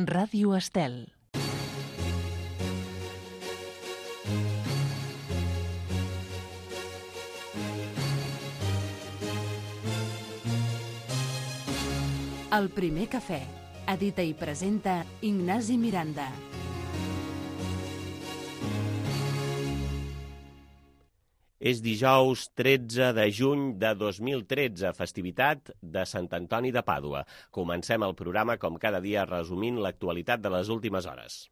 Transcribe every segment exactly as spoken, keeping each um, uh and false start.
Ràdio Estel. El primer cafè. Edita i presenta Ignasi Miranda. És dijous tretze de juny de dos mil tretze, festivitat de Sant Antoni de Pàdua. Comencem el programa, com cada dia, resumint l'actualitat de les últimes hores.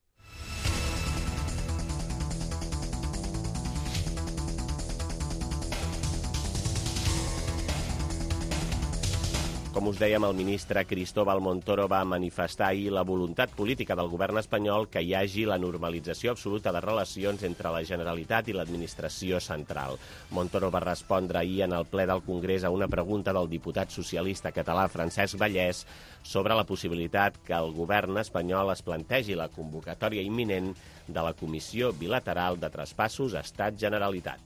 Com us dèiem, el ministre Cristóbal Montoro va manifestar ahir la voluntat política del govern espanyol que hi hagi la normalització absoluta de relacions entre la Generalitat i l'administració central. Montoro va respondre ahir en el ple del Congrés a una pregunta del diputat socialista català Francesc Vallès sobre la possibilitat que el govern espanyol es plantegi la convocatòria imminent de la Comissió Bilateral de Traspassos Estat-Generalitat.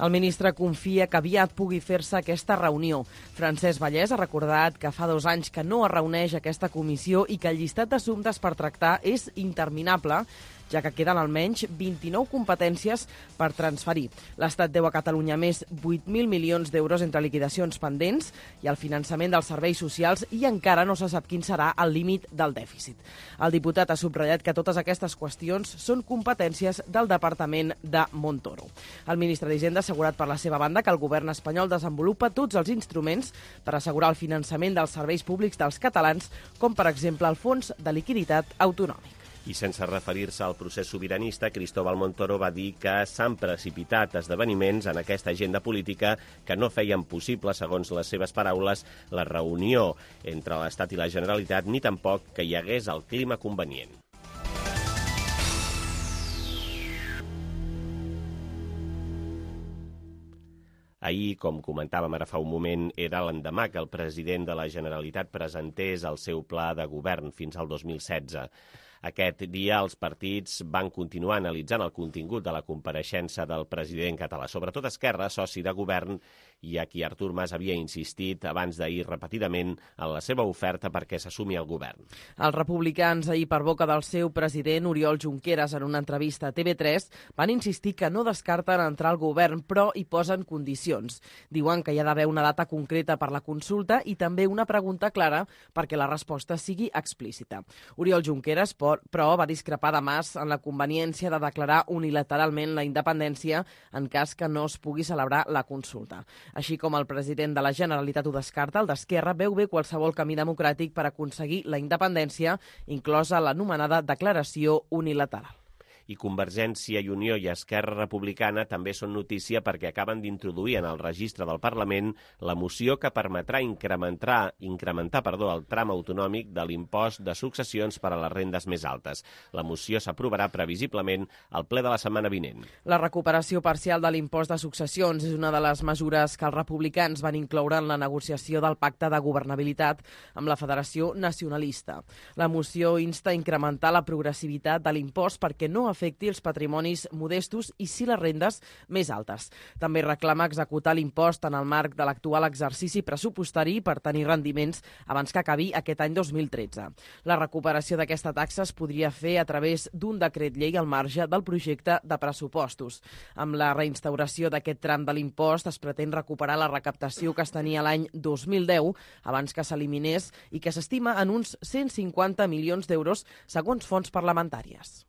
El ministre confia que aviat pugui fer-se aquesta reunió. Francesc Vallès ha recordat que fa dos anys que no es reuneix aquesta comissió i que el llistat d'assumptes per tractar és interminable, ja que queden almenys vint-i-nou competències per transferir. L'Estat deu a Catalunya més vuit mil milions d'euros entre liquidacions pendents i el finançament dels serveis socials i encara no se sap quin serà el límit del dèficit. El diputat ha subratllat que totes aquestes qüestions són competències del Departament de Montoro. El ministre d'Hisenda ha assegurat per la seva banda que el govern espanyol desenvolupa tots els instruments per assegurar el finançament dels serveis públics dels catalans, com per exemple el Fons de Liquiditat Autonòmic. I sense referir-se al procés sobiranista, Cristóbal Montoro va dir que s'han precipitat esdeveniments en aquesta agenda política que no feien possible, segons les seves paraules, la reunió entre l'Estat i la Generalitat, ni tampoc que hi hagués el clima convenient. Ahir, com comentàvem ara fa un moment, era l'endemà que el president de la Generalitat presentés el seu pla de govern fins al dos mil setze. Aquest dia els partits van continuar analitzant el contingut de la compareixença del president català, sobretot Esquerra, soci de govern, i a qui Artur Mas havia insistit abans d'ahir repetidament en la seva oferta perquè s'assumi el govern. Els republicans, ahir per boca del seu president Oriol Junqueras, en una entrevista a T V tres, van insistir que no descarten entrar al govern, però hi posen condicions. Diuen que hi ha d'haver una data concreta per la consulta i també una pregunta clara perquè la resposta sigui explícita. Oriol Junqueras, però, va discrepar de Mas en la conveniència de declarar unilateralment la independència en cas que no es pugui celebrar la consulta. Així com el president de la Generalitat ho descarta, el d'Esquerra veu bé qualsevol camí democràtic per aconseguir la independència, inclosa l'anomenada declaració unilateral. I Convergència i Unió i Esquerra Republicana també són notícia perquè acaben d'introduir en el registre del Parlament la moció que permetrà incrementar, incrementar perdó, el tram autonòmic de l'impost de successions per a les rendes més altes. La moció s'aprovarà previsiblement al ple de la setmana vinent. La recuperació parcial de l'impost de successions és una de les mesures que els republicans van incloure en la negociació del pacte de governabilitat amb la Federació Nacionalista. La moció insta a incrementar la progressivitat de l'impost perquè no afecti els patrimonis modestos i sí les rendes més altes. També reclama executar l'impost en el marc de l'actual exercici pressupostari per tenir rendiments abans que acabi aquest any dos mil tretze. La recuperació d'aquesta taxa es podria fer a través d'un decret llei al marge del projecte de pressupostos. Amb la reinstauració d'aquest tram de l'impost es pretén recuperar la recaptació que es tenia l'any dos mil deu, abans que s'eliminés, i que s'estima en uns cent cinquanta milions d'euros segons fonts parlamentàries.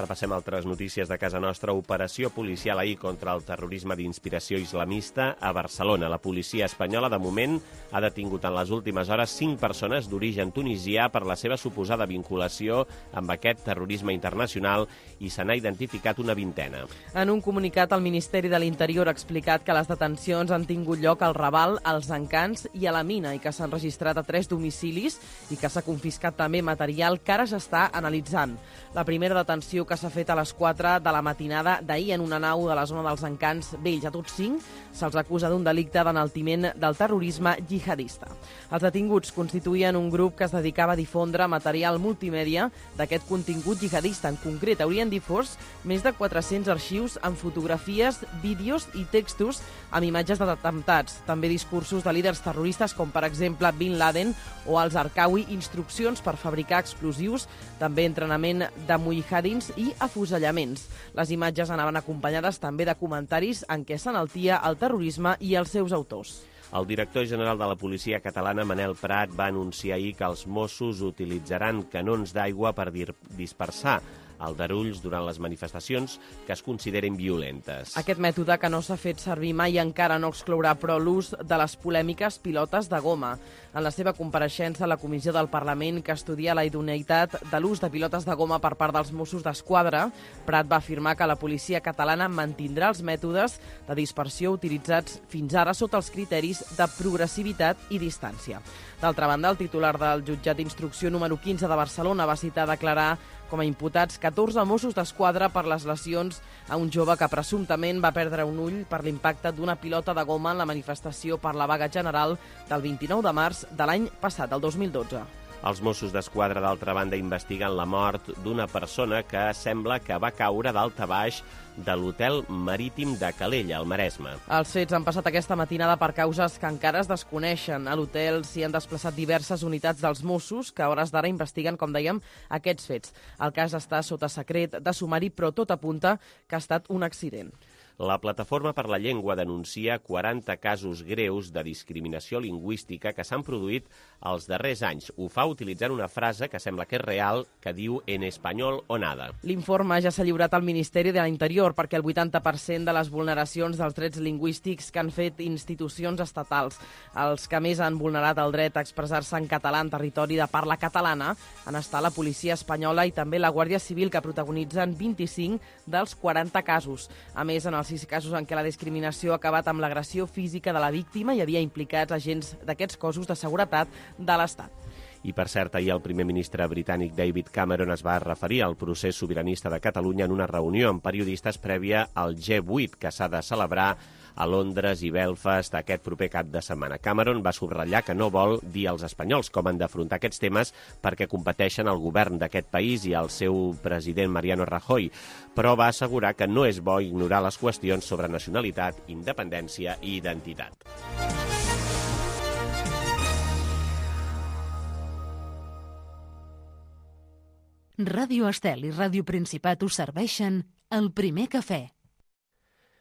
Repassem altres notícies de casa nostra. Operació policial ahir contra el terrorisme d'inspiració islamista a Barcelona. La policia espanyola, de moment, ha detingut en les últimes hores cinc persones d'origen tunisià per la seva suposada vinculació amb aquest terrorisme internacional i se n'ha identificat una vintena. En un comunicat, el Ministeri de l'Interior ha explicat que les detencions han tingut lloc al Raval, als Encants i a la Mina i que s'han registrat a tres domicilis i que s'ha confiscat també material que ara s'està analitzant. La primera detenció que s'ha fet a les quatre de la matinada d'ahir en una nau de la zona dels Encants Vells. A tots cinc Se'ls acusa d'un delicte d'enaltiment del terrorisme jihadista. Els detinguts constituïen un grup que es dedicava a difondre material multimèdia d'aquest contingut jihadista. En concret, haurien difós més de quatre-cents arxius amb fotografies, vídeos i textos amb imatges d'atemptats. També discursos de líders terroristes com, per exemple, Bin Laden o els Arkawi, instruccions per fabricar explosius, també entrenament de mujahidins i afusellaments. Les imatges anaven acompanyades també de comentaris en què s'enaltia el terrorisme i els seus autors. El director general de la policia catalana, Manel Prat, va anunciar ahir que els Mossos utilitzaran canons d'aigua per dispersar aldarulls durant les manifestacions que es consideren violentes. Aquest mètode, que no s'ha fet servir mai, encara no exclourà, però, l'ús de les polèmiques pilotes de goma. En la seva compareixença a la Comissió del Parlament que estudia la idoneïtat de l'ús de pilotes de goma per part dels Mossos d'Esquadra, Prat va afirmar que la policia catalana mantindrà els mètodes de dispersió utilitzats fins ara sota els criteris de progressivitat i distància. D'altra banda, el titular del jutjat d'instrucció número quinze de Barcelona va citar a declarar com a imputats catorze Mossos d'Esquadra per les lesions a un jove que presumptament va perdre un ull per l'impacte d'una pilota de goma en la manifestació per la vaga general del vint-i-nou de març de l'any passat, el dos mil dotze. Els Mossos d'Esquadra, d'altra banda, investiguen la mort d'una persona que sembla que va caure dalt a baix de l'hotel marítim de Calella, al Maresme. Els fets han passat aquesta matinada per causes que encara es desconeixen. A l'hotel s'hi han desplaçat diverses unitats dels Mossos que a hores d'ara investiguen, com dèiem, aquests fets. El cas està sota secret de sumari, però tot apunta que ha estat un accident. La Plataforma per la Llengua denuncia quaranta casos greus de discriminació lingüística que s'han produït els darrers anys. Ho fa utilitzant una frase que sembla que és real, que diu «en espanyol o nada». L'informe ja s'ha lliurat al Ministeri de l'Interior perquè el vuitanta per cent de les vulneracions dels drets lingüístics que han fet institucions estatals, els que més han vulnerat el dret a expressar-se en català en territori de parla catalana, han estat la policia espanyola i també la Guàrdia Civil, que protagonitzen vint-i-cinc dels quaranta casos. A més, en els sis casos en què la discriminació ha acabat amb l'agressió física de la víctima, hi havia implicats agents d'aquests cossos de seguretat de l'Estat. I, per cert, ahir el primer ministre britànic David Cameron es va referir al procés sobiranista de Catalunya en una reunió amb periodistes prèvia al G vuit, que s'ha de celebrar a Londres i Belfast aquest proper cap de setmana. Cameron va subratllar que no vol dir als espanyols com han d'afrontar aquests temes perquè competeixen el govern d'aquest país i el seu president Mariano Rajoy, però va assegurar que no és bo ignorar les qüestions sobre nacionalitat, independència i identitat. Ràdio Estel i Ràdio Principat us serveixen el primer cafè.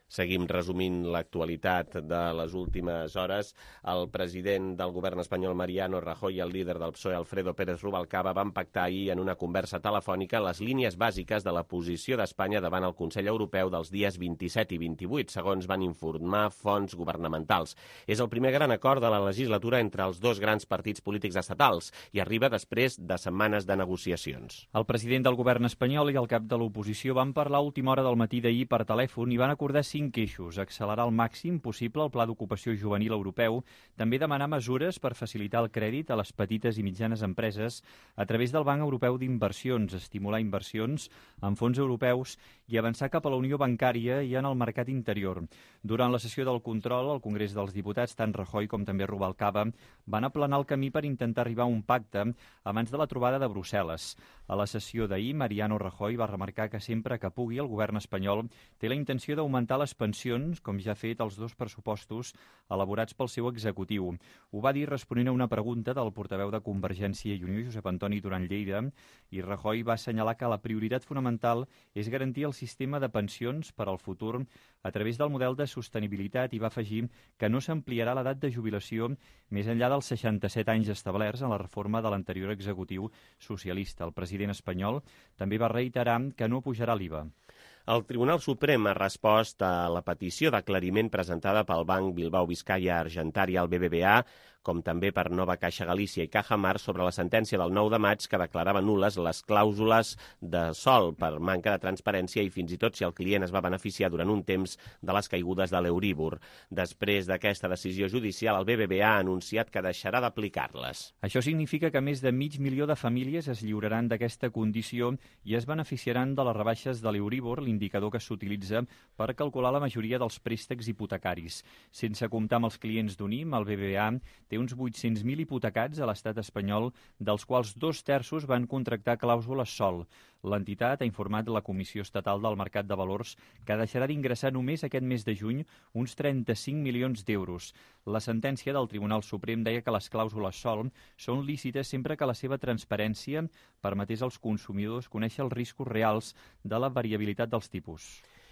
Seguim resumint l'actualitat de les últimes hores. El president del govern espanyol, Mariano Rajoy, i el líder del P S O E, Alfredo Pérez Rubalcaba, van pactar ahir en una conversa telefònica les línies bàsiques de la posició d'Espanya davant el Consell Europeu dels dies vint-i-set i vint-i-vuit, segons van informar fonts governamentals. És el primer gran acord de la legislatura entre els dos grans partits polítics estatals i arriba després de setmanes de negociacions. El president del govern espanyol i el cap de l'oposició van parlar a última hora del matí d'ahir per telèfon i van acordar cinc eixos: accelerar al màxim possible el Pla d'Ocupació Juvenil Europeu, també demanar mesures per facilitar el crèdit a les petites i mitjanes empreses a través del Banc Europeu d'Inversions, estimular inversions en fons europeus i avançar cap a la Unió Bancària i en el mercat interior. Durant la sessió del control al Congrés dels Diputats, tant Rajoy com també Rubalcaba van aplanar el camí per intentar arribar a un pacte abans de la trobada de Brussel·les. A la sessió d'ahir, Mariano Rajoy va remarcar que sempre que pugui el govern espanyol té la intenció d'augmentar les pensions, com ja ha fet els dos pressupostos elaborats pel seu executiu. Ho va dir responent a una pregunta del portaveu de Convergència i Unió, Josep Antoni Duran Lleida, i Rajoy va assenyalar que la prioritat fonamental és garantir el sistema de pensions per al futur a través del model de sostenibilitat i va afegir que no s'ampliarà l'edat de jubilació més enllà dels seixanta-set anys establerts en la reforma de l'anterior executiu socialista. El president espanyol també va reiterar que no pujarà l'I V A. El Tribunal Suprem ha respost a la petició d'aclariment presentada pel Banc Bilbao Vizcaya Argentària al B B V A com també per Nova Caixa Galícia i Cajamar, sobre la sentència del nou de maig que declarava nul·les les clàusules de sòl per manca de transparència i fins i tot si el client es va beneficiar durant un temps de les caigudes de l'Euríbor. Després d'aquesta decisió judicial, el B B V A ha anunciat que deixarà d'aplicar-les. Això significa que més de mig milió de famílies es lliuraran d'aquesta condició i es beneficiaran de les rebaixes de l'Euríbor, l'indicador que s'utilitza per calcular la majoria dels préstecs hipotecaris. Sense comptar amb els clients d'U N I M, el B B V A té uns vuit-cents mil hipotecats a l'estat espanyol, dels quals dos terços van contractar clàusules sòl. L'entitat ha informat la Comissió Estatal del Mercat de Valors que deixarà d'ingressar només aquest mes de juny uns trenta-cinc milions d'euros. La sentència del Tribunal Suprem deia que les clàusules sòl són lícites sempre que la seva transparència permetés als consumidors conèixer els riscos reals de la variabilitat dels tipus.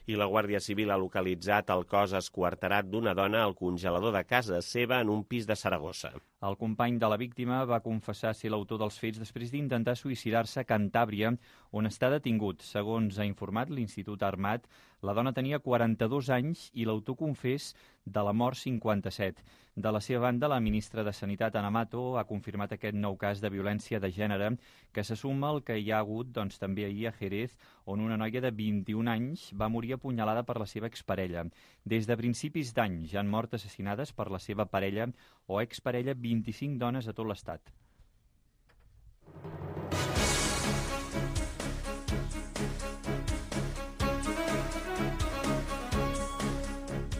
I la Guàrdia Civil ha localitzat el cos esquarterat d'una dona al congelador de casa seva en un pis de Saragossa. El company de la víctima va confessar ser l'autor dels fets després d'intentar suïcidar-se a Cantàbria, on està detingut. Segons ha informat l'Institut Armat, la dona tenia quaranta-dos anys i l'autor confés de la mort cinquanta-set. De la seva banda, la ministra de Sanitat, Ana Mato, ha confirmat aquest nou cas de violència de gènere que se suma al que hi ha hagut doncs, també ahir a Jerez, on una noia de vint-i-un anys va morir apunyalada per la seva exparella. Des de principis d'any ja han mort assassinades per la seva parella o exparella vint-i-cinc dones a tot l'estat.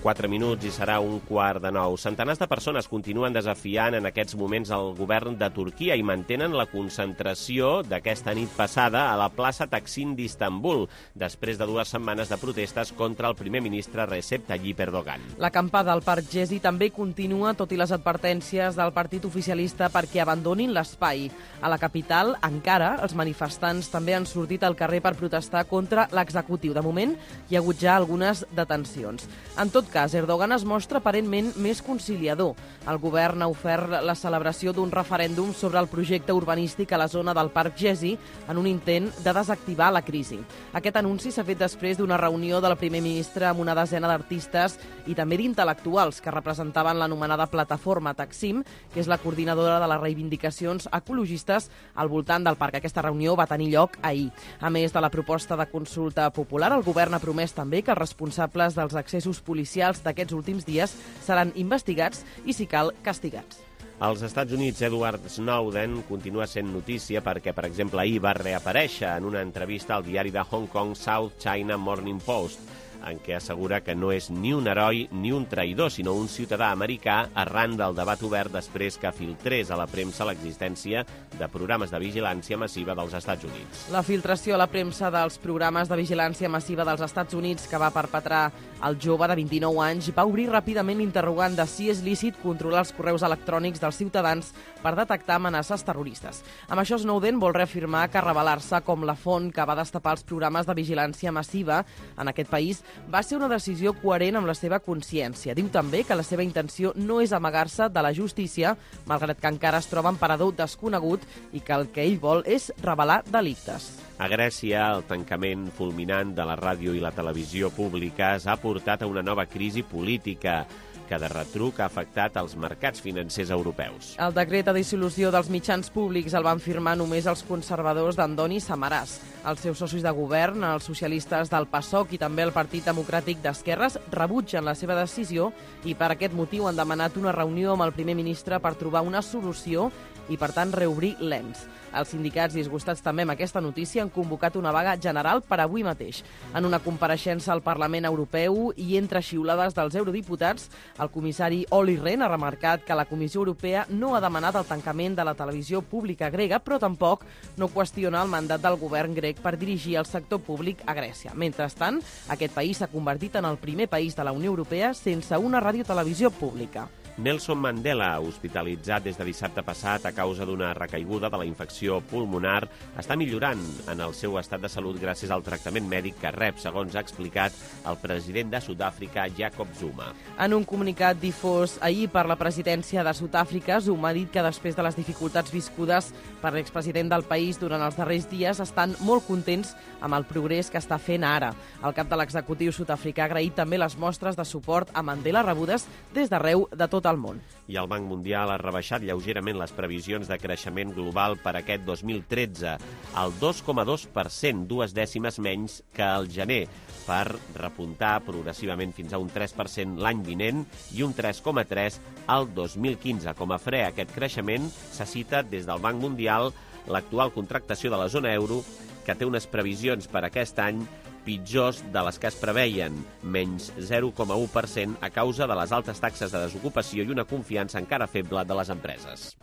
Quatre minuts i serà un quart de nou. Centenars de persones continuen desafiant en aquests moments el govern de Turquia i mantenen la concentració d'aquesta nit passada a la plaça Taksim d'Istanbul, després de dues setmanes de protestes contra el primer ministre Recep Tayyip Erdogan. L'acampada al Parc Gezi també continua, tot i les advertències del partit oficialista perquè abandonin l'espai. A la capital, encara, els manifestants també han sortit al carrer per protestar contra l'executiu. De moment, hi ha hagut ja algunes detencions. En tot cas, Erdogan es mostra aparentment més conciliador. El govern ha ofert la celebració d'un referèndum sobre el projecte urbanístic a la zona del Parc Gezi en un intent de desactivar la crisi. Aquest anunci s'ha fet després d'una reunió del primer ministre amb una desena d'artistes i també d'intel·lectuals que representaven l'anomenada plataforma Taksim, que és la coordinadora de les reivindicacions ecologistes al voltant del parc. Aquesta reunió va tenir lloc ahir. A més de la proposta de consulta popular, el govern ha promès també que els responsables dels accessos policials d'aquests últims dies seran investigats i, si cal, castigats. Als Estats Units, Edward Snowden continua sent notícia perquè, per exemple, ahir va reaparèixer en una entrevista al diari de Hong Kong South China Morning Post, en què assegura que no és ni un heroi ni un traïdor, sinó un ciutadà americà arran del debat obert després que filtrés a la premsa l'existència de programes de vigilància massiva dels Estats Units. La filtració a la premsa dels programes de vigilància massiva dels Estats Units que va perpetrar el jove de vint-i-nou anys va obrir ràpidament l'interrogant de si és lícit controlar els correus electrònics dels ciutadans per detectar amenaces terroristes. Amb això, Snowden vol reafirmar que revelar-se com la font que va destapar els programes de vigilància massiva en aquest país va ser una decisió coherent amb la seva consciència. Diu també que la seva intenció no és amagar-se de la justícia, malgrat que encara es troba en parador desconegut i que el que ell vol és revelar delictes. A Grècia, el tancament fulminant de la ràdio i la televisió públiques ha portat a una nova crisi política que de retruc ha afectat els mercats financers europeus. El decret de dissolució dels mitjans públics el van firmar només els conservadors d'Andoni Samaràs. Els seus socis de govern, els socialistes del PASOK i també el Partit Democràtic d'Esquerres, rebutgen la seva decisió i per aquest motiu han demanat una reunió amb el primer ministre per trobar una solució i, per tant, reobrir l'ens. Els sindicats, disgustats també amb aquesta notícia, han convocat una vaga general per avui mateix. En una compareixença al Parlament Europeu i entre xiulades dels eurodiputats, el comissari Olli Rehn ha remarcat que la Comissió Europea no ha demanat el tancament de la televisió pública grega, però tampoc no qüestiona el mandat del govern grec per dirigir el sector públic a Grècia. Mentrestant, aquest país s'ha convertit en el primer país de la Unió Europea sense una radiotelevisió pública. Nelson Mandela, hospitalitzat des de dissabte passat a causa d'una recaiguda de la infecció pulmonar, està millorant en el seu estat de salut gràcies al tractament mèdic que rep, segons ha explicat el president de Sud-àfrica, Jacob Zuma. En un comunicat difós ahir per la presidència de Sud-àfrica, Zuma ha dit que després de les dificultats viscudes per l'expresident del país durant els darrers dies estan molt contents amb el progrés que està fent ara. El cap de l'executiu sud-africà ha agraït també les mostres de suport a Mandela rebudes des d'arreu de tot el món. I el Banc Mundial ha rebaixat lleugerament les previsions de creixement global per aquest dos mil tretze, al dos coma dos per cent, dues dècimes menys que al gener, per repuntar progressivament fins a un tres per cent l'any vinent i un tres coma tres al dos mil quinze. Com a fre a aquest creixement, se cita des del Banc Mundial l'actual contractació de la zona euro, que té unes previsions per aquest any pitjors de les que es preveien, menys zero coma u per cent a causa de les altes taxes de desocupació i una confiança encara feble de les empreses.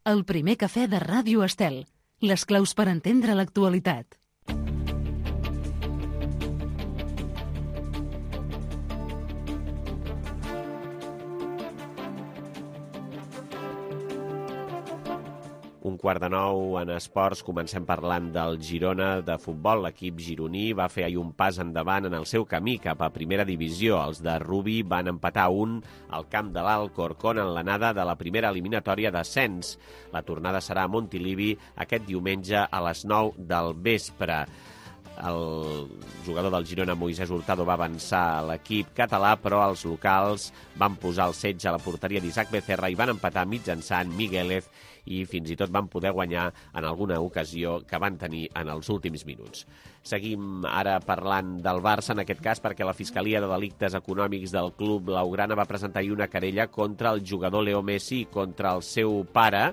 El primer cafè de Ràdio Estel. Les claus per entendre l'actualitat. Un quart de nou en esports, comencem parlant del Girona de futbol. L'equip gironí va fer ahir un pas endavant en el seu camí cap a primera divisió. Els de Rubi van empatar un al camp de l'Alcorcón en l'anada de la primera eliminatòria d'ascens. La tornada serà a Montilivi aquest diumenge a les nou del vespre. El jugador del Girona, Moisés Hurtado, va avançar a l'equip català, però els locals van posar el setge a la porteria d'Isaac Becerra i van empatar mitjançant Miguelez i fins i tot van poder guanyar en alguna ocasió que van tenir en els últims minuts. Seguim ara parlant del Barça, en aquest cas perquè la Fiscalia de Delictes Econòmics del club blaugrana va presentar ahir una querella contra el jugador Leo Messi i contra el seu pare,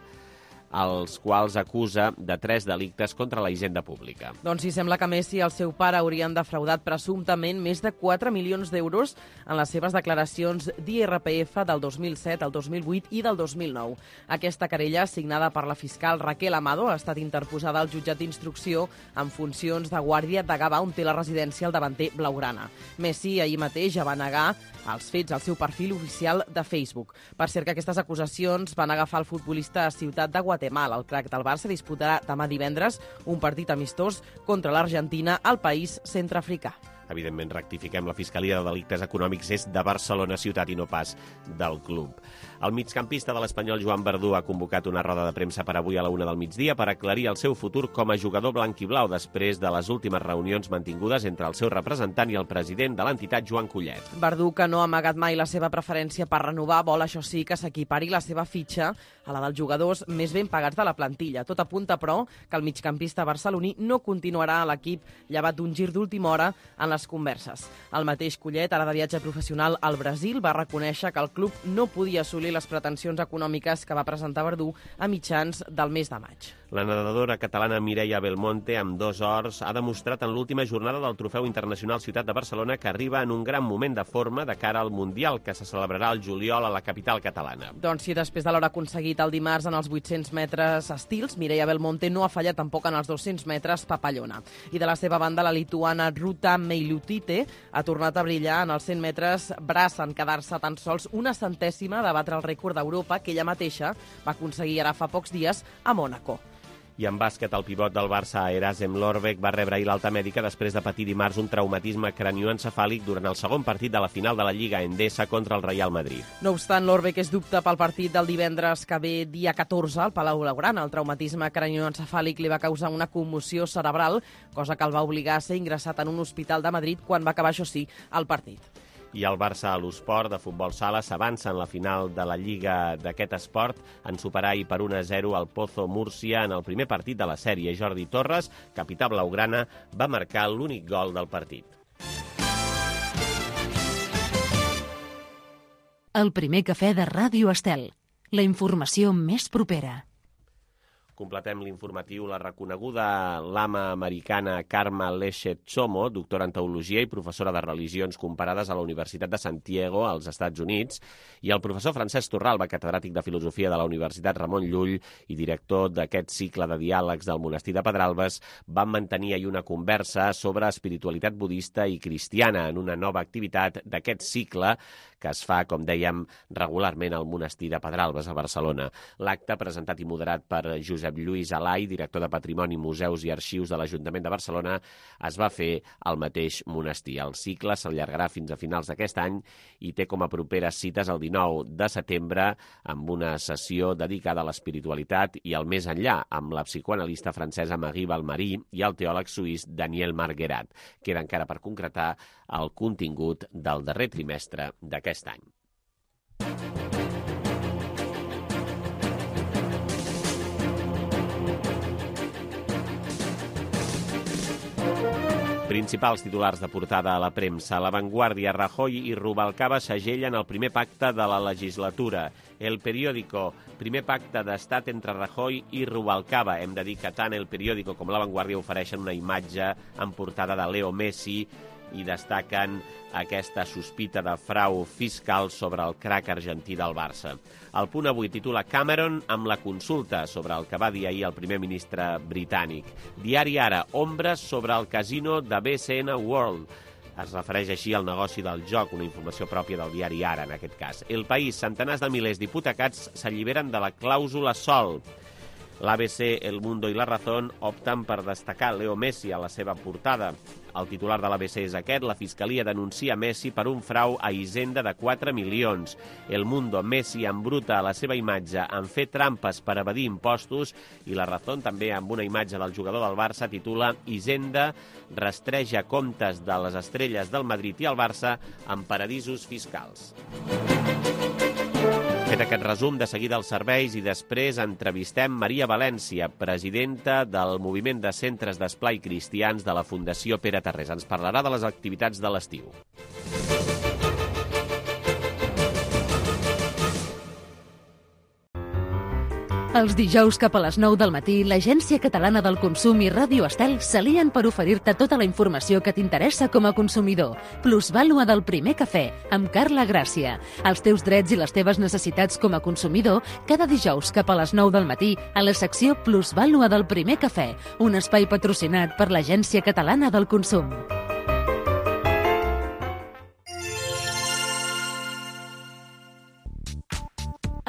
els quals acusa de tres delictes contra la hisenda pública. Doncs sí, sembla que Messi i el seu pare haurien defraudat presumptament més de quatre milions d'euros en les seves declaracions d'I R P F del dos mil set, el dos mil vuit i del dos mil nou. Aquesta querella, signada per la fiscal Raquel Amado, ha estat interposada al jutjat d'instrucció en funcions de guàrdia de Gavà, on té la residència el davanter blaugrana. Messi ahir mateix ja va negar els fets al seu perfil oficial de Facebook. Per cert que aquestes acusacions van agafar el futbolista a Ciutat de Guatemala. El crac del Barça disputarà demà divendres un partit amistós contra l'Argentina al país centreafricà. Evidentment, rectifiquem, la Fiscalia de Delictes Econòmics és de Barcelona ciutat i no pas del club. El migcampista de l'Espanyol, Joan Verdú, ha convocat una roda de premsa per avui a la una del migdia per aclarir el seu futur com a jugador blanc-i-blau després de les últimes reunions mantingudes entre el seu representant i el president de l'entitat, Joan Collet. Verdú, que no ha amagat mai la seva preferència per renovar, vol, això sí, que s'equipari la seva fitxa a la dels jugadors més ben pagats de la plantilla. Tot apunta, però, que el migcampista barceloní no continuarà a l'equip llevat d'un gir d'última hora en les converses. El mateix Collet, ara de viatge professional al Brasil, va reconèixer que el club no podia assolir les pretensions econòmiques que va presentar Verdú a mitjans del mes de maig. La nedadora catalana Mireia Belmonte, amb dos ors, ha demostrat en l'última jornada del Trofeu Internacional Ciutat de Barcelona que arriba en un gran moment de forma de cara al Mundial, que se celebrarà el juliol a la capital catalana. Doncs sí, després de l'hora aconseguit el dimarts en els vuit-cents metres estils, Mireia Belmonte no ha fallat tampoc en els dos-cents metres papallona. I de la seva banda, la lituana Ruta Meilutite ha tornat a brillar en els cent metres braç, en quedar-se tan sols una centèsima de batre el rècord d'Europa que ella mateixa va aconseguir ara fa pocs dies a Mònaco. I en bàsquet, el pivot del Barça, Erasem Lorbeck, va rebre ahir l'alta mèdica després de patir dimarts un traumatisme cranioencefàlic durant el segon partit de la final de la Lliga Endesa contra el Real Madrid. No obstant, Lorbeck és dubte pel partit del divendres que ve dia catorze al Palau Blaugrana. El traumatisme cranioencefàlic li va causar una commoció cerebral, cosa que el va obligar a ser ingressat en un hospital de Madrid quan va acabar, això sí, el partit. I el Barça a l'Esport de futbol sala s'avança en la final de la Lliga d'aquest esport en superar i per un a zero el Pozo Múrcia en el primer partit de la sèrie. Jordi Torres, capità blaugrana, va marcar l'únic gol del partit. El primer cafè de Ràdio Estel. La informació més propera. Completem l'informatiu. La reconeguda lama americana Karma Leshe Tsomo, doctora en teologia i professora de religions comparades a la Universitat de Santiago, als Estats Units, i el professor Francesc Torralba, catedràtic de filosofia de la Universitat Ramon Llull i director d'aquest cicle de diàlegs del monestir de Pedralbes, van mantenir ahir una conversa sobre espiritualitat budista i cristiana en una nova activitat d'aquest cicle que es fa, com dèiem, regularment al monestir de Pedralbes, a Barcelona. L'acte, presentat i moderat per Josep Josep Lluís Alai, director de Patrimoni, Museus i Arxius de l'Ajuntament de Barcelona, es va fer al mateix monestir. El cicle s'allargarà fins a finals d'aquest any i té com a properes cites el dinou de setembre amb una sessió dedicada a l'espiritualitat i al més enllà, amb la psicoanalista francesa Marie Valmarí i el teòleg suís Daniel Marguerat. Queda encara per concretar el contingut del darrer trimestre d'aquest any. Principals titulars de portada a la premsa. La Vanguardia, Rajoy i Rubalcaba segellen el primer pacte de la legislatura. El Periódico, primer pacte d'estat entre Rajoy i Rubalcaba. Hem de dir que tant El Periódico com La Vanguardia ofereixen una imatge en portada de Leo Messi i destaquen aquesta sospita de frau fiscal sobre el crac argentí del Barça. El Punt Avui titula Cameron amb la consulta sobre el que va dir ahir el primer ministre britànic. Diari Ara, ombres sobre el casino de B C N World. Es refereix així al negoci del joc, una informació pròpia del diari Ara, en aquest cas. El País, centenars de milers d'hipotecats s'alliberen de la clàusula Sol. L'A B C, El Mundo i La Razón opten per destacar Leo Messi a la seva portada. El titular de l'A B C és aquest: la Fiscalia denuncia Messi per un frau a Hisenda de quatre milions. El Mundo, Messi embruta a la seva imatge en fer trampes per evadir impostos, i La Razón, també amb una imatge del jugador del Barça, titula Hisenda rastreja comptes de les estrelles del Madrid i el Barça en paradisos fiscals. Fet aquest resum, de seguida els serveis i després entrevistem Maria València, presidenta del Moviment de Centres d'Esplai Cristians de la Fundació Pere Tarrés. Ens parlarà de les activitats de l'estiu. Els dijous cap a les nou del matí, l'Agència Catalana del Consum i Ràdio Estel s'alien per oferir-te tota la informació que t'interessa com a consumidor. Plusvàlua del primer cafè, amb Carla Gràcia. Els teus drets i les teves necessitats com a consumidor, cada dijous cap a les nou del matí, a la secció Plusvàlua del primer cafè, un espai patrocinat per l'Agència Catalana del Consum.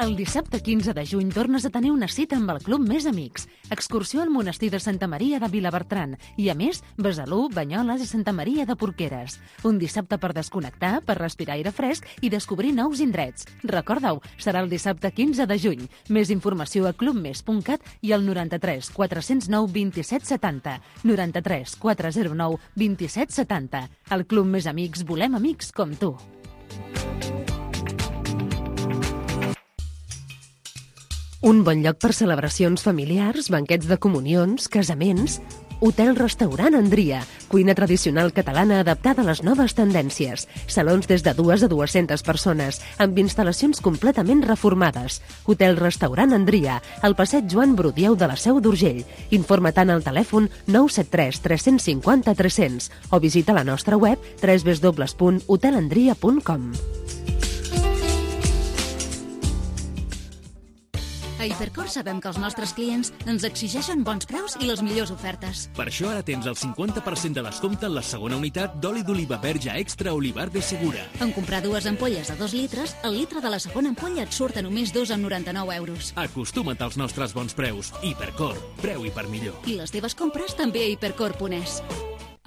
El dissabte quinze de juny tornes a tenir una cita amb el Club Més Amics. Excursió al monestir de Santa Maria de Vilabertran i, a més, Besalú, Banyoles i Santa Maria de Porqueres. Un dissabte per desconnectar, per respirar aire fresc i descobrir nous indrets. Recorda-ho, serà el dissabte quinze de juny. Més informació a club mes punt cat i al noranta-tres quatre zero nou vint-i-set setanta. noranta-tres quatre zero nou vint-i-set setanta. Al Club Més Amics volem amics com tu. Un bon lloc per celebracions familiars, banquets de comunions, casaments. Hotel-restaurant Andria, cuina tradicional catalana adaptada a les noves tendències. Salons des de dues a dues-centes persones, amb instal·lacions completament reformades. Hotel-restaurant Andria, al passeig Joan Brudieu de la Seu d'Urgell. Informa-te'n al telèfon nou set tres tres cinc zero tres zero zero o visita la nostra web w w w punt hotel andria punt com. A Hipercor sabem que els nostres clients ens exigeixen bons preus i les millors ofertes. Per això ara tens el cinquanta per cent de descompte en la segona unitat d'oli d'oliva verge extra Olivar de Segura. En comprar dues ampolles de dos litres, el litre de la segona ampolla et surt a només dos coma noranta-nou euros. Acostuma't als nostres bons preus. Hipercor, preu i per millor. I les teves compres també a hipercor punt es.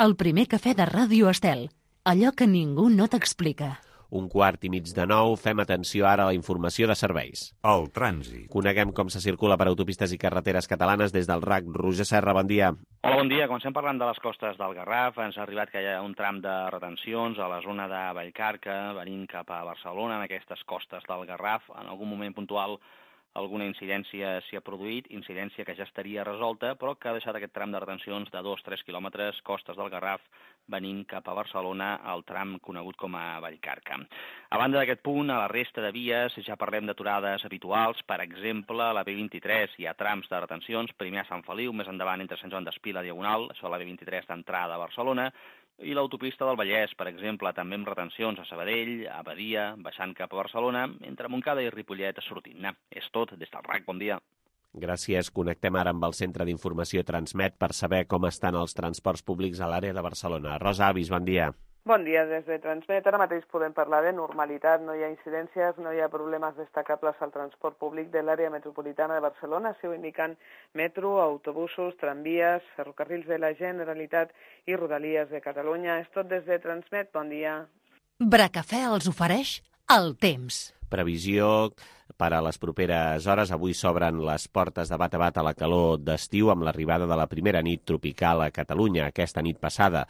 El primer cafè de Ràdio Estel. Allò que ningú no t'explica. Un quart i mig de nou, fem atenció ara a la informació de serveis. El trànsit. Coneguem com se circula per autopistes i carreteres catalanes des del R A C. Roger Serra, bon dia. Hola, bon dia. Comencem parlant de les costes del Garraf. Ens ha arribat que hi ha un tram de retencions a la zona de Vallcarca, venint cap a Barcelona, en aquestes costes del Garraf. En algun moment puntual alguna incidència s'hi ha produït, incidència que ja estaria resolta, però que ha deixat aquest tram de retencions de dos a tres quilòmetres, costes del Garraf, venint cap a Barcelona, al tram conegut com a Vallcarca. A banda d'aquest punt, a la resta de vies ja parlem d'aturades habituals. Per exemple, a la B vint-i-tres hi ha trams de retencions, primer a Sant Feliu, més endavant entre Sant Joan d'Espí i la Diagonal, això a la B vint-i-tres d'entrada a Barcelona, i l'autopista del Vallès, per exemple, també amb retencions a Sabadell, a Badia, baixant cap a Barcelona, entre Montcada i Ripollet sortint-ne. És tot des del R A C. Bon dia. Gràcies. Connectem ara amb el Centre d'Informació Transmet per saber com estan els transports públics a l'àrea de Barcelona. Rosa Avis, bon dia. Bon dia, des de Transmet. Ara mateix podem parlar de normalitat, no hi ha incidències, no hi ha problemes destacables al transport públic de l'àrea metropolitana de Barcelona, s'ho indiquen metro, autobusos, tramvies, ferrocarrils de la Generalitat i Rodalies de Catalunya. És tot des de Transmet, bon dia. Bracafè els ofereix el temps. Previsió per a les properes hores. Avui s'obren les portes de bat a bat a la calor d'estiu amb l'arribada de la primera nit tropical a Catalunya aquesta nit passada.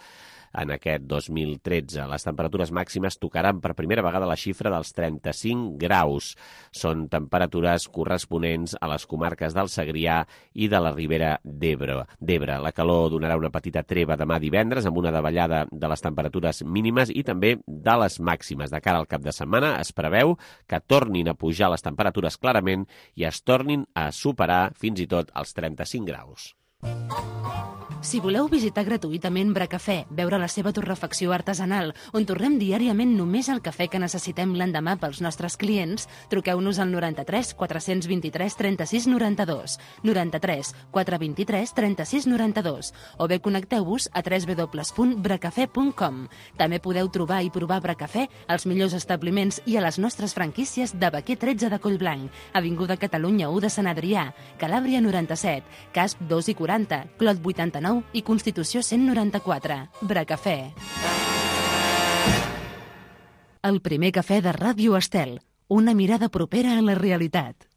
En aquest dos mil tretze. Les temperatures màximes tocaran per primera vegada la xifra dels trenta-cinc graus. Són temperatures corresponents a les comarques del Segrià i de la Ribera d'Ebre. La calor donarà una petita treva demà divendres amb una davallada de les temperatures mínimes i també de les màximes. De cara al cap de setmana es preveu que tornin a pujar les temperatures clarament i es tornin a superar fins i tot els trenta-cinc graus. Si voleu visitar gratuïtament Bracafè, veure la seva torrefacció artesanal, on torrem diàriament només el cafè que necessitem l'endemà pels nostres clients, truqueu-nos al noranta-tres quatre vint-i-tres trenta-sis noranta-dos, noranta-tres quatre vint-i-tres trenta-sis noranta-dos, o bé connecteu-vos a w w w punt bracafè punt com. També podeu trobar i provar Bracafè als millors establiments i a les nostres franquícies de Baquer tretze de Collblanc, Avinguda Catalunya u de Sant Adrià, Calàbria noranta-set, Casp dos i quaranta, Clot vuitanta-nou i Constitució cent noranta-quatre. Bracafè. El primer cafè de Ràdio Estel. Una mirada propera a la realitat.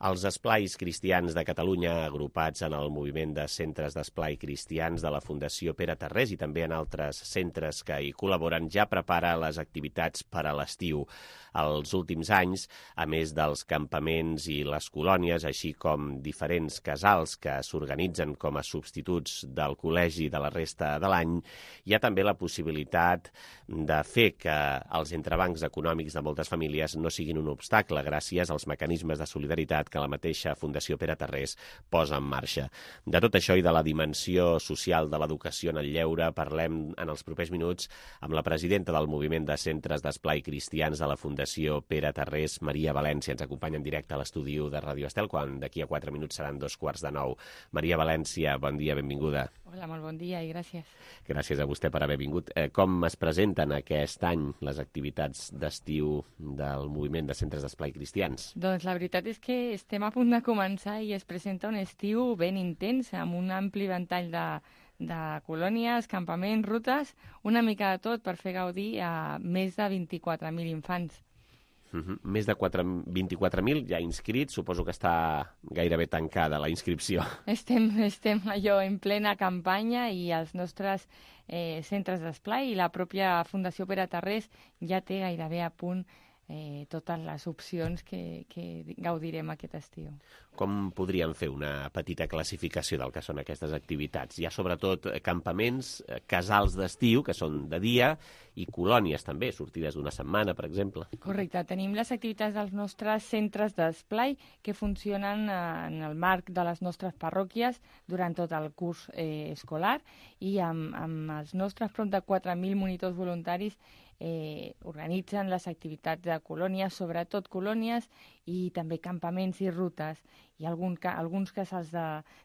Els esplais cristians de Catalunya, agrupats en el moviment de centres d'esplai cristians de la Fundació Pere Tarrés i també en altres centres que hi col·laboren, ja prepara les activitats per a l'estiu. Els últims anys, a més dels campaments i les colònies, així com diferents casals que s'organitzen com a substituts del col·legi de la resta de l'any, hi ha també la possibilitat de fer que els entrebancs econòmics de moltes famílies no siguin un obstacle gràcies als mecanismes de solidaritat que la mateixa Fundació Pere Tarrés posa en marxa. De tot això i de la dimensió social de l'educació en el lleure parlem en els propers minuts amb la presidenta del moviment de centres d'esplai cristians de la Fundació Pere Tarrés, Maria València. Ens acompanya en directe a l'estudi de Ràdio Estel, quan d'aquí a quatre minuts seran dos quarts de nou. Maria València, bon dia, benvinguda. Hola, molt bon dia i gràcies. Gràcies a vostè per haver vingut. Eh, com es presenten aquest any les activitats d'estiu del moviment de centres d'esplai cristians? Doncs la veritat és que estem a punt de començar i es presenta un estiu ben intens, amb un ampli ventall de, de colònies, campaments, rutes, una mica de tot per fer gaudir a més de vint-i-quatre mil infants. Uh -huh. Més de vint-i-quatre mil ja inscrits, suposo que està gairebé tancada la inscripció. Estem, estem allò en plena campanya i els nostres eh, centres d'esplai i la pròpia Fundació Pere Tarrés ja té gairebé a punt eh, totes les opcions que, que gaudirem aquest estiu. Com podríem fer una petita classificació del que són aquestes activitats? Hi ha sobretot campaments, casals d'estiu, que són de dia, i colònies també, sortides d'una setmana, per exemple. Correcte. Tenim les activitats dels nostres centres d'esplai que funcionen en el marc de les nostres parròquies durant tot el curs eh, escolar i amb, amb els nostres prop de quatre mil monitors voluntaris eh, organitzen les activitats de colònies, sobretot colònies i també campaments i rutes. Hi ha algun, alguns casals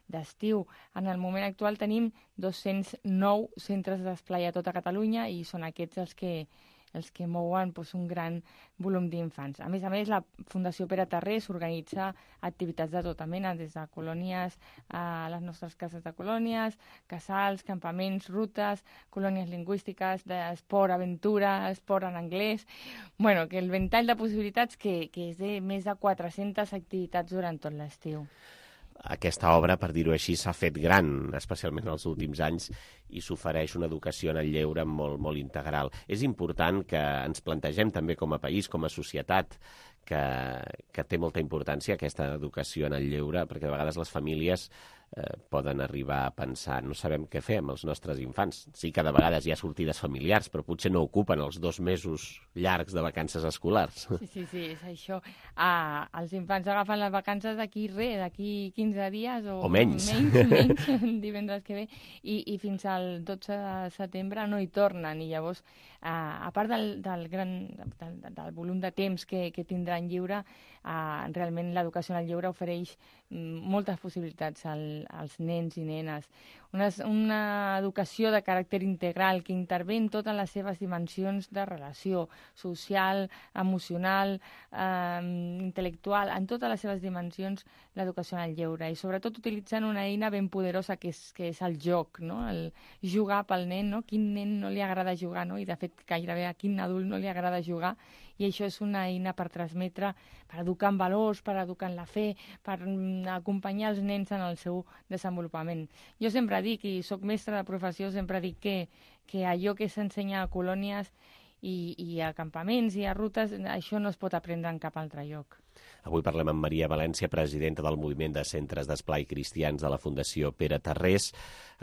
d'estiu. De, en el moment actual tenim dos-cents nou centres d'esplai a tota Catalunya i són aquests els que, els que mouen doncs, un gran volum d'infants. A més a més, la Fundació Pere Tarrés organitza activitats de tota mena, des de colònies a les nostres cases de colònies, casals, campaments, rutes, colònies lingüístiques, d'esport, aventura, esport en anglès. Bueno, que el ventall de possibilitats que, que és de més de quatre-centes activitats durant tot l'estiu. Aquesta obra, per dir-ho així, s'ha fet gran, especialment en els últims anys, i s'ofereix una educació en el lleure molt, molt integral. És important que ens plantegem també com a país, com a societat, que, que té molta importància aquesta educació en el lleure, perquè de vegades les famílies eh, poden arribar a pensar no sabem què fer amb els nostres infants. Sí que de vegades hi ha sortides familiars, però potser no ocupen els dos mesos llargs de vacances escolars. Sí, sí, sí, és això. Ah, els infants agafen les vacances d'aquí res, d'aquí quinze dies o, o menys, menys, menys divendres que ve, i, i fins al dotze de setembre no hi tornen, i llavors, ah, a part del, del, gran, del, del volum de temps que, que tindran lliure, ah, realment l'educació en el lleure ofereix moltes possibilitats al, als nens i nenes. Una, una educació de caràcter integral que intervé en totes les seves dimensions de relació social, emocional, eh, intel·lectual, en totes les seves dimensions l'educació en el lleure, i sobretot utilitzant una eina ben poderosa que és, que és el joc, no? El jugar pel nen, no? Quin nen no li agrada jugar, no? I de fet gairebé a quin adult no li agrada jugar, i això és una eina per transmetre, per educar en valors, per educar en la fe, per acompanyar els nens en el seu desenvolupament. Jo sempre dic, i sóc mestra de professió, sempre dic que, que allò que s'ensenya a colònies i, i a campaments i a rutes, això no es pot aprendre en cap altre lloc. Avui parlem amb Maria València, presidenta del Moviment de Centres d'Esplai Cristians de la Fundació Pere Tarrés.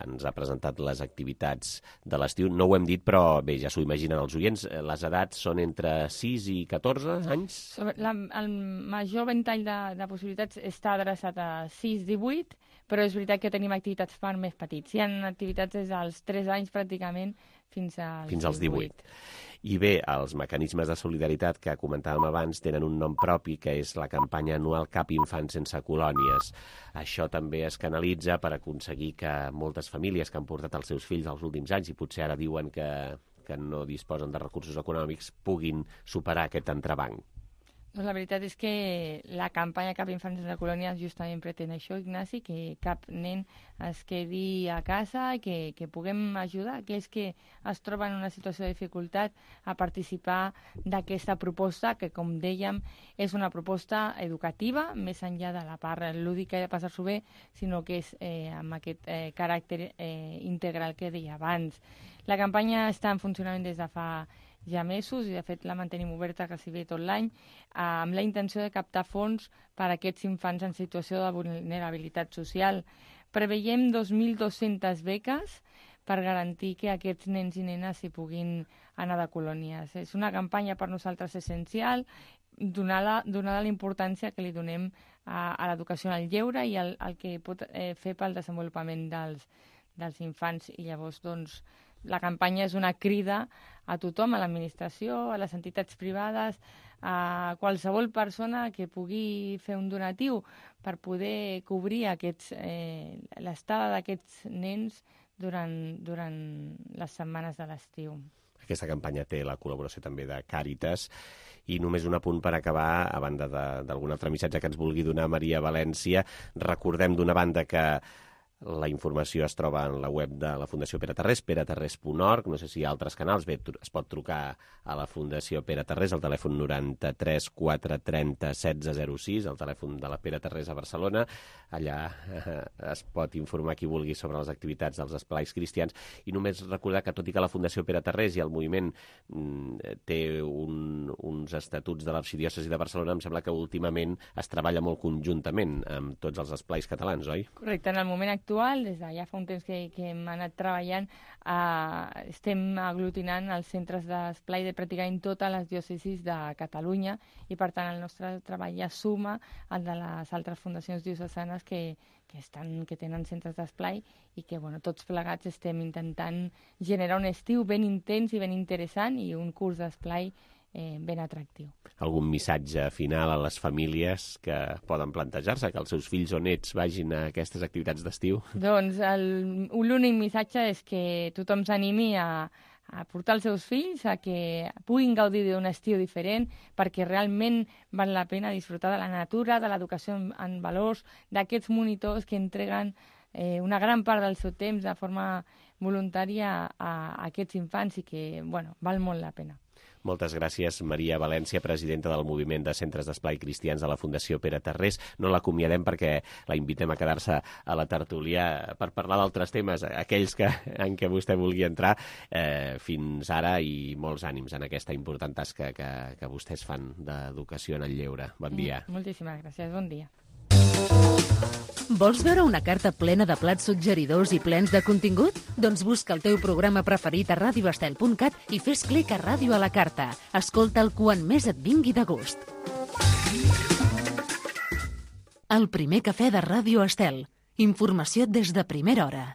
Ens ha presentat les activitats de l'estiu. No ho hem dit, però bé, ja s'ho imaginen els oients. Les edats són entre sis i catorze anys? La, el major ventall de, de possibilitats està adreçat a sis a divuit, però és veritat que tenim activitats per més petits. Hi ha activitats des dels tres anys pràcticament fins als, fins als divuit. I bé, els mecanismes de solidaritat que comentàvem abans tenen un nom propi, que és la campanya anual Cap infant sense colònies. Això també es canalitza per aconseguir que moltes famílies que han portat els seus fills els últims anys i potser ara diuen que, que no disposen de recursos econòmics puguin superar aquest entrebanc. Doncs la veritat és que la campanya Cap infant sense colònies justament pretén això, Ignasi, que cap nen es quedi a casa i que, que puguem ajudar aquells que es troben en una situació de dificultat a participar d'aquesta proposta, que, com dèiem, és una proposta educativa, més enllà de la part lúdica i de passar-s'ho bé, sinó que és eh, amb aquest eh, caràcter eh, integral que deia abans. La campanya està en funcionament des de fa ja mesos i de fet la mantenim oberta gairebé tot l'any eh, amb la intenció de captar fons per a aquests infants en situació de vulnerabilitat social. Preveiem dos mil dues-centes beques per garantir que aquests nens i nenes s'hi puguin anar de colònies. És una campanya per nosaltres essencial, donada, donada la importància que li donem a, a l'educació en el lleure i al, al que pot eh, fer pel desenvolupament dels, dels infants. I llavors, doncs, la campanya és una crida a tothom, a l'administració, a les entitats privades, a qualsevol persona que pugui fer un donatiu per poder cobrir aquests, eh, l'estada d'aquests nens durant, durant les setmanes de l'estiu. Aquesta campanya té la col·laboració també de Càritas. I només un apunt per acabar, a banda d'algun altre missatge que ens vulgui donar Maria València. Recordem d'una banda que la informació es troba en la web de la Fundació Pere Tarrés, pere tarrés punt org. No sé si hi ha altres canals. Bé, es pot trucar a la Fundació Pere Tarrés al telèfon noranta-tres quatre trenta setze zero sis, el telèfon de la Pere Tarrés a Barcelona. Allà eh, es pot informar qui vulgui sobre les activitats dels esplais cristians. I només recordar que, tot i que la Fundació Pere Tarrés i el moviment mm, té un, uns estatuts de l'arxidiòcesi de Barcelona, em sembla que últimament es treballa molt conjuntament amb tots els esplais catalans, oi? Correcte. En el moment actual, des de ja fa un temps que, que hem anat treballant, eh, estem aglutinant els centres d'esplai de pràcticament totes les diòcesis de Catalunya i, per tant, el nostre treball ja suma al de les altres fundacions diocesanes que, que, estan, que tenen centres d'esplai i que, bueno, tots plegats estem intentant generar un estiu ben intens i ben interessant i un curs d'esplai Eh, ben atractiu. Algun missatge final a les famílies que poden plantejar-se que els seus fills o nets vagin a aquestes activitats d'estiu? Doncs l'únic missatge és que tothom s'animi a, a portar els seus fills, a que puguin gaudir d'un estiu diferent, perquè realment val la pena disfrutar de la natura, de l'educació en, en valors, d'aquests monitors que entreguen eh, una gran part del seu temps de forma voluntària a, a aquests infants i que, bueno, val molt la pena. Moltes gràcies, Maria València, presidenta del Moviment de Centres d'Esplai Cristians de la Fundació Pere Tarrés. No l'acomiadem perquè la invitem a quedar-se a la tertúlia per parlar d'altres temes, aquells que, en què vostè vulgui entrar. Eh, fins ara, i molts ànims en aquesta important tasca que, que vostès fan d'educació en el lleure. Bon dia. Moltíssimes gràcies, bon dia. Vols veure una carta plena de plats suggeridors i plens de contingut? Doncs busca el teu programa preferit a radio estel punt cat i fes clic a Ràdio a la Carta. Escolta'l quan més et vingui de gust. El primer cafè de Ràdio Estel. Informació des de primera hora.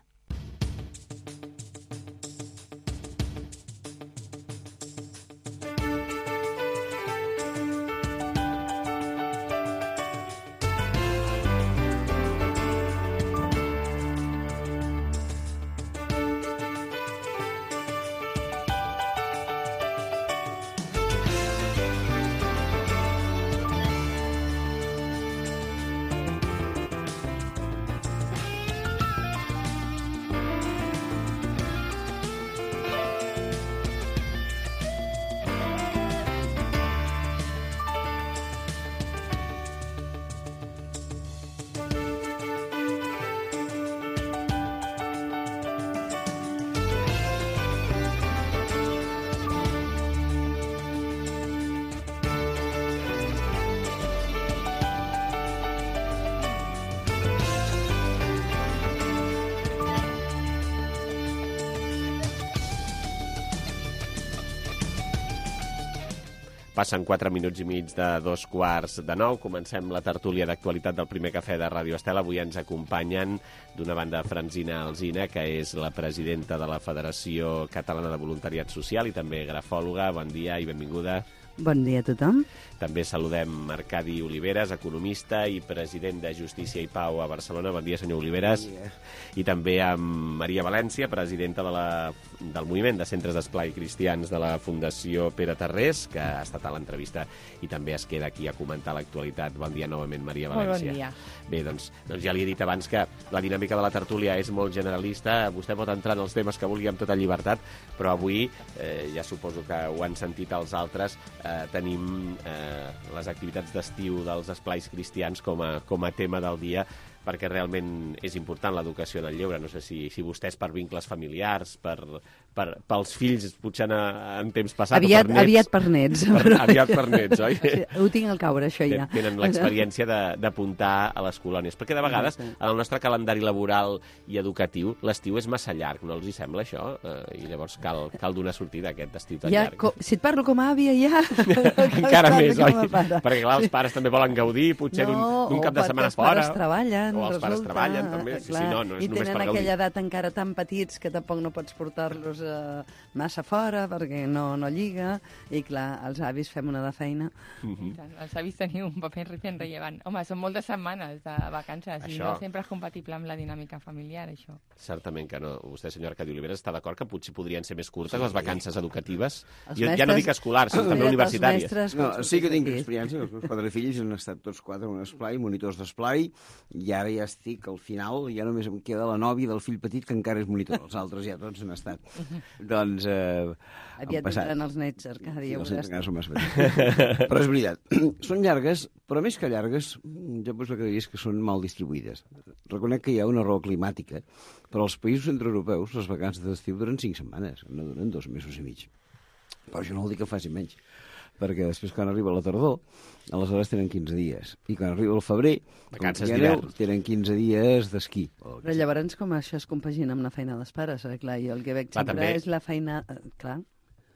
Passen quatre minuts i mig de dos quarts de nou. Comencem la tertúlia d'actualitat del primer cafè de Ràdio Estel. Avui ens acompanyen d'una banda Francina Alsina, que és la presidenta de la Federació Catalana de Voluntariat Social i també grafòloga. Bon dia i benvinguda. Bon dia a tothom. També saludem Arcadi Oliveres, economista i president de Justícia i Pau a Barcelona. Bon dia, senyor Oliveres. Bon dia. I també amb Maria València, presidenta de la, del Moviment de Centres d'Esplai Cristians de la Fundació Pere Tarrés, que ha estat a l'entrevista i també es queda aquí a comentar l'actualitat. Bon dia novament, Maria València. Molt bon dia. Bé, doncs, doncs ja li he dit abans que la dinàmica de la tertúlia és molt generalista. Vostè pot entrar en els temes que vulgui amb tota llibertat, però avui, eh, ja suposo que ho han sentit els altres, eh, tenim eh, les activitats d'estiu dels esplais cristians com a, com a tema del dia, perquè realment és important l'educació en el lleure. No sé si, si vostès per vincles familiars, per, per, pels fills, potser en, en temps passat, aviat, o per nets. Aviat per nets. Per, aviat per nets, oi? Sí, ho tinc al caure, això ja. Tenen l'experiència d'apuntar a les colònies. Perquè de vegades, en el nostre calendari laboral i educatiu, l'estiu és massa llarg, no els hi sembla això? Eh, I llavors cal, cal donar sortida a aquest estiu tan ja, llarg. Com, si et parlo com a àvia, ja... Encara més, oi? Perquè clar, els pares també volen gaudir, potser no, d'un cap de setmana fora. No, els treballen, o els resulta, pares treballen, també. Sí, clar, sí, no, no és i només per tenen gaudir. aquella edat encara tan petits que tampoc no pots portar-los eh, massa fora perquè no, no lliga, i clar, els avis fem una de feina. Mm -hmm. Els avis teniu un paper ben rellevant. Home, són moltes setmanes de vacances això. I no sempre és compatible amb la dinàmica familiar, això. Certament que no. Vostè, senyora Arcadi Oliveres, està d'acord que potser podrien ser més curtes les vacances educatives? Els Jo mestres, ja no dic escolars, sinó també universitàries. Mestres, no, sí que tinc experiència. Els meus quatre fills han estat tots quatre en un esplai, monitors d'esplai, i ara ja estic al final, ja només em queda la nòvia del fill petit, que encara és monitor. Els altres ja tots han estat. Doncs... Eh, Aviat vindran els nets, Arcadi. Sí, els nets encara són massa petits. Però és veritat, són llargues, però més que llargues, jo pues, el que diria és que són mal distribuïdes. Reconec que hi ha una raó climàtica, però als països centreeuropeus les vacances d'estiu duren cinc setmanes, no duren dos mesos i mig. Però això no vol dir que faci menys, perquè després quan arriba la tardor, aleshores tenen quinze dies. I quan arriba el febrer, vacances d'hivern, tenen quinze dies d'esquí. Però llavors com això es compagina amb la feina dels pares? Eh? Clar, jo el que veig sempre també és la feina... Eh, clar.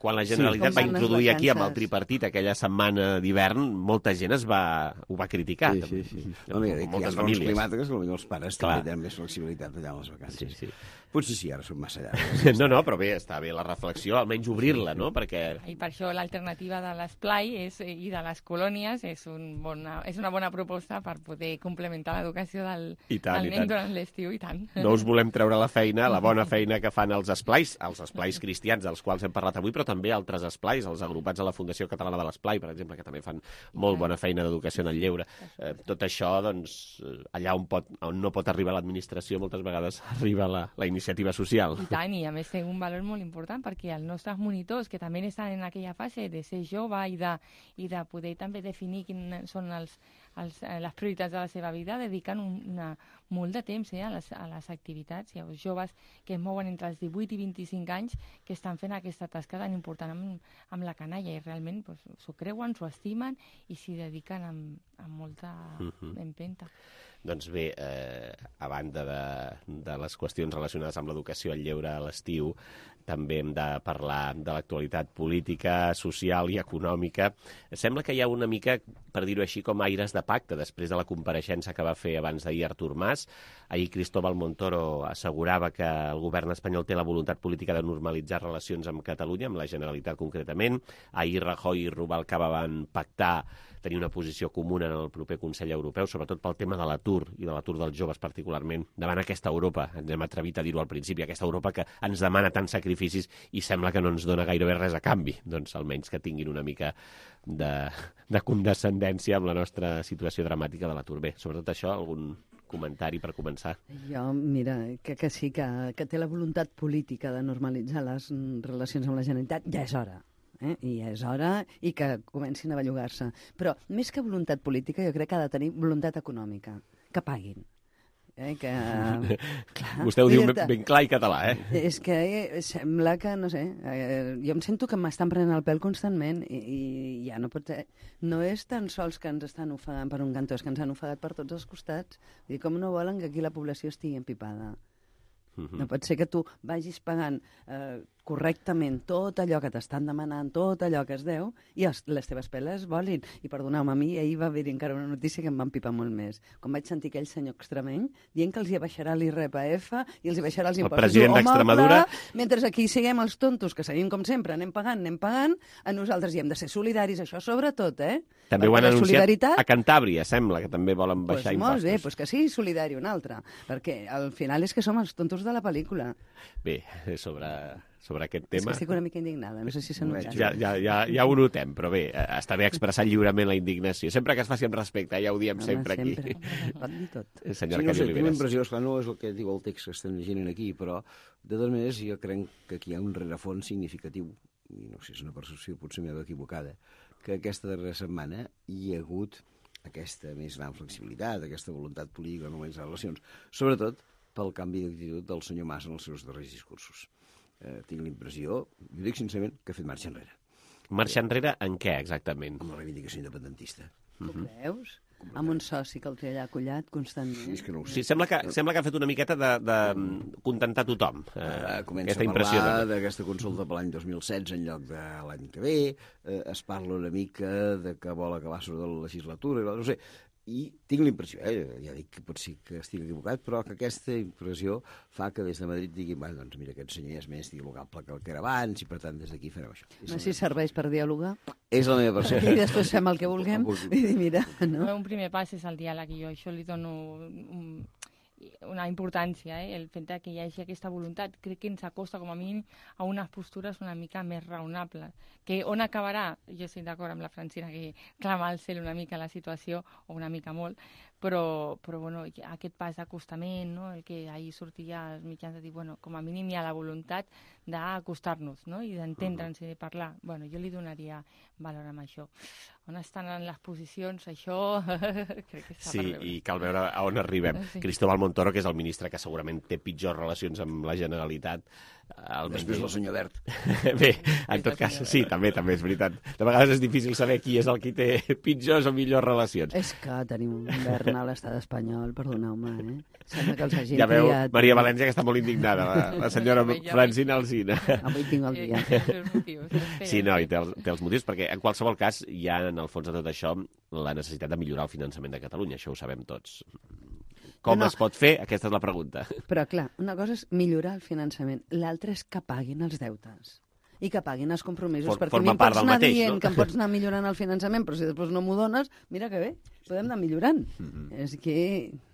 Quan la Generalitat sí, va introduir aquí amb el tripartit aquella setmana d'hivern, molta gent es va, ho va criticar. Sí, sí, sí. No, mira, hi ha raons climàtiques que potser els pares Clar. també tenen més flexibilitat allà en les vacances. Sí, sí. Potser sí, ara són massa llargues. No, no, però bé, està bé la reflexió, almenys obrir-la, no? Perquè... I per això l'alternativa de l'esplai és, i de les colònies és, un bona, és una bona proposta per poder complementar l'educació del, tant, del nen durant l'estiu, i tant. No us volem treure la feina, la bona feina que fan els esplais, els esplais cristians, dels quals hem parlat avui, però també altres esplais, els agrupats a la Fundació Catalana de l'Esplai, per exemple, que també fan molt bona feina d'educació en el lleure. Eh, tot això, doncs, allà on, pot, on no pot arribar l'administració, moltes vegades arriba la, la iniciativa social. I tant, i a més té un valor molt important, perquè els nostres monitors, que també estan en aquella fase de ser jove i de, i de poder també definir quins són els, els, les prioritats de la seva vida, dediquen un, una, molt de temps eh, a, les, a les activitats. Hi ha joves que es mouen entre els divuit i vint-i-cinc anys que estan fent aquesta tasca tan important amb, amb la canalla, i realment pues, s'ho creuen, s'ho estimen i s'hi dediquen amb, amb molta uh-huh. empenta. Doncs bé, eh, a banda de, de les qüestions relacionades amb l'educació, el lleure a l'estiu, també hem de parlar de l'actualitat política, social i econòmica. Sembla que hi ha una mica, per dir-ho així, com aires de pacte, després de la compareixença que va fer abans d'ahir Artur Mas. Ahir Cristóbal Montoro assegurava que el govern espanyol té la voluntat política de normalitzar relacions amb Catalunya, amb la Generalitat concretament. Ahir Rajoy i Rubalcaba van pactar tenir una posició comuna en el proper Consell Europeu, sobretot pel tema de l'atur i de l'atur dels joves particularment, davant aquesta Europa, ens hem atrevit a dir-ho al principi, aquesta Europa que ens demana tants sacrificis i sembla que no ens dona gairebé res a canvi, doncs almenys que tinguin una mica de, de condescendència amb la nostra situació dramàtica de l'atur. Bé, sobretot això, algun comentari per començar? Jo, mira, que, que sí, que, que té la voluntat política de normalitzar les relacions amb la Generalitat, ja és hora. Eh? I és hora i que comencin a bellugar-se. Però més que voluntat política, jo crec que ha de tenir voluntat econòmica. Que paguin. Eh? Que, clar, Vostè ho diu ben, ben clar i català, eh? És que eh, sembla que, no sé, eh, jo em sento que m'estan prenent el pèl constantment i, i ja no pot ser. No és tan sols que ens estan ofegant per un cantó, és que ens han ofegat per tots els costats. I com no volen que aquí la població estigui empipada? Uh-huh. No pot ser que tu vagis pagant eh, correctament tot allò que t'estan demanant, tot allò que es deu, i els, les teves peles volin. I perdoneu-me, a mi ahir va haver encara una notícia que em va empipar molt més. Com vaig sentir aquell senyor extremeny dient que els hi baixarà l'I R P F i els hi baixarà els impostos. El president d'Extremadura... Mentre aquí siguem els tontos, que seguim com sempre, anem pagant, anem pagant, a nosaltres hi hem de ser solidaris, això sobretot, eh? També ho han anunciat solidaritat... a Cantàbria, sembla, que també volen baixar pues impostos. Molt bé, pues que sigui solidari un altre, perquè al final és que som els tontos de la pel·lícula. Bé, sobre, sobre aquest tema... És que estic una mica indignada, no sé si s'ha notat. Ja, ja, ja, ja ho notem, però bé, està bé expressar lliurement la indignació. Sempre que es faci amb respecte, ja ho diem Home, sempre aquí. sempre. Pot dir tot. Senyora sí, no sé, Cari tinc la Oliveres. impressió, esclar, no és el que diu el text que estem llegint aquí, però de totes maneres jo crec que aquí hi ha un rerefons significatiu, i no sé si és una percepció potser meva equivocada, que aquesta darrera setmana hi ha hagut aquesta més gran flexibilitat, aquesta voluntat política de normalitzar relacions, sobretot pel canvi d'actitud del senyor Mas en els seus darrers discursos. Eh, tinc l'impressió, jo dic sincerament, que ha fet marxa enrere. Marxa enrere en què, exactament? Amb la reivindicació independentista. Ho creus? Amb un soci que el té allà collat constantment. Sí, que no ho sé. Sí, sembla que, sembla que ha fet una miqueta de, de contentar tothom. Eh, comença aquesta a impressió parlar de... d'aquesta consulta per l'any dos mil setze en lloc de l'any que ve, eh, es parla una mica de que vol acabar sobre la legislatura, no sé, i tinc l'impressió, eh, ja dic que pot ser que estigui equivocat, però que aquesta impressió fa que des de Madrid diguin, bueno, doncs mira, aquest senyor és més dialogable que el que era abans i per tant des d'aquí farem això. No sé si serveix per dialogar. És la meva percepció. I després fem el que vulguem i dir, mira, no? Un primer pas és el diàleg i jo això li dono un, una importància, eh? El fet que hi hagi aquesta voluntat crec que ens acosta com a mínim a unes postures una mica més raonables. Que on acabarà? Jo estic d'acord amb la Francina que clama al cel una mica la situació, o una mica molt, però, però bueno, aquest pas d'acostament, no? El que ahir sortia als mitjans de dir, bueno, com a mínim hi ha la voluntat d'acostar-nos, no? I d'entendre'ns i de parlar. Bueno, jo li donaria valor amb això. On estan les posicions, això crec que està Sí, per veure. i cal veure a on arribem. Sí. Cristóbal Montoro, que és el ministre que segurament té pitjors relacions amb la Generalitat. Després el senyor Wert. Bé, en tot cas, sí, també, també és veritat. De vegades és difícil saber qui és el qui té pitjors o millors relacions. És que tenim un govern a l'estat espanyol, perdoneu-me, eh? Sembla que els hagin Ja veu, triat. Maria València, que està molt indignada, la, la senyora Francina Alsina. Avui tinc el dia. Sí, no, i té els, té els motius, perquè en qualsevol cas hi ha, en el fons de tot això, la necessitat de millorar el finançament de Catalunya, això ho sabem tots. Com No, no. es pot fer? Aquesta és la pregunta. Però, clar, una cosa és millorar el finançament, l'altra és que paguin els deutes i que paguin els compromisos, For- perquè a forma mi em part pots del anar mateix, dient no? que em pots anar millorant el finançament, però si després no m'ho dones, mira que bé, podem anar millorant. Mm-hmm. És que,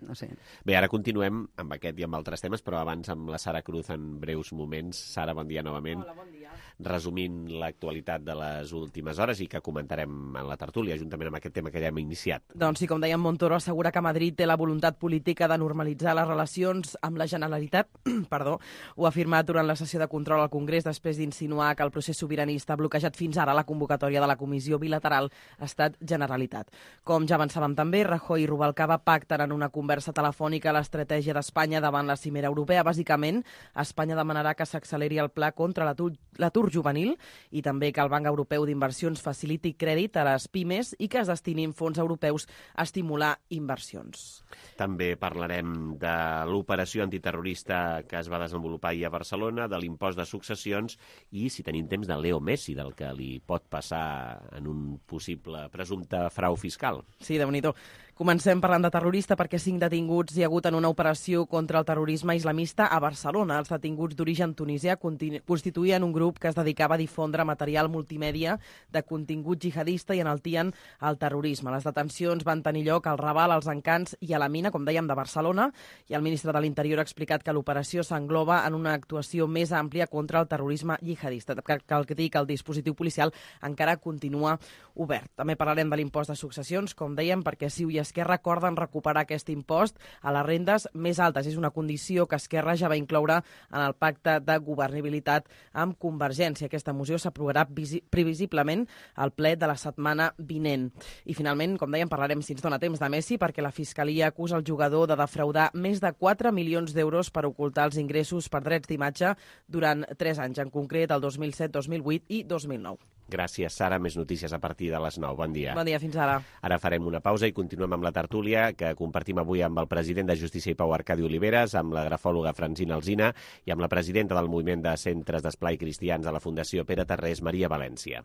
no sé... Bé, ara continuem amb aquest i amb altres temes, però abans amb la Sara Cruz en breus moments. Sara, bon dia novament. Hola, bon dia. Resumint l'actualitat de les últimes hores i que comentarem en la tertúlia, juntament amb aquest tema que ja hem iniciat. Doncs sí, com dèiem, Montoro assegura que Madrid té la voluntat política de normalitzar les relacions amb la Generalitat. Perdó, ho ha afirmat durant la sessió de control al Congrés després d'insinuar que el procés sobiranista ha bloquejat fins ara la convocatòria de la comissió bilateral Estat-Generalitat. Com ja avançàvem també, Rajoy i Rubalcaba pacten en una conversa telefònica l'estratègia d'Espanya davant la cimera europea. Bàsicament, Espanya demanarà que s'acceleri el pla contra l'atur l'atur juvenil i també que el Banc Europeu d'Inversions faciliti crèdit a les pimes i que es destinin fons europeus a estimular inversions. També parlarem de l'operació antiterrorista que es va desenvolupar ahir a Barcelona, de l'impost de successions i, si tenim temps, de Leo Messi, del que li pot passar en un possible presumpte frau fiscal. Sí, déu-n'hi-do. Comencem parlant de terrorista perquè cinc detinguts hi ha hagut en una operació contra el terrorisme islamista a Barcelona. Els detinguts d'origen tunisià constituïen un grup que es dedicava a difondre material multimèdia de contingut jihadista i enaltien el terrorisme. Les detencions van tenir lloc al Raval, als Encants i a la Mina, com dèiem, de Barcelona, i el ministre de l'Interior ha explicat que l'operació s'engloba en una actuació més àmplia contra el terrorisme jihadista. Cal que dir que el dispositiu policial encara continua obert. També parlarem de l'impost de successions, com dèiem, perquè CiU i Esquerra acorden recuperar aquest impost a les rendes més altes. És una condició que Esquerra ja va incloure en el pacte de governabilitat amb Convergència. Aquesta moció s'aprovarà previsiblement al ple de la setmana vinent. I finalment, com dèiem, parlarem, si ens dona temps, de Messi, perquè la Fiscalia acusa el jugador de defraudar més de quatre milions d'euros per ocultar els ingressos per drets d'imatge durant tres anys, en concret el dos mil set, dos mil vuit i dos mil nou. Gràcies, Sara. Més notícies a partir de les nou. Bon dia. Bon dia, fins ara. Ara farem una pausa i continuem amb amb la tertúlia que compartim avui amb el president de Justícia i Pau, Arcadi Oliveres, amb la grafòloga Francina Alsina i amb la presidenta del Moviment de Centres d'Esplai Cristians a la Fundació Pere Tarrés, Maria València.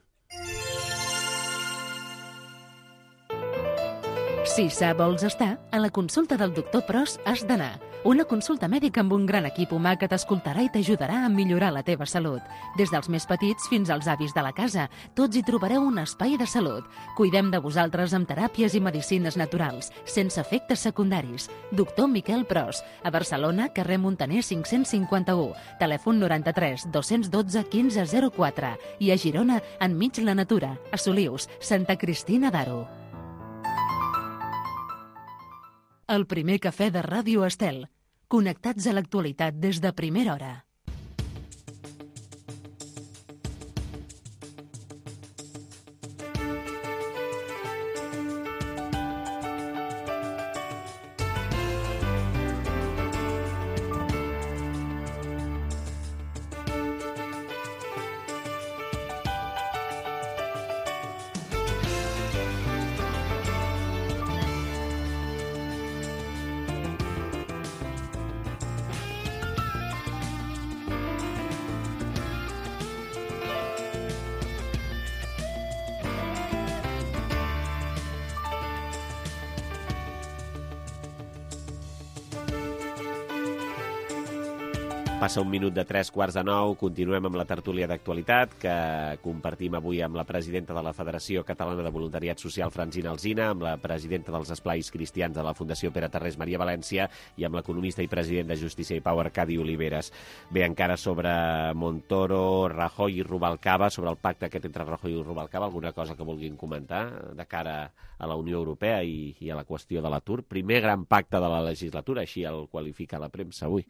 Si sa vols estar, a la consulta del doctor Pros has d'anar. Una consulta mèdica amb un gran equip humà que t'escoltarà i t'ajudarà a millorar la teva salut. Des dels més petits fins als avis de la casa, tots hi trobareu un espai de salut. Cuidem de vosaltres amb teràpies i medicines naturals, sense efectes secundaris. Doctor Miquel Pros, a Barcelona, carrer Montaner cinc-cents cinquanta-u, telèfon noranta-tres dos-cents dotze quinze zero quatre i a Girona, enmig la natura, a Solius, Santa Cristina d'Aro. El primer cafè de Ràdio Estel. Connectats a l'actualitat des de primera hora. Passa un minut de tres quarts de nou, continuem amb la tertúlia d'actualitat que compartim avui amb la presidenta de la Federació Catalana de Voluntariat Social, Francina Alsina, amb la presidenta dels Esplais Cristians de la Fundació Pere Tarrés, Maria València, i amb l'economista i president de Justícia i Pau, Arcadi Oliveres. Bé, encara sobre Montoro, Rajoy i Rubalcaba, sobre el pacte aquest entre Rajoy i Rubalcaba, alguna cosa que vulguin comentar de cara a la Unió Europea i, i a la qüestió de l'atur? Primer gran pacte de la legislatura, així el qualifica la premsa avui.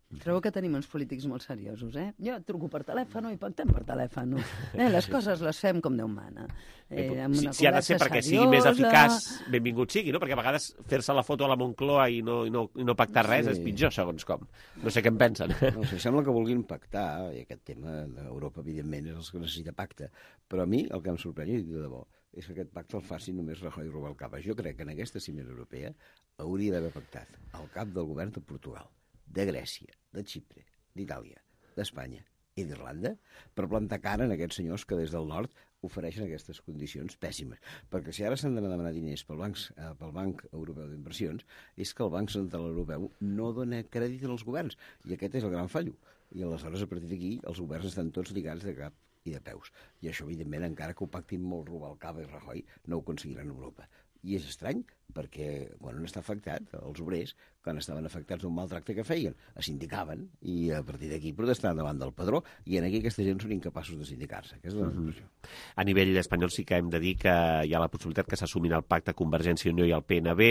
Trobo que tenim uns polítics molt seriosos, eh? Jo truco per telèfon i pactem per telèfon. Eh? Les coses les fem com Déu mana. Eh, si, si ha de ser perquè sigui més eficaç, benvingut sigui, no? Perquè a vegades fer-se la foto a la Moncloa i no, i no, i no pactar res sí. és pitjor, segons com. No sé què en pensen. No sé, sembla que vulguin pactar, i aquest tema d'Europa, evidentment, és el que necessita pacte. Però a mi el que em sorprèn, i de debò, és que aquest pacte el faci només Rajoy i Rubalcaba. Jo crec que en aquesta cimera europea hauria d'haver pactat el cap del govern de Portugal, de Grècia, de Xipre, d'Itàlia, d'Espanya i d'Irlanda per plantar cara en aquests senyors que des del nord ofereixen aquestes condicions pèssimes. Perquè si ara s'han d'anar a demanar diners pel Banc, eh, pel Banc Europeu d'Inversions, és que el Banc Central Europeu no dona crèdit als governs, i aquest és el gran fallo. I aleshores, a partir d'aquí, els governs estan tots lligats de cap i de peus. I això, evidentment, encara que ho pactin molt Rubalcaba i Rajoy, no ho aconseguiran a Europa. I és estrany, perquè quan han estat afectats, els obrers, quan estaven afectats d'un mal tracte que feien, es sindicaven i a partir d'aquí protestaven davant del padró, i en aquí aquesta gent són incapaços de sindicar-se. Aquesta és la conclusió. A nivell espanyol sí que hem de dir que hi ha la possibilitat que s'assumin el pacte Convergència i Unió i el P N B.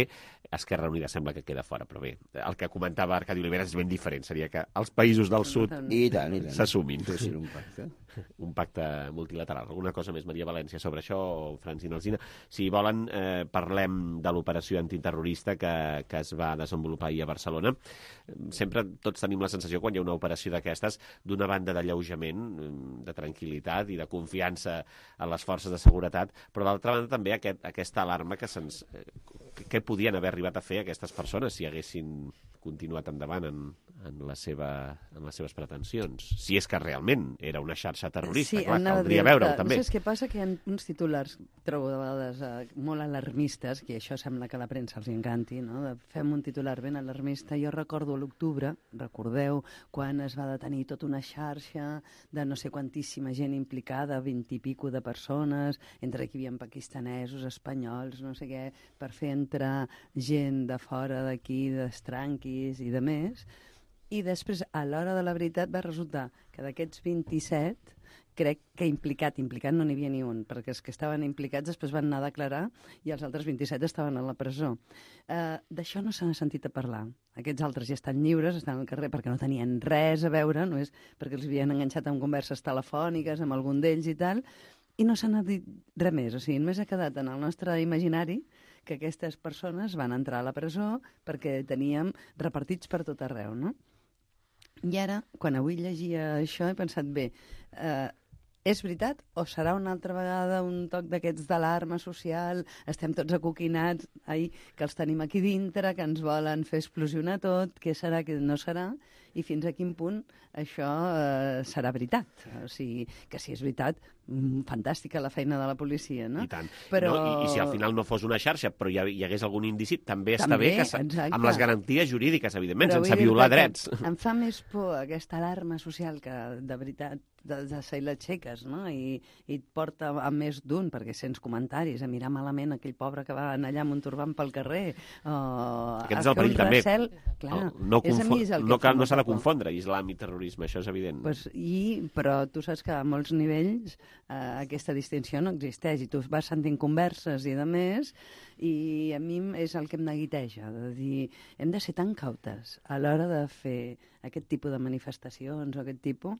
Esquerra Unida sembla que queda fora, però bé, el que comentava Arcadi Oliveres és ben diferent. Seria que els països del sud s'assumin. Un pacte. Un pacte multilateral. Alguna cosa més, Maria València, sobre això, o Francina Alsina? Si volen, eh, parlem de l'operació antiterrorista que, que es va desenvolupar ahir a Barcelona. Sempre tots tenim la sensació, quan hi ha una operació d'aquestes, d'una banda d'alleujament, de tranquil·litat i de confiança en les forces de seguretat, però d'altra banda també aquest, aquesta alarma que se'ns... Què podien haver arribat a fer aquestes persones si haguessin continuat endavant en, en, la seva, en les seves pretensions? Si és que realment era una xarxa terrorista, sí, clar, caldria veure-ho també. No sé què passa, que hi ha uns titulars, trobo de vegades eh, molt alarmistes, que això sembla que a la premsa els encanti, no? De, fem un titular ben alarmista. Jo recordo a l'octubre, recordeu, quan es va detenir tota una xarxa de no sé quantíssima gent implicada, vint i pico de persones, entre qui hi havia pakistanesos, espanyols, no sé què, per fer entrar gent de fora d'aquí, d'estranquis i de més. I després, a l'hora de la veritat, va resultar que d'aquests vint-i-set, crec que implicat, implicat no n'hi havia ni un, perquè els que estaven implicats després van anar a declarar i els altres vint-i-set estaven a la presó. Uh, D'això no se n'ha sentit a parlar. Aquests altres ja estan lliures, estan al carrer perquè no tenien res a veure, no és perquè els havien enganxat amb converses telefòniques amb algun d'ells i tal, i no se n'ha dit res més. O sigui, només ha quedat en el nostre imaginari que aquestes persones van entrar a la presó perquè teníem repartits per tot arreu, no? I ara, quan avui llegia això, he pensat, bé, eh, és veritat o serà una altra vegada un toc d'aquests d'alarma social, estem tots acoquinats, ai, que els tenim aquí dintre, que ens volen fer explosionar tot, què serà, què no serà, i fins a quin punt això eh, serà veritat. O sigui, que si és veritat, mm, fantàstica la feina de la policia, no? I tant. Però... No? I, I si al final no fos una xarxa, però hi, hi hagués algun indici, també està També, bé, que exacte. amb les garanties jurídiques, evidentment, Però sense vull violar dir-te drets. que Em fa més por aquesta alarma social que, de veritat, de, de ser l'aixeques, no? I, I et porta a més d'un, perquè sents comentaris, a mirar malament aquell pobre que va anar allà amb un turbant pel carrer. O Aquest és el perill, també. Recel, clar, no no, és a mi és el que no, fa no s'ha de molta por. confondre islam i terrorisme, això és evident. Pues, i, però tu saps que a molts nivells eh, aquesta distinció no existeix i tu vas sentint converses i de més, i a mi és el que em neguiteja, de dir, hem de ser tan cautes a l'hora de fer aquest tipus de manifestacions o aquest tipus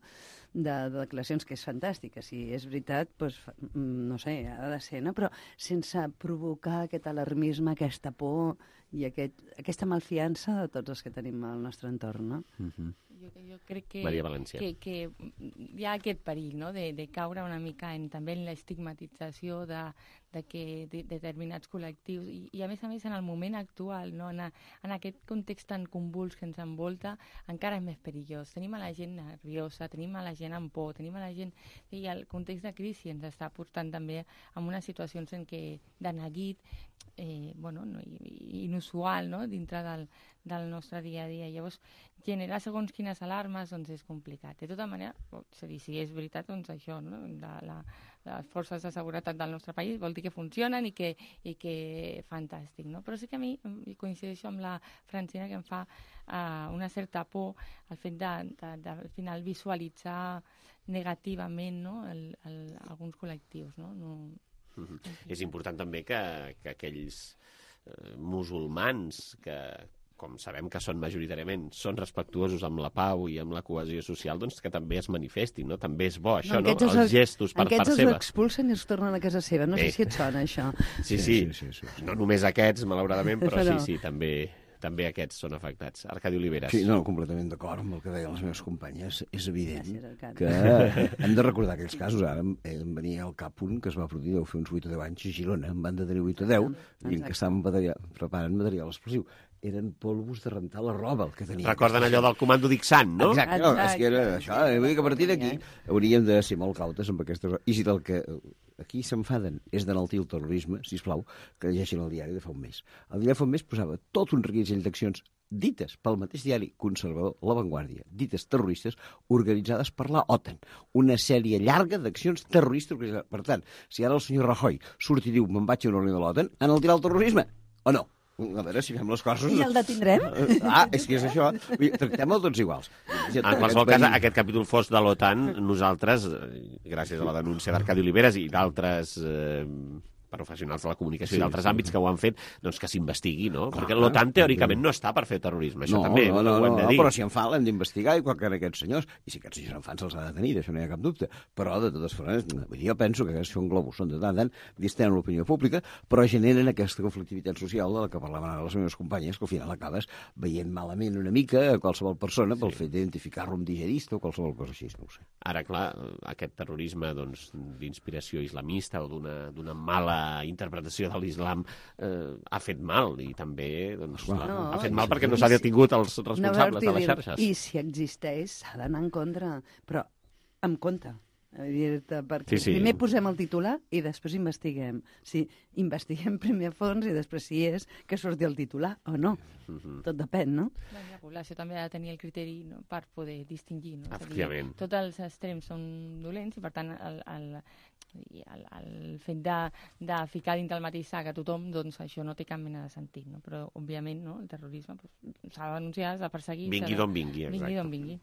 de, de declaracions, que és fantàstic, si és veritat, doncs, no sé, ha de ser, no? Però sense provocar aquest alarmisme, aquesta por i aquest, aquesta malfiança de tots els que tenim al nostre entorn, no? Mm-hmm. Jo, jo crec que, Maria València. que, que hi ha aquest perill, no?, de, de caure una mica en, també en l'estigmatització de, de que de, determinats col·lectius i, i a més a més en el moment actual, no?, en, a, en aquest context tan convuls que ens envolta, encara és més perillós. Tenim a la gent nerviosa, tenim a la gent amb por, tenim a la gent... I el context de crisi ens està portant també a unes situacions en què de neguit, eh, bueno, no, inusual, no?, dintre del, del nostre dia a dia. Llavors, generar segons quines alarmes doncs és complicat. De tota manera, és a dir, si és veritat, doncs això, no?, de la, les forces de seguretat del nostre país vol dir que funcionen i que, i que fantàstic, no? Però sí que a mi coincideixo amb la Francina, que em fa uh, una certa por el fet de, de, de al final visualitzar negativament, no?, el, el, alguns col·lectius, no? no Mm-hmm. És important també que, que aquells eh, musulmans que, com sabem que són majoritàriament, són respectuosos amb la pau i amb la cohesió social, doncs que també es manifestin, no? També és bo això, no? no? Els gestos per part seva. Aquests els expulsen i els tornen a casa seva. No sé si et sona, això. Sí, sí. sí, sí, sí, sí. No només aquests, malauradament, però, però... sí, sí, també... també aquests són afectats. Arcadi Oliveres. Sí, no, completament d'acord amb el que deien les meves companyes. És evident que hem de recordar aquells casos. Ara em, em venia al cap un que es va produir, deu fer uns vuit o deu anys a Girona, en van detenir vuit o deu, i en què estaven material, preparant material explosiu. Eren polvos de rentar la roba, el que tenien. Recorden allò del comando d'Ixant, no? Exacte, no, és que era això. Vull dir que a partir d'aquí hauríem de ser molt cautes amb aquestes... I si del que aquí s'enfaden és d'enaltir el terrorisme, sisplau, que llegeixin el diari de fa un mes. El diari de fa un mes posava tot un reguitzell d'accions dites pel mateix diari conservador, La Vanguardia, dites terroristes, organitzades per la OTAN. Una sèrie llarga d'accions terroristes organitzades. Per tant, si ara el senyor Rajoy surt i diu me'n vaig a una reunió de l'OTAN, enaltirà el terrorisme o no? A veure si fem les coses... I el detindrem? Ah, és que és això. Tractem-el tots iguals. En qualsevol cas, aquest capítol fos de l'OTAN, nosaltres, gràcies a la denúncia d'Arcadi Oliveres i d'altres... Eh, professionals de la comunicació sí, i d'altres sí. àmbits que ho han fet, doncs que s'investigui, no? Clar, perquè l'OTAN teòricament no està per fer terrorisme, això no, també no, no, ho hem de no, dir. Però si en fa l'hem d'investigar, igual que en aquests senyors, i si aquests senyors en fan se'ls ha de tenir, d'això no hi ha cap dubte, però de totes formes, jo penso que aquests són globus, són de tant en tant, distenen l'opinió pública, però generen aquesta conflictivitat social de la que parlaven ara les meves companyes, que al final acabes veient malament una mica a qualsevol persona pel sí. fet d'identificar-lo amb digerista o qualsevol cosa així, no ho sé. Ara, clar, aquest terrorisme doncs, d'inspiració islamista o d'una mala interpretació de l'islam eh, ha fet mal i també doncs, no, la, ha fet mal sí, perquè no s'ha detingut els responsables no, de les xarxes. I si existeix s'ha d'anar en contra, però amb compte. Perquè sí, sí. primer posem el titular i després investiguem. Si investiguem primer a fons i després si és que surti el titular o no. Uh-huh. Tot depèn, no? La població també ha de tenir el criteri, no?, per poder distingir. No? Efectivament. Dir, tots els extrems són dolents i, per tant, el, el, el, el fet de, de ficar dins del mateix sac a tothom, doncs això no té cap mena de sentit. No? Però, òbviament, no? El terrorisme doncs, s'ha de denunciar, s'ha de perseguir... Vingui d'on vingui, exacte. Vingui d'on vingui.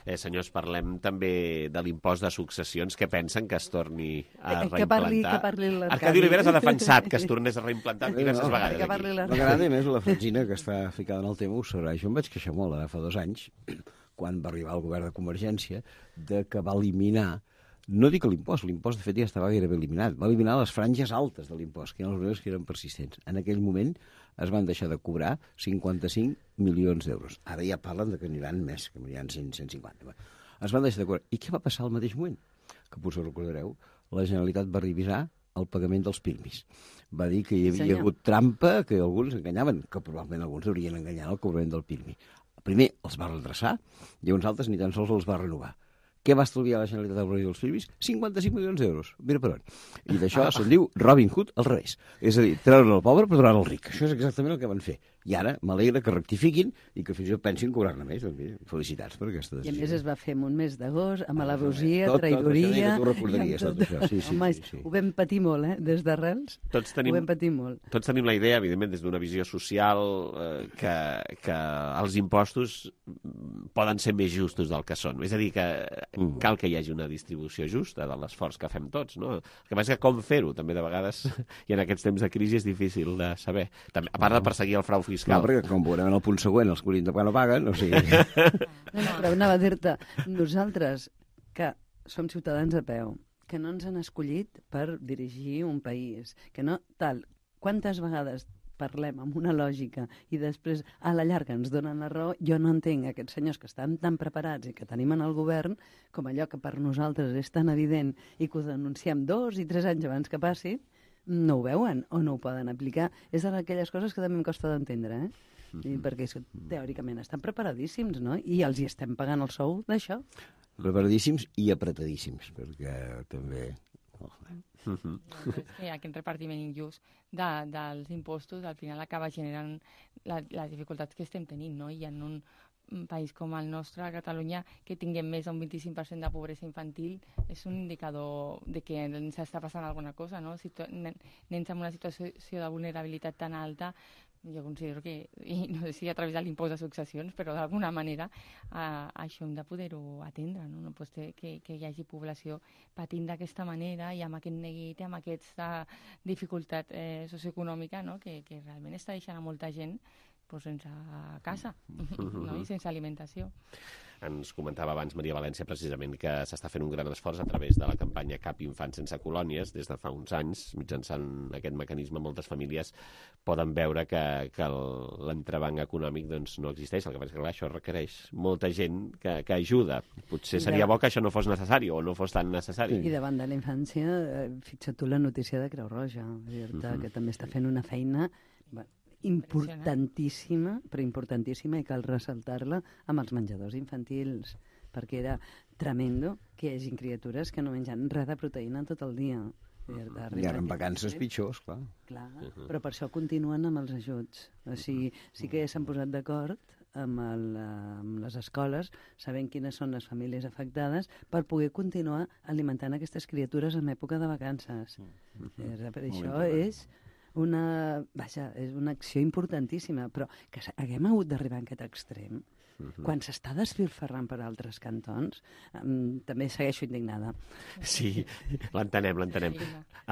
Eh, senyors, parlem també de l'impost de successions. Què pensen que es torni a reimplantar? Que parli, que parli l'Arcadi. Arcadi Oliveres ha defensat que es tornés a reimplantar diverses no, vegades. Que parli l'Arcadi. M'agrada més la Francina, que està ficada en el tema, ho sabrà. Jo em vaig queixar molt ara fa dos anys, quan va arribar el govern de Convergència, de que va eliminar, no dic l'impost, l'impost de fet ja estava gairebé eliminat, va eliminar les franges altes de l'impost, que eren els que eren persistents. En aquell moment es van deixar de cobrar cinquanta-cinc milions d'euros. Ara ja parlen de que aniran més, que aniran cent, cent cinquanta. Es van deixar de cobrar. I què va passar al mateix moment? que potser recordareu, la Generalitat va revisar el pagament dels pirmis. Va dir que hi havia Senyor. hagut trampa, que alguns enganyaven, que probablement alguns haurien enganyat el cobrament del pirmi. Primer els va redreçar i uns altres ni tan sols els va renovar. Què va estalviar la Generalitat al reduir els pirmis? cinquanta-cinc milions d'euros. Mira per on. I d'això se'n diu Robin Hood al revés. És a dir, treure el pobre per donar al ric. Això és exactament el que van fer. I ara m'alegra que rectifiquin i que fins i tot pensin cobrar-ne més. Doncs mira, felicitats per aquesta I a decisió. més es va fer en un mes d'agost, amb alabosia, Tot, tot, traïdoria... això que tu recordaries, i amb tot això. Sí, sí, Home, sí, sí. ho vam patir molt, eh? Des d'arrels Tots ho tenim, vam patir molt. tots tenim la idea, evidentment, des d'una visió social, eh, que, que els impostos poden ser més justos del que són. És a dir, que Mm. cal que hi hagi una distribució justa de l'esforç que fem tots, no? El que passa és que com fer-ho, també de vegades, i en aquests temps de crisi és difícil de saber. També, a part de perseguir el frau No, fiscal. perquè com veurem en el punt següent, els que haurien de pagar no paguen, o sigui... No, no, però anava a dir-te, nosaltres, que som ciutadans a peu, que no ens han escollit per dirigir un país, que no tal, quantes vegades parlem amb una lògica i després a la llarga ens donen la raó, jo no entenc aquests senyors que estan tan preparats i que tenim en el govern, com allò que per nosaltres és tan evident i que ho denunciem dos i tres anys abans que passi, no ho veuen o no ho poden aplicar. És d'aquelles coses que també em costa d'entendre, eh? I perquè és que, teòricament estan preparadíssims, no? I els hi estem pagant el sou d'això. Preparadíssims i apretadíssims, perquè també... Uh -huh. És que aquest repartiment injust de, dels impostos al final acaba generant la, les dificultats que estem tenint, no? I en un un país com el nostre, a Catalunya, que tinguem més d'un vint-i-cinc per cent de pobresa infantil, és un indicador de que ens està passant alguna cosa, no? Si nens en una situació de vulnerabilitat tan alta, jo considero que, i no sé si a través de l'impost de successions, però d'alguna manera eh, això hem de poder-ho atendre, no? No pot ser que, que hi hagi població patint d'aquesta manera i amb aquest neguit, amb aquesta dificultat eh, socioeconòmica, no? que, que realment està deixant a molta gent pues, sense casa, no? I sense alimentació. Ens comentava abans Maria València precisament que s'està fent un gran esforç a través de la campanya Cap infant sense colònies. Des de fa uns anys, mitjançant aquest mecanisme, moltes famílies poden veure que, que l'entrebanc econòmic doncs, no existeix. El que passa és que clar, això requereix molta gent que, que ajuda. Potser seria bo que això no fos necessari o no fos tan necessari. I davant de la infància, eh, fixa't tu la notícia de Creu Roja, uh-huh. que també està fent una feina importantíssima, però importantíssima, i cal ressaltar-la amb els menjadors infantils, perquè era tremendo que hi hagi criatures que no mengen res de proteïna tot el dia. I ara en vacances pitjors, clar. Clar, però per això continuen amb els ajuts. O sigui, sí que s'han posat d'acord amb, el, amb les escoles, sabent quines són les famílies afectades, per poder continuar alimentant aquestes criatures en època de vacances. Mm-hmm. Per això és una, vaja, és una acció importantíssima, però que haguem hagut d'arribar a aquest extrem, uh-huh. quan s'està desfilferrant per altres cantons, um, també segueixo indignada. Sí, l'entenem, l'entenem.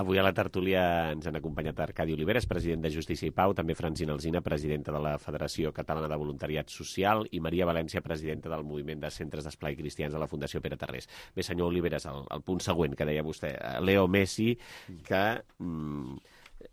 Avui a la tertúlia ens han acompanyat Arcadi Oliveres, president de Justícia i Pau, també Francina Alsina, presidenta de la Federació Catalana de Voluntariat Social, i Maria València, presidenta del Moviment de Centres d'Esplai Cristians de la Fundació Pere Tarrés. Bé, senyor Oliveres, el, el punt següent que deia vostè, Leo Messi, que... Mm,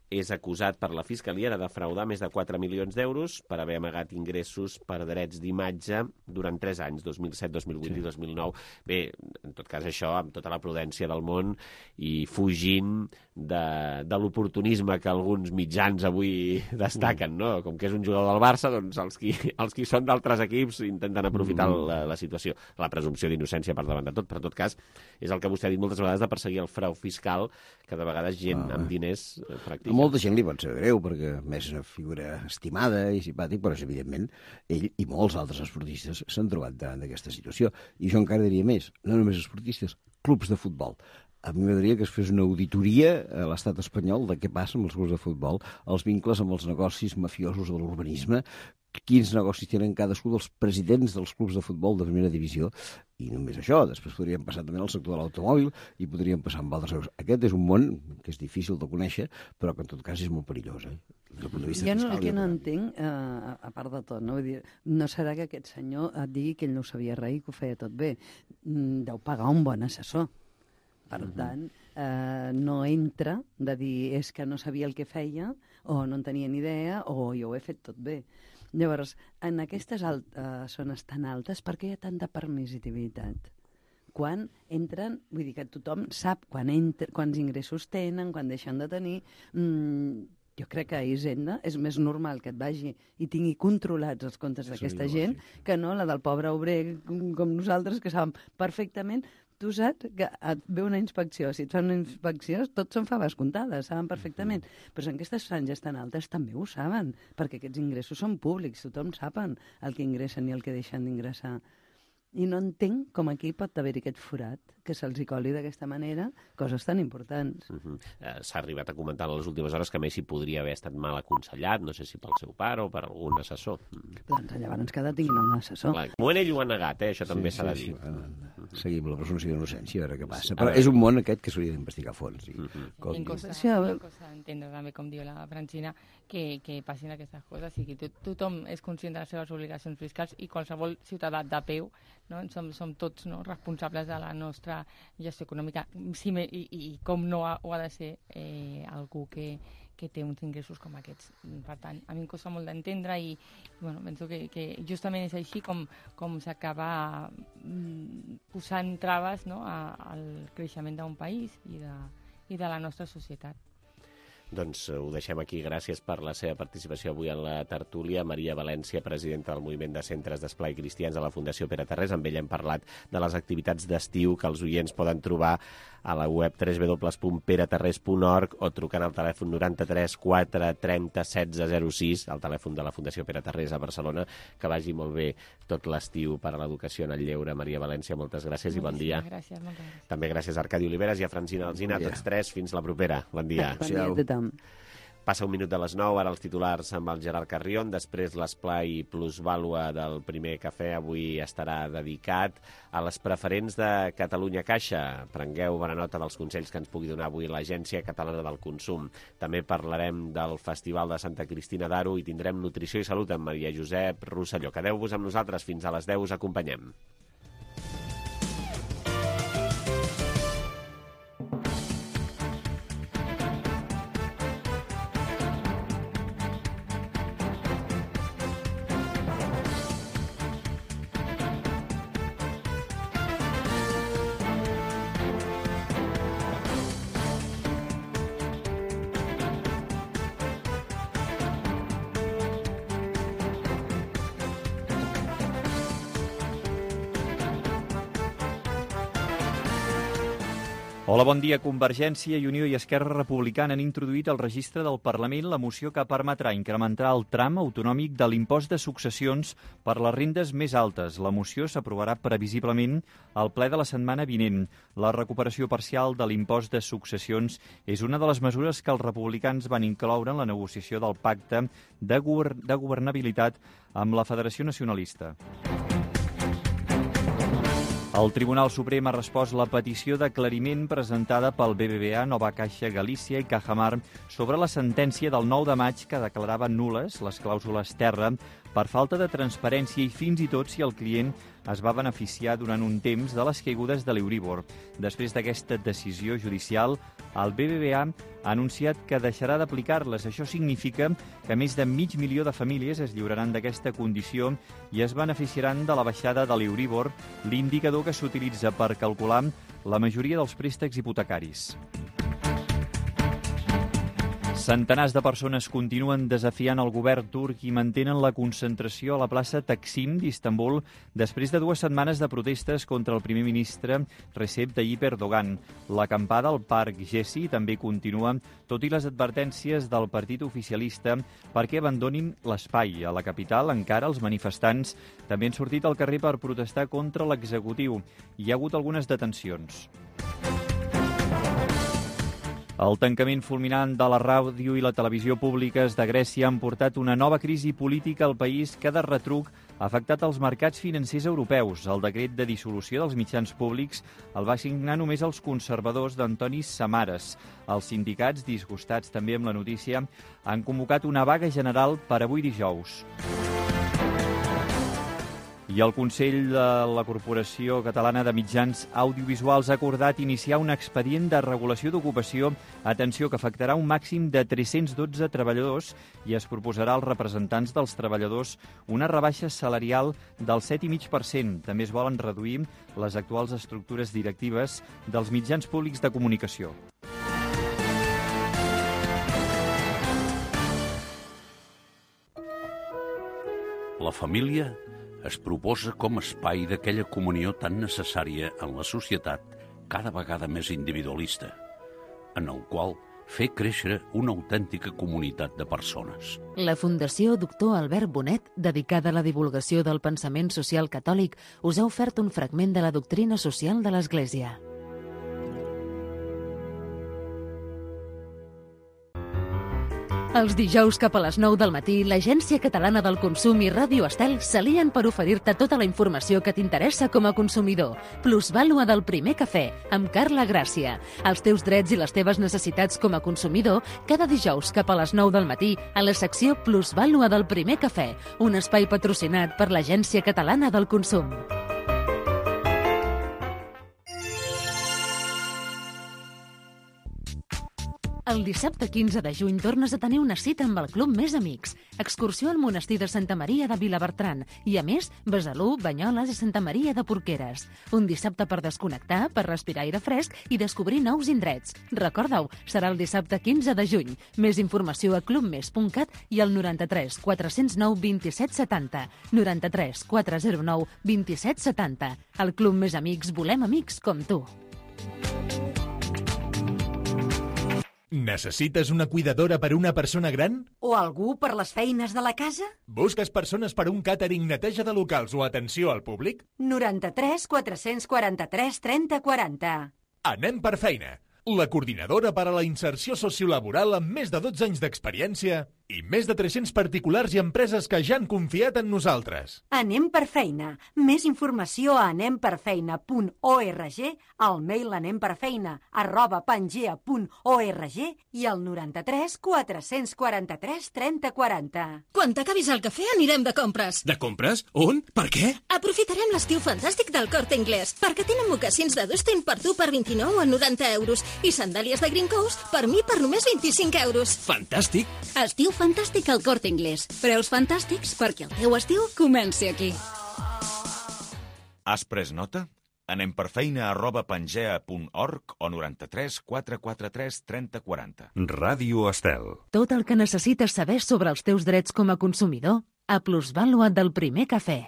és acusat per la Fiscalia de defraudar més de quatre milions d'euros per haver amagat ingressos per drets d'imatge durant tres anys, dos mil set, dos mil vuit sí. i dos mil nou. Bé, en tot cas això, amb tota la prudència del món i fugint de, de l'oportunisme que alguns mitjans avui destaquen, no? Com que és un jugador del Barça, doncs els qui, els qui són d'altres equips intenten aprofitar mm. la, la situació. La presumpció d'innocència per davant de tot, però en tot cas és el que vostè ha dit moltes vegades de perseguir el frau fiscal, que de vegades gent ah. amb diners eh, practica. Molta gent li pot ser greu, perquè més és una figura estimada i simpàtic, però evidentment ell i molts altres esportistes s'han trobat davant d'aquesta situació. I jo encara diria més, no només esportistes, clubs de futbol. A mi m'agradaria que es fes una auditoria a l'estat espanyol de què passa amb els clubs de futbol, els vincles amb els negocis mafiosos de l'urbanisme, quins negocis tenen cadascú dels presidents dels clubs de futbol de primera divisió, i només això, després podríem passar també al sector de l'automòbil i podríem passar amb altres coses. Aquest és un món que és difícil de conèixer, però que en tot cas és molt perillós, eh? Des del punt de vista jo no, fiscal, el que no entenc, eh, a part de tot, no? Vull dir, no serà que aquest senyor et digui que ell no sabia res i que ho feia tot bé. Deu pagar un bon assessor. Per uh-huh. tant, eh, no entra de dir és que no sabia el que feia, o no en tenia ni idea, o jo ho he fet tot bé. Llavors, en aquestes alt, uh, zones tan altes, per què hi ha tanta permissivitat? quan entren, vull dir que tothom sap quan entra, quants ingressos tenen, quan deixen de tenir. Mm, jo crec que a Hisenda és més normal que et vagi i tingui controlats els comptes d'aquesta gent que no la del pobre obrer com nosaltres, que sabem perfectament. Tu saps que et ve una inspecció, si et fan una inspecció, tot són faves comptades, saben perfectament. Però en aquestes franges tan altes també ho saben, perquè aquests ingressos són públics, tothom saben el que ingressen i el que deixen d'ingressar. I no entenc com aquí pot haver-hi aquest forat, que se'ls hi coli d'aquesta manera coses tan importants. Uh -huh. eh, S'ha arribat a comentar en les últimes hores que Messi podria haver estat mal aconsellat, no sé si pel seu pare o per algun assessor. Doncs llavors cada tinguin un assessor. Clar, de moment ell ho ha negat, eh? Això també sí, s'ha sí, de dir. Sí. Seguim la presumpció d'innocència, a veure què passa. Però és un món aquest que s'hauria d'investigar a fons. I, uh -huh. com I cosa, sí, cosa entendre també, com diu la Francina, que, que passin aquestes coses i que tot, tothom és conscient de les seves obligacions fiscals i qualsevol ciutadà de peu, no? som, som tots, no, responsables de la nostra gestió econòmica, sí, i, i com no ha, ho ha de ser eh, algú que, que té uns ingressos com aquests. Per tant, a mi em costa molt d'entendre i bueno, penso que, que justament és així com, com s'acaba mm, posant traves, no, a, al creixement d'un país i de, i de la nostra societat. Doncs ho deixem aquí. Gràcies per la seva participació avui en la tertúlia. Maria València, presidenta del Moviment de Centres d'Esplai Cristians de la Fundació Pere Tarrés. Amb ella hem parlat de les activitats d'estiu que els oients poden trobar a la web w w w punt pere tarrés punt org o trucant al telèfon noranta-tres quatre trenta setze zero sis, el telèfon de la Fundació Pere Tarrés a Barcelona. Que vagi molt bé tot l'estiu per a l'educació en el lleure. Maria València, moltes gràcies i bon dia. Gràcies, moltes gràcies. També gràcies a Arcadi Oliveres i a Francina Alsina, tots tres. Fins la propera. Bon dia. Bon dia a tothom. Passa un minut de les nou, ara els titulars amb el Gerard Carrion, després l'esplai plusvàlua del primer cafè avui estarà dedicat a les preferents de Catalunya Caixa. Prengueu bona nota dels consells que ens pugui donar avui l'Agència Catalana del Consum. També parlarem del Festival de Santa Cristina d'Aro i tindrem Nutrició i Salut amb Maria Josep Rosselló. Quedeu-vos amb nosaltres, fins a les deu us acompanyem. Hola, bon dia. Convergència i Unió i Esquerra Republicana han introduït al registre del Parlament la moció que permetrà incrementar el tram autonòmic de l'impost de successions per les rendes més altes. La moció s'aprovarà previsiblement al ple de la setmana vinent. La recuperació parcial de l'impost de successions és una de les mesures que els republicans van incloure en la negociació del pacte de, govern de governabilitat amb la Federació Nacionalista. El Tribunal Suprem ha respost la petició d'aclariment presentada pel B B V A, Nova Caixa Galícia i Cajamar sobre la sentència del nou de maig que declarava nul·les les clàusules terra per falta de transparència i fins i tot si el client es va beneficiar durant un temps de les caigudes de l'Euríbor. Després d'aquesta decisió judicial, el B B V A ha anunciat que deixarà d'aplicar-les. Això significa que més de mig milió de famílies es lliuraran d'aquesta condició i es beneficiaran de la baixada de l'Euríbor, l'indicador que s'utilitza per calcular la majoria dels préstecs hipotecaris. Centenars de persones continuen desafiant el govern turc i mantenen la concentració a la plaça Taksim d'Istanbul després de dues setmanes de protestes contra el primer ministre Recep Tayyip Erdogan. L'acampada al Parc Gezi també continua, tot i les advertències del partit oficialista perquè abandonin l'espai. A la capital, encara, els manifestants també han sortit al carrer per protestar contra l'executiu. Hi ha hagut algunes detencions. El tancament fulminant de la ràdio i la televisió públiques de Grècia han portat una nova crisi política al país que de retruc ha afectat els mercats financers europeus. El decret de dissolució dels mitjans públics el va signar només els conservadors d'Antonis Samaras. Els sindicats, disgustats també amb la notícia, han convocat una vaga general per avui dijous. I el Consell de la Corporació Catalana de Mitjans Audiovisuals ha acordat iniciar un expedient de regulació d'ocupació, atenció, que afectarà un màxim de tres-cents dotze treballadors i es proposarà als representants dels treballadors una rebaixa salarial del set coma cinc per cent. També es volen reduir les actuals estructures directives dels mitjans públics de comunicació. La família es proposa com a espai d'aquella comunió tan necessària en la societat cada vegada més individualista, en el qual fer créixer una autèntica comunitat de persones. La Fundació Doctor Albert Bonet, dedicada a la divulgació del pensament social catòlic, us ha ofert un fragment de la doctrina social de l'Església. Els dijous cap a les nou del matí, l'Agència Catalana del Consum i Ràdio Estel s'alien per oferir-te tota la informació que t'interessa com a consumidor. Plusvàlua del primer cafè, amb Carla Gràcia. Els teus drets i les teves necessitats com a consumidor, cada dijous cap a les nou del matí, a la secció Plusvàlua del primer cafè, un espai patrocinat per l'Agència Catalana del Consum. El dissabte quinze de juny tornes a tenir una cita amb el Club Més Amics. Excursió al monestir de Santa Maria de Vilabertran i, a més, Besalú, Banyoles i Santa Maria de Porqueres. Un dissabte per desconnectar, per respirar aire fresc i descobrir nous indrets. Recorda-ho, serà el dissabte quinze de juny. Més informació a club mes punt cat i al noranta-tres quatre zero nou vint-i-set setanta. noranta-tres quatre zero nou vint-i-set setanta. Al Club Més Amics volem amics com tu. Necessites una cuidadora per una persona gran? O algú per les feines de la casa? Busques persones per un càtering, neteja de locals o atenció al públic? noranta-tres quatre-cents quaranta-tres trenta quaranta. Anem per feina. La coordinadora per a la inserció sociolaboral amb més de dotze anys d'experiència i més de tres-cents particulars i empreses que ja han confiat en nosaltres. Anem per feina. Més informació a anemperfeina punt org, al mail anemperfeina arroba pangea punt org i al noranta-tres quatre-cents quaranta-tres trenta quaranta. Quan t'acabis el cafè anirem de compres. De compres? On? Per què? Aprofitarem l'estiu fantàstic del Corte Inglés, perquè tenen mocassins de Dustin per tu per vint-i-nou a noranta euros i sandàlies de Green Coast per mi per només vint-i-cinc euros. Fantàstic! Estiu fantàstic al Corte Inglés. Preus fantàstics perquè el teu estiu comenci aquí. Has pres nota? Anem per feina arroba pangea punt org o noranta-tres quatre quaranta-tres trenta quaranta. Ràdio Estel. Tot el que necessites saber sobre els teus drets com a consumidor a Plusvàlua del primer cafè.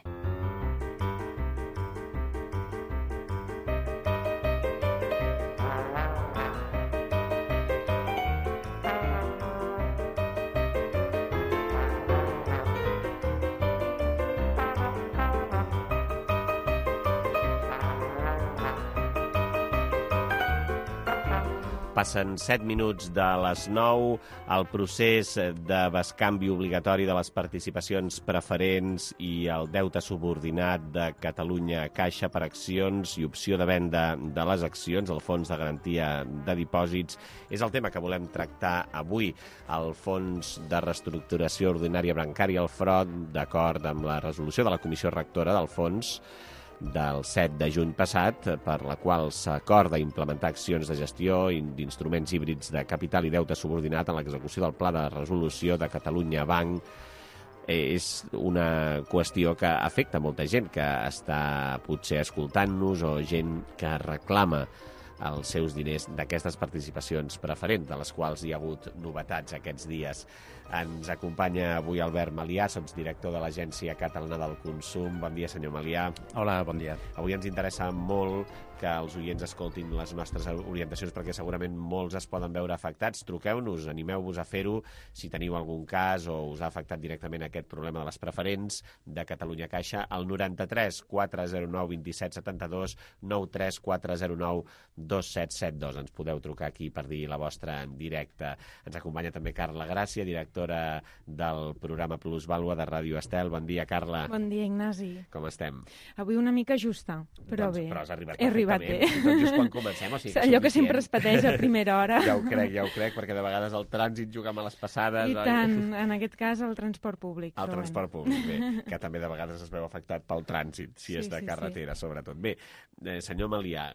Passen set minuts de les nou. El procés de bescanvi obligatori de les participacions preferents i el deute subordinat de Catalunya Caixa per accions i opció de venda de les accions, el Fons de Garantia de Dipòsits, és el tema que volem tractar avui. El Fons de Reestructuració Ordinària Bancària, el F R O D, d'acord amb la resolució de la Comissió Rectora del Fons del set de juny passat, per la qual s'acorda implementar accions de gestió i d'instruments híbrids de capital i deute subordinat en l'execució del Pla de Resolució de Catalunya Banc. És una qüestió que afecta molta gent que està potser escoltant-nos o gent que reclama els seus diners d'aquestes participacions preferents, de les quals hi ha hagut novetats aquests dies. Ens acompanya avui Albert Malià, sotsdirector de l'Agència Catalana del Consum. Bon dia, senyor Malià. Hola, bon dia. Avui ens interessa molt que els oients escoltin les nostres orientacions perquè segurament molts es poden veure afectats. Truqueu-nos, animeu-vos a fer-ho si teniu algun cas o us ha afectat directament aquest problema de les preferents de Catalunya Caixa al noranta-tres quatre zero nou vint-i-set setanta-dos, noranta-tres quatre zero nou dos set set dos. Ens podeu trucar aquí per dir la vostra en directe. Ens acompanya també Carla Gràcia, directora del programa Plusvàlua de Ràdio Estel. Bon dia, Carla. Bon dia, Ignasi. Com estem? Avui una mica justa, però doncs, bé. Però has arribat He arribat perfectament. bé. Tot just quan comencem, o sigui que allò que sempre es pateix a primera hora. Ja ho crec, ja ho crec, perquè de vegades el trànsit juga a les passades. I oi? tant, en aquest cas el transport públic. El transport públic, bé, que també de vegades es veu afectat pel trànsit, si Sí, és de sí, carretera, sí. sobretot. Bé, eh, senyor Malià,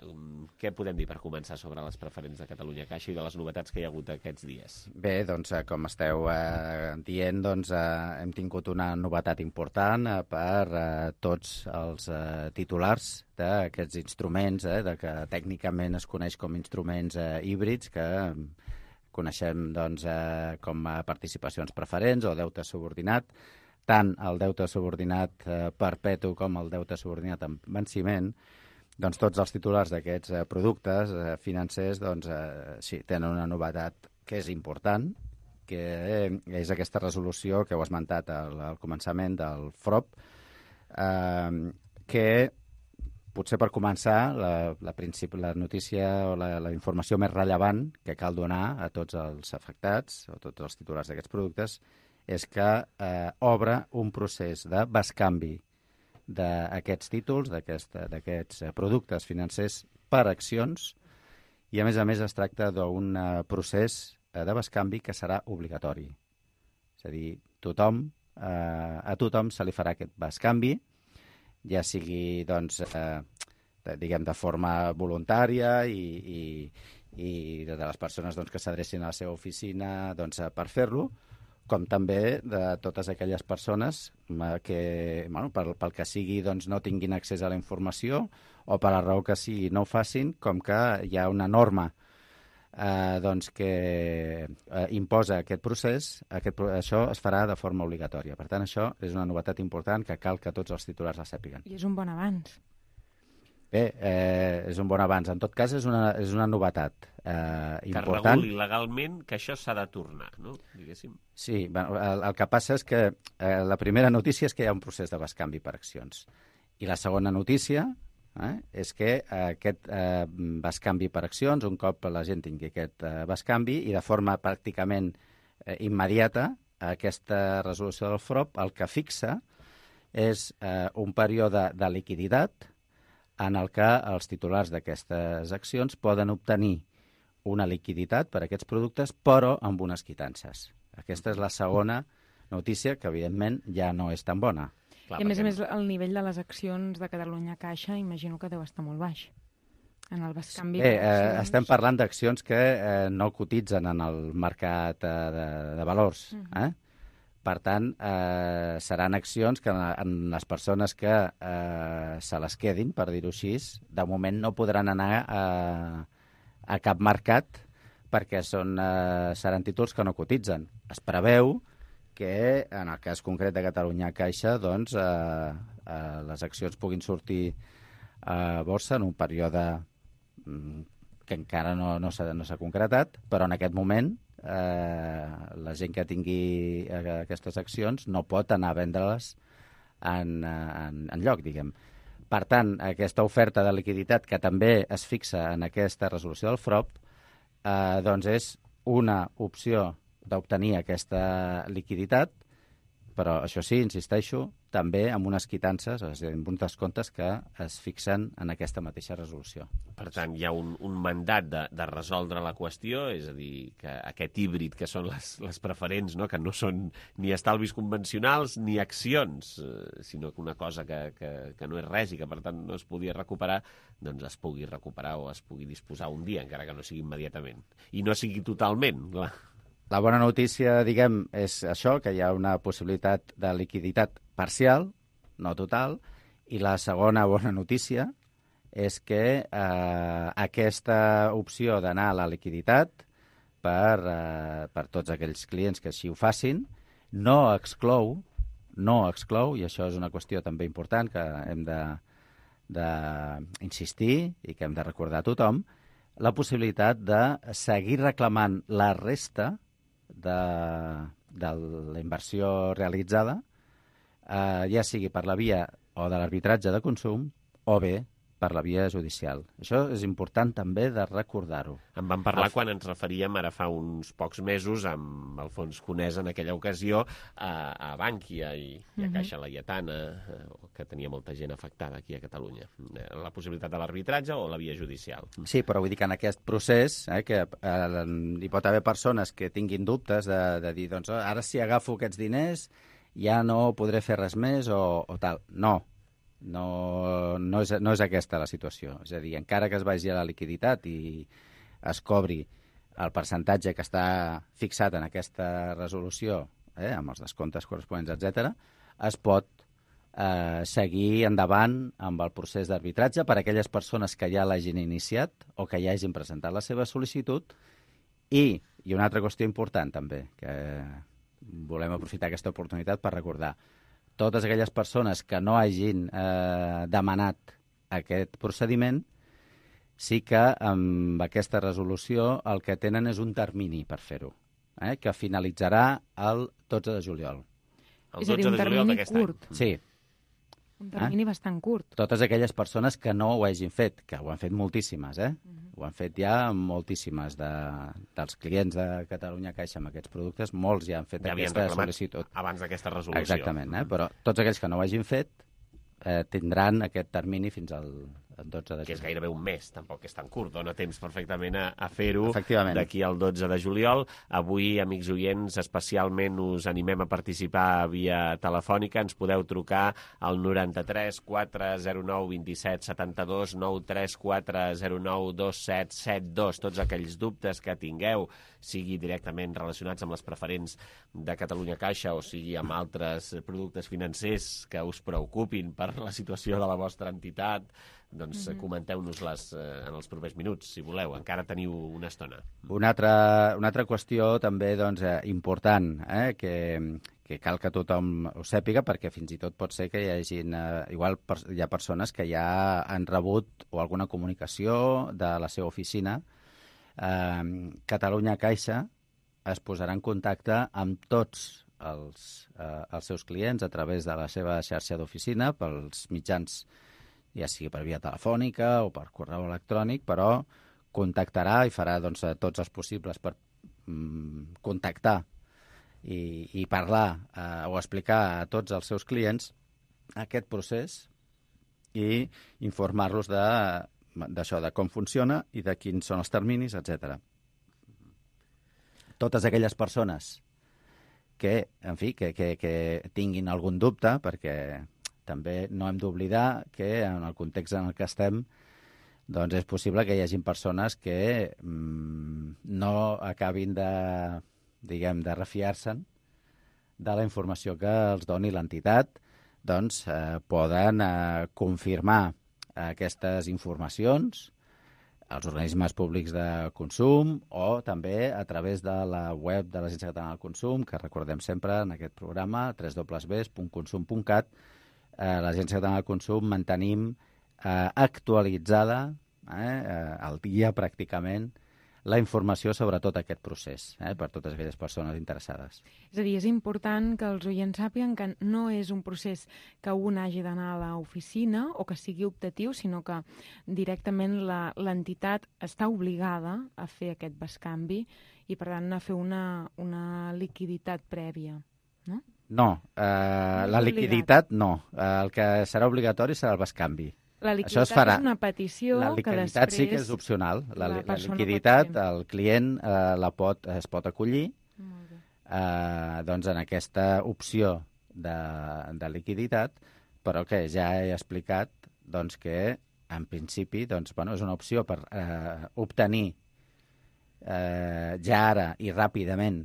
què podem dir per començar sobre les preferents de Catalunya Caixa i de les novetats que hi ha hagut aquests dies? Bé, doncs, eh, com esteu eh, dient, doncs, eh, hem tingut una novetat important eh, per eh, tots els eh, titulars d'aquests instruments, eh, de que tècnicament es coneix com instruments eh, híbrids, que eh, coneixem doncs, eh, com a participacions preferents o deute subordinat. Tant el deute subordinat eh, perpetu com el deute subordinat en venciment, doncs tots els titulars d'aquests eh, productes eh, financers doncs, eh, sí, tenen una novetat que és important, que eh, és aquesta resolució que heu esmentat al, al començament del F R O P, eh, que potser per començar la, la, principi, la notícia o la, la informació més rellevant que cal donar a tots els afectats o tots els titulars d'aquests productes és que eh, obre un procés de bescanvi d'aquests títols, d'aquests productes financers per accions, i a més a més es tracta d'un procés de bescanvi que serà obligatori. És a dir, tothom, eh, a tothom se li farà aquest bescanvi, ja sigui doncs, eh, de, diguem, de forma voluntària i, i, i de les persones doncs, que s'adrecin a la seva oficina doncs, per fer-lo, com també de totes aquelles persones que, bueno, pel, pel que sigui, doncs, no tinguin accés a la informació o per la raó que sigui no ho facin, com que hi ha una norma eh, doncs, que eh, imposa aquest procés, aquest, això es farà de forma obligatòria. Per tant, això és una novetat important que cal que tots els titulars la sàpiguen. I és un bon avanç. Bé, eh, és un bon avanç. En tot cas, és una, és una novetat eh, important. Que reguli legalment que això s'ha de tornar, no? Diguéssim. Sí, bueno, el, el que passa és que eh, la primera notícia és que hi ha un procés de bescanvi per accions. I la segona notícia eh, és que eh, aquest eh, bescanvi per accions, un cop la gent tingui aquest eh, bescanvi, i de forma pràcticament eh, immediata, aquesta resolució del F R O P el que fixa és eh, un període de liquiditat en el que els titulars d'aquestes accions poden obtenir una liquiditat per a aquests productes, però amb unes quitances. Aquesta és la segona notícia, que evidentment ja no és tan bona. Clar, I a més a més, el nivell de les accions de Catalunya Caixa imagino que deu estar molt baix. En el bescanvi Bé, eh, estem parlant d'accions que eh, no cotitzen en el mercat eh, de, de valors, uh-huh. eh? Per tant, eh, seran accions que en les persones que eh, se les quedin, per dir-ho així, de moment no podran anar a, a cap mercat perquè són, eh, seran títols que no cotitzen. Es preveu que, en el cas concret de Catalunya Caixa, doncs, eh, eh, les accions puguin sortir a borsa en un període que encara no, no s'ha no s'ha concretat, però en aquest moment Eh, la gent que tingui eh, aquestes accions no pot anar a vendre-les en, en, en lloc, diguem. Per tant, aquesta oferta de liquiditat que també es fixa en aquesta resolució del F R O P eh, doncs és una opció d'obtenir aquesta liquiditat, però això sí, insisteixo, també amb unes quitances, és a dir, amb uns descomptes que es fixen en aquesta mateixa resolució. Per tant, hi ha un, un mandat de, de resoldre la qüestió, és a dir, que aquest híbrid que són les, les preferents, no? Que no són ni estalvis convencionals ni accions, eh, sinó que una cosa que, que, que no és res i que, per tant, no es podia recuperar, doncs es pugui recuperar o es pugui disposar un dia, encara que no sigui immediatament. I no sigui totalment, clar. La bona notícia, diguem, és això, que hi ha una possibilitat de liquiditat parcial, no total, i la segona bona notícia és que eh, aquesta opció d'anar a la liquiditat per, eh, per tots aquells clients que així ho facin no exclou, no exclou, i això és una qüestió també important que hem de, de insistir i que hem de recordar a tothom, la possibilitat de seguir reclamant la resta de, de la inversió realitzada, eh, ja sigui per la via o de l'arbitratge de consum o bé per la via judicial. Això és important també de recordar-ho. En vam parlar quan ens referíem ara fa uns pocs mesos amb Alfons Conés en aquella ocasió a, a Bànquia i, i a Caixa Laietana, que tenia molta gent afectada aquí a Catalunya. La possibilitat de l'arbitratge o la via judicial. Sí, però vull dir que en aquest procés eh, que eh, hi pot haver persones que tinguin dubtes de, de dir, doncs ara si agafo aquests diners ja no podré fer res més o, o tal. No. No, no, és, no és aquesta la situació. És a dir, encara que es vagi a la liquiditat i es cobri el percentatge que està fixat en aquesta resolució, eh, amb els descomptes corresponents, etcètera, es pot eh, seguir endavant amb el procés d'arbitratge per a aquelles persones que ja l'hagin iniciat o que ja hagin presentat la seva sol·licitud. I, i una altra qüestió important també, que volem aprofitar aquesta oportunitat per recordar, totes aquelles persones que no hagin eh, demanat aquest procediment, sí que amb aquesta resolució el que tenen és un termini per fer-ho, eh, que finalitzarà el dotze de juliol. És a dir, un termini curt. Sí. Un termini eh? bastant curt. Totes aquelles persones que no ho hagin fet, que ho han fet moltíssimes, eh? Uh-huh. Ho han fet ja moltíssimes de, dels clients de Catalunya Caixa amb aquests productes, molts ja han fet ja aquesta sol·licitud. Abans d'aquesta resolució. Exactament, eh? Però tots aquells que no ho hagin fet eh, tindran aquest termini fins al dotze de juliol. Que és gairebé un mes, tampoc és tan curt, dona temps perfectament a, a fer-ho d'aquí al dotze de juliol. Avui, amics oients, especialment us animem a participar via telefònica. Ens podeu trucar al noranta-tres quatre zero nou vint set setanta-dos, nou tres quatre zero nou dos set set dos. Tots aquells dubtes que tingueu, sigui directament relacionats amb les preferents de Catalunya Caixa o sigui amb altres productes financers que us preocupin per la situació de la vostra entitat, doncs mm-hmm. comenteu-nos-les eh, en els propers minuts, si voleu. Encara teniu una estona. Una altra, una altra qüestió també doncs, eh, important, eh, que, que cal que tothom ho sàpiga, perquè fins i tot pot ser que hi hagin... Eh, igual per, hi ha persones que ja han rebut o alguna comunicació de la seva oficina. Eh, Catalunya Caixa es posarà en contacte amb tots els, eh, els seus clients a través de la seva xarxa d'oficina, pels mitjans, ja sigui per via telefònica o per correu electrònic, però contactarà i farà doncs, tots els possibles per mm, contactar i, i parlar eh, o explicar a tots els seus clients aquest procés i informar-los de, d'això, de com funciona i de quins són els terminis, etcètera. Totes aquelles persones que, en fi, que, que, que tinguin algun dubte, perquè també no hem d'oblidar que en el context en el que estem doncs és possible que hi hagi persones que mmm, no acabin de, diguem, de refiar-se'n de la informació que els doni l'entitat, doncs eh, poden eh, confirmar aquestes informacions als organismes públics de consum o també a través de la web de l'Agència Catalana del Consum, que recordem sempre en aquest programa, w w w punt consum punt cat. Eh, l'Agència Catalana del Consum mantenim eh, actualitzada, eh, al dia pràcticament, la informació sobre tot aquest procés, eh, per totes aquelles persones interessades. És a dir, és important que els oients sàpiguen que no és un procés que un hagi d'anar a l'oficina o que sigui optatiu, sinó que directament la, l'entitat està obligada a fer aquest bescanvi i, per tant, a fer una, una liquiditat prèvia, no? No, eh, la liquiditat no. Eh, el que serà obligatori serà el bescanvi. La liquiditat és una petició la que després... La liquiditat sí que és opcional. La, la, la liquiditat, el client eh, la pot, es pot acollir eh, doncs en aquesta opció de, de liquiditat, però que ja he explicat doncs, que en principi doncs, bueno, és una opció per eh, obtenir eh, ja ara i ràpidament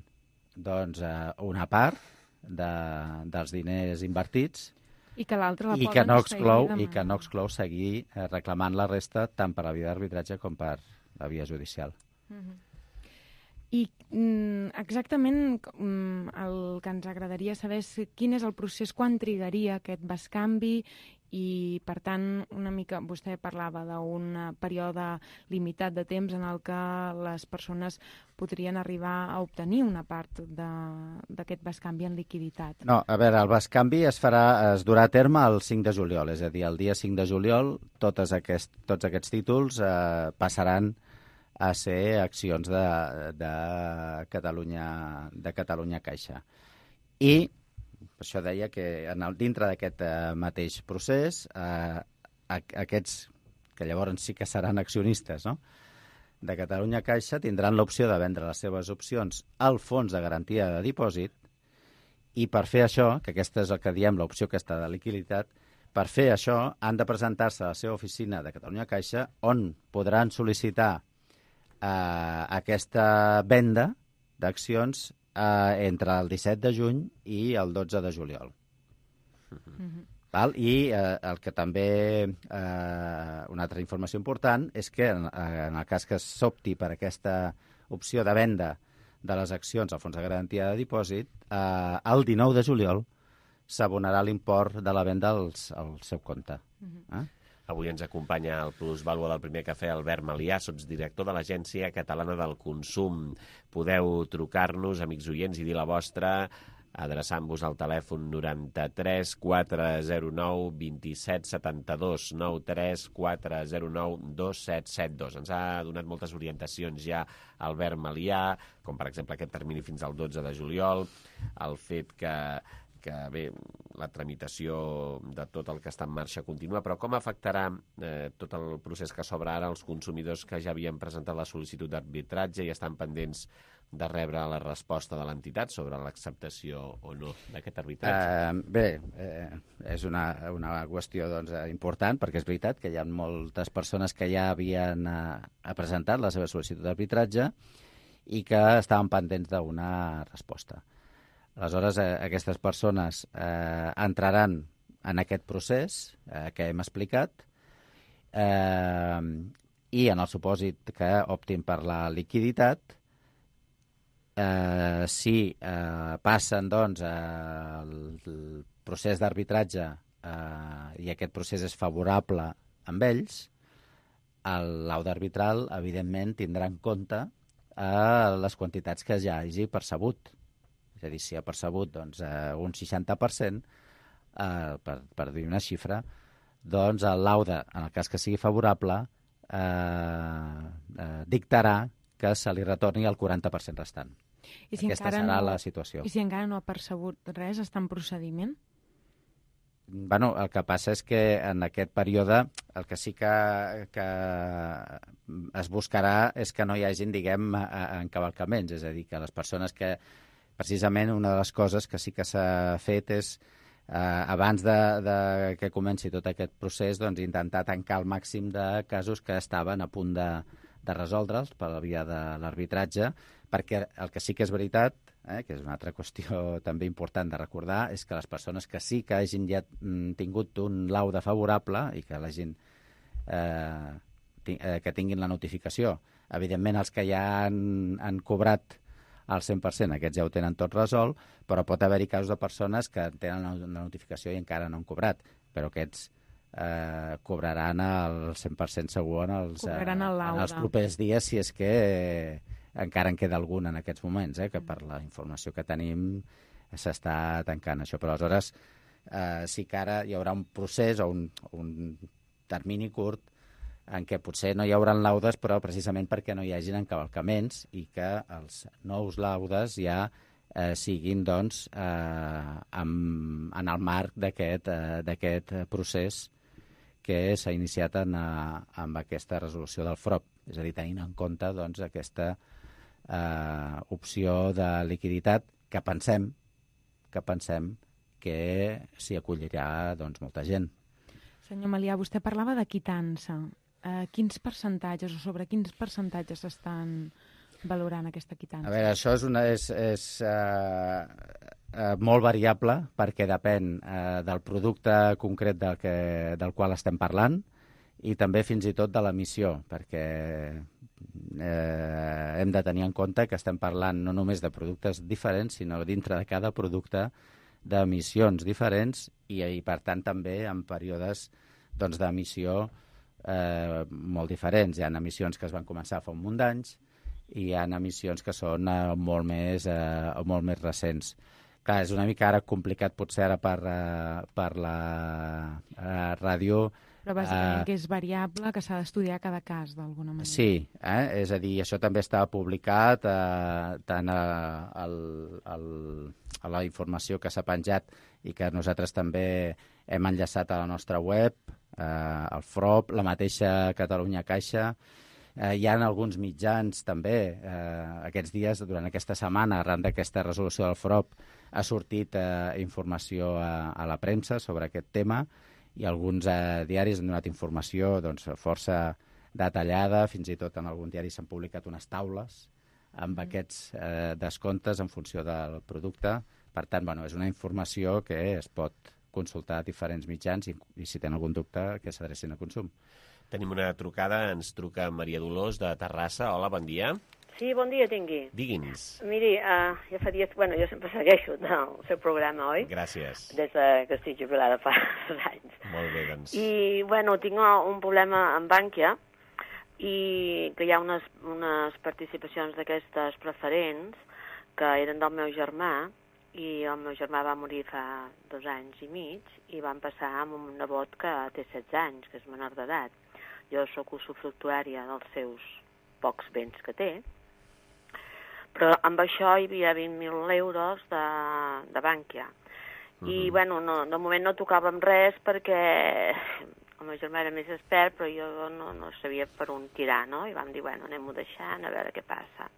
doncs, eh, una part de, dels diners invertits i que l'altre la I que no exclou i que no exclou seguir eh, reclamant la resta tant per la via d'arbitratge com per la via judicial. Uh-huh. I mm, exactament mm, el que ens agradaria saber és quin és el procés, quan trigaria aquest bescanvi i, per tant, una mica vostè parlava d'un període limitat de temps en el que les persones podrien arribar a obtenir una part d'aquest bescanvi en liquiditat. No, a veure, el bescanvi es farà, es durà a terme el cinc de juliol, és a dir, el dia cinc de juliol totes aquest, tots aquests títols eh, passaran a ser accions de, de, Catalunya, de Catalunya Caixa. I per això deia que en el, dintre d'aquest eh, mateix procés, eh, aquests que llavors sí que seran accionistes, no?, de Catalunya Caixa tindran l'opció de vendre les seves opcions al fons de garantia de dipòsit i per fer això, que aquesta és el que diem l'opció aquesta de liquiditat, per fer això han de presentar-se a la seva oficina de Catalunya Caixa on podran sol·licitar eh, aquesta venda d'accions eh, entre el disset de juny i el dotze de juliol. Mm-hmm. Val? I eh, el que també, eh, una altra informació important, és que en, en el cas que s'opti per aquesta opció de venda de les accions al fons de garantia de dipòsit, eh, el dinou de juliol s'abonarà l'import de la venda als, al seu compte. Mm-hmm. eh? Avui ens acompanya el plusvàlua del Primer Cafè, Albert Malià, sotsdirector de l'Agència Catalana del Consum. Podeu trucar-nos, amics oients, i dir la vostra adreçant-vos al telèfon noranta-tres quatre zero nou vint-i-set setanta-dos, noranta-tres quatre zero nou dos set set dos. Ens ha donat moltes orientacions ja Albert Malià, com per exemple aquest termini fins al dotze de juliol, el fet que que bé, la tramitació de tot el que està en marxa continua, però com afectarà eh, tot el procés que s'obre ara als consumidors que ja havien presentat la sol·licitud d'arbitratge i estan pendents de rebre la resposta de l'entitat sobre l'acceptació o no d'aquest arbitratge? Uh, bé, eh, és una, una qüestió doncs, important, perquè és veritat que hi ha moltes persones que ja havien uh, presentat la seva sol·licitud d'arbitratge i que estaven pendents d'una resposta. Aleshores, eh, aquestes persones eh, entraran en aquest procés eh, que hem explicat eh, i en el supòsit que optin per la liquiditat, eh, si eh, passen doncs, eh, el, el procés d'arbitratge eh, i aquest procés és favorable amb ells, el laude arbitral, evidentment, tindrà en compte eh, les quantitats que ja hagi percebut. És a dir, si ha percebut doncs, eh, un seixanta per cent, eh, per, per dir una xifra, doncs el laude, en el cas que sigui favorable, eh, eh, dictarà que se li retorni el quaranta per cent restant. I si Aquesta serà no, la situació. I si encara no ha percebut res, està en procediment? Bueno, el que passa és que en aquest període el que sí que, que es buscarà és que no hi hagin, diguem, encavalcaments, és a dir, que les persones que precisament una de les coses que sí que s'ha fet és, eh, abans de, de que comenci tot aquest procés, doncs, intentar tancar el màxim de casos que estaven a punt de, de resoldre'ls per la via de l'arbitratge, perquè el que sí que és veritat, eh, que és una altra qüestió també important de recordar, és que les persones que sí que hagin ja tingut un laude favorable i que l'hagin eh, que tinguin la notificació, evidentment els que ja han, han cobrat al cent per cent, aquests ja ho tenen tot resolt, però pot haver-hi casos de persones que tenen la notificació i encara no han cobrat, però aquests eh, cobraran el cent per cent segur en els, eh, en els propers dies, si és que eh, encara en queda algun en aquests moments, eh, que per la informació que tenim s'està tancant això. Però aleshores eh, sí que ara hi haurà un procés o un, un termini curt en què potser no hi haurà laudes, però precisament perquè no hi hagin encavalcaments i que els nous laudes ja eh, siguin doncs, eh, amb, en el marc d'aquest eh, d'aquest procés que s'ha iniciat en, a, amb aquesta resolució del F R O P, és a dir, tenint en compte doncs, aquesta eh, opció de liquiditat que pensem que pensem que s'hi acollirà doncs, molta gent. Senyor Malià, vostè parlava de quitança. Uh, quins percentatges o sobre quins percentatges estan valorant aquesta quitança? A veure, això és, una, és, és uh, uh, molt variable perquè depèn uh, del producte concret del, que, del qual estem parlant i també fins i tot de l'emissió, perquè uh, hem de tenir en compte que estem parlant no només de productes diferents, sinó dintre de cada producte d'emissions diferents i, i, per tant, també en períodes doncs, d'emissió eh, molt diferents. Hi ha emissions que es van començar fa un munt d'anys i hi ha emissions que són eh, molt, més, eh, molt més recents. Clar, és una mica ara complicat potser ara per, uh, per la uh, ràdio. Però bàsicament uh, que és variable, que s'ha d'estudiar cada cas, d'alguna manera. Sí, eh? És a dir, això també està publicat uh, tant a, a, a, a la informació que s'ha penjat i que nosaltres també hem enllaçat a la nostra web, uh, al F R O P, la mateixa Catalunya Caixa. Eh, hi ha alguns mitjans també, eh, aquests dies, durant aquesta setmana, arran d'aquesta resolució del F R O P, ha sortit eh, informació a, a la premsa sobre aquest tema i alguns eh, diaris han donat informació doncs, força detallada, fins i tot en algun diari s'han publicat unes taules amb mm. aquests eh, descomptes en funció del producte. Per tant, bueno, és una informació que es pot consultar a diferents mitjans i, i si tenen algun dubte que s'adrecin a Consum. Tenim una trucada, ens truca Maria Dolors de Terrassa. Hola, bon dia. Sí, bon dia tingui. Digui'ns. Miri, uh, ja fa dies... Bueno, jo sempre segueixo el seu programa, oi? Gràcies. Des de que estic jubilada fa anys. Molt bé, doncs. I, bueno, tinc un problema amb Bànquia i que hi ha unes, unes participacions d'aquestes preferents que eren del meu germà i el meu germà va morir fa dos anys i mig i van passar amb un nebot que té setze anys, que és menor d'edat. Jo sóc usufructuària dels seus pocs béns que té, però amb això hi havia vint mil euros de, de Bànquia. I, uh-huh. bueno, no, de moment no tocàvem res perquè el meu germà era més expert, però jo no, no sabia per on tirar, no? I vam dir, bueno, anem-ho deixant, a veure què passa.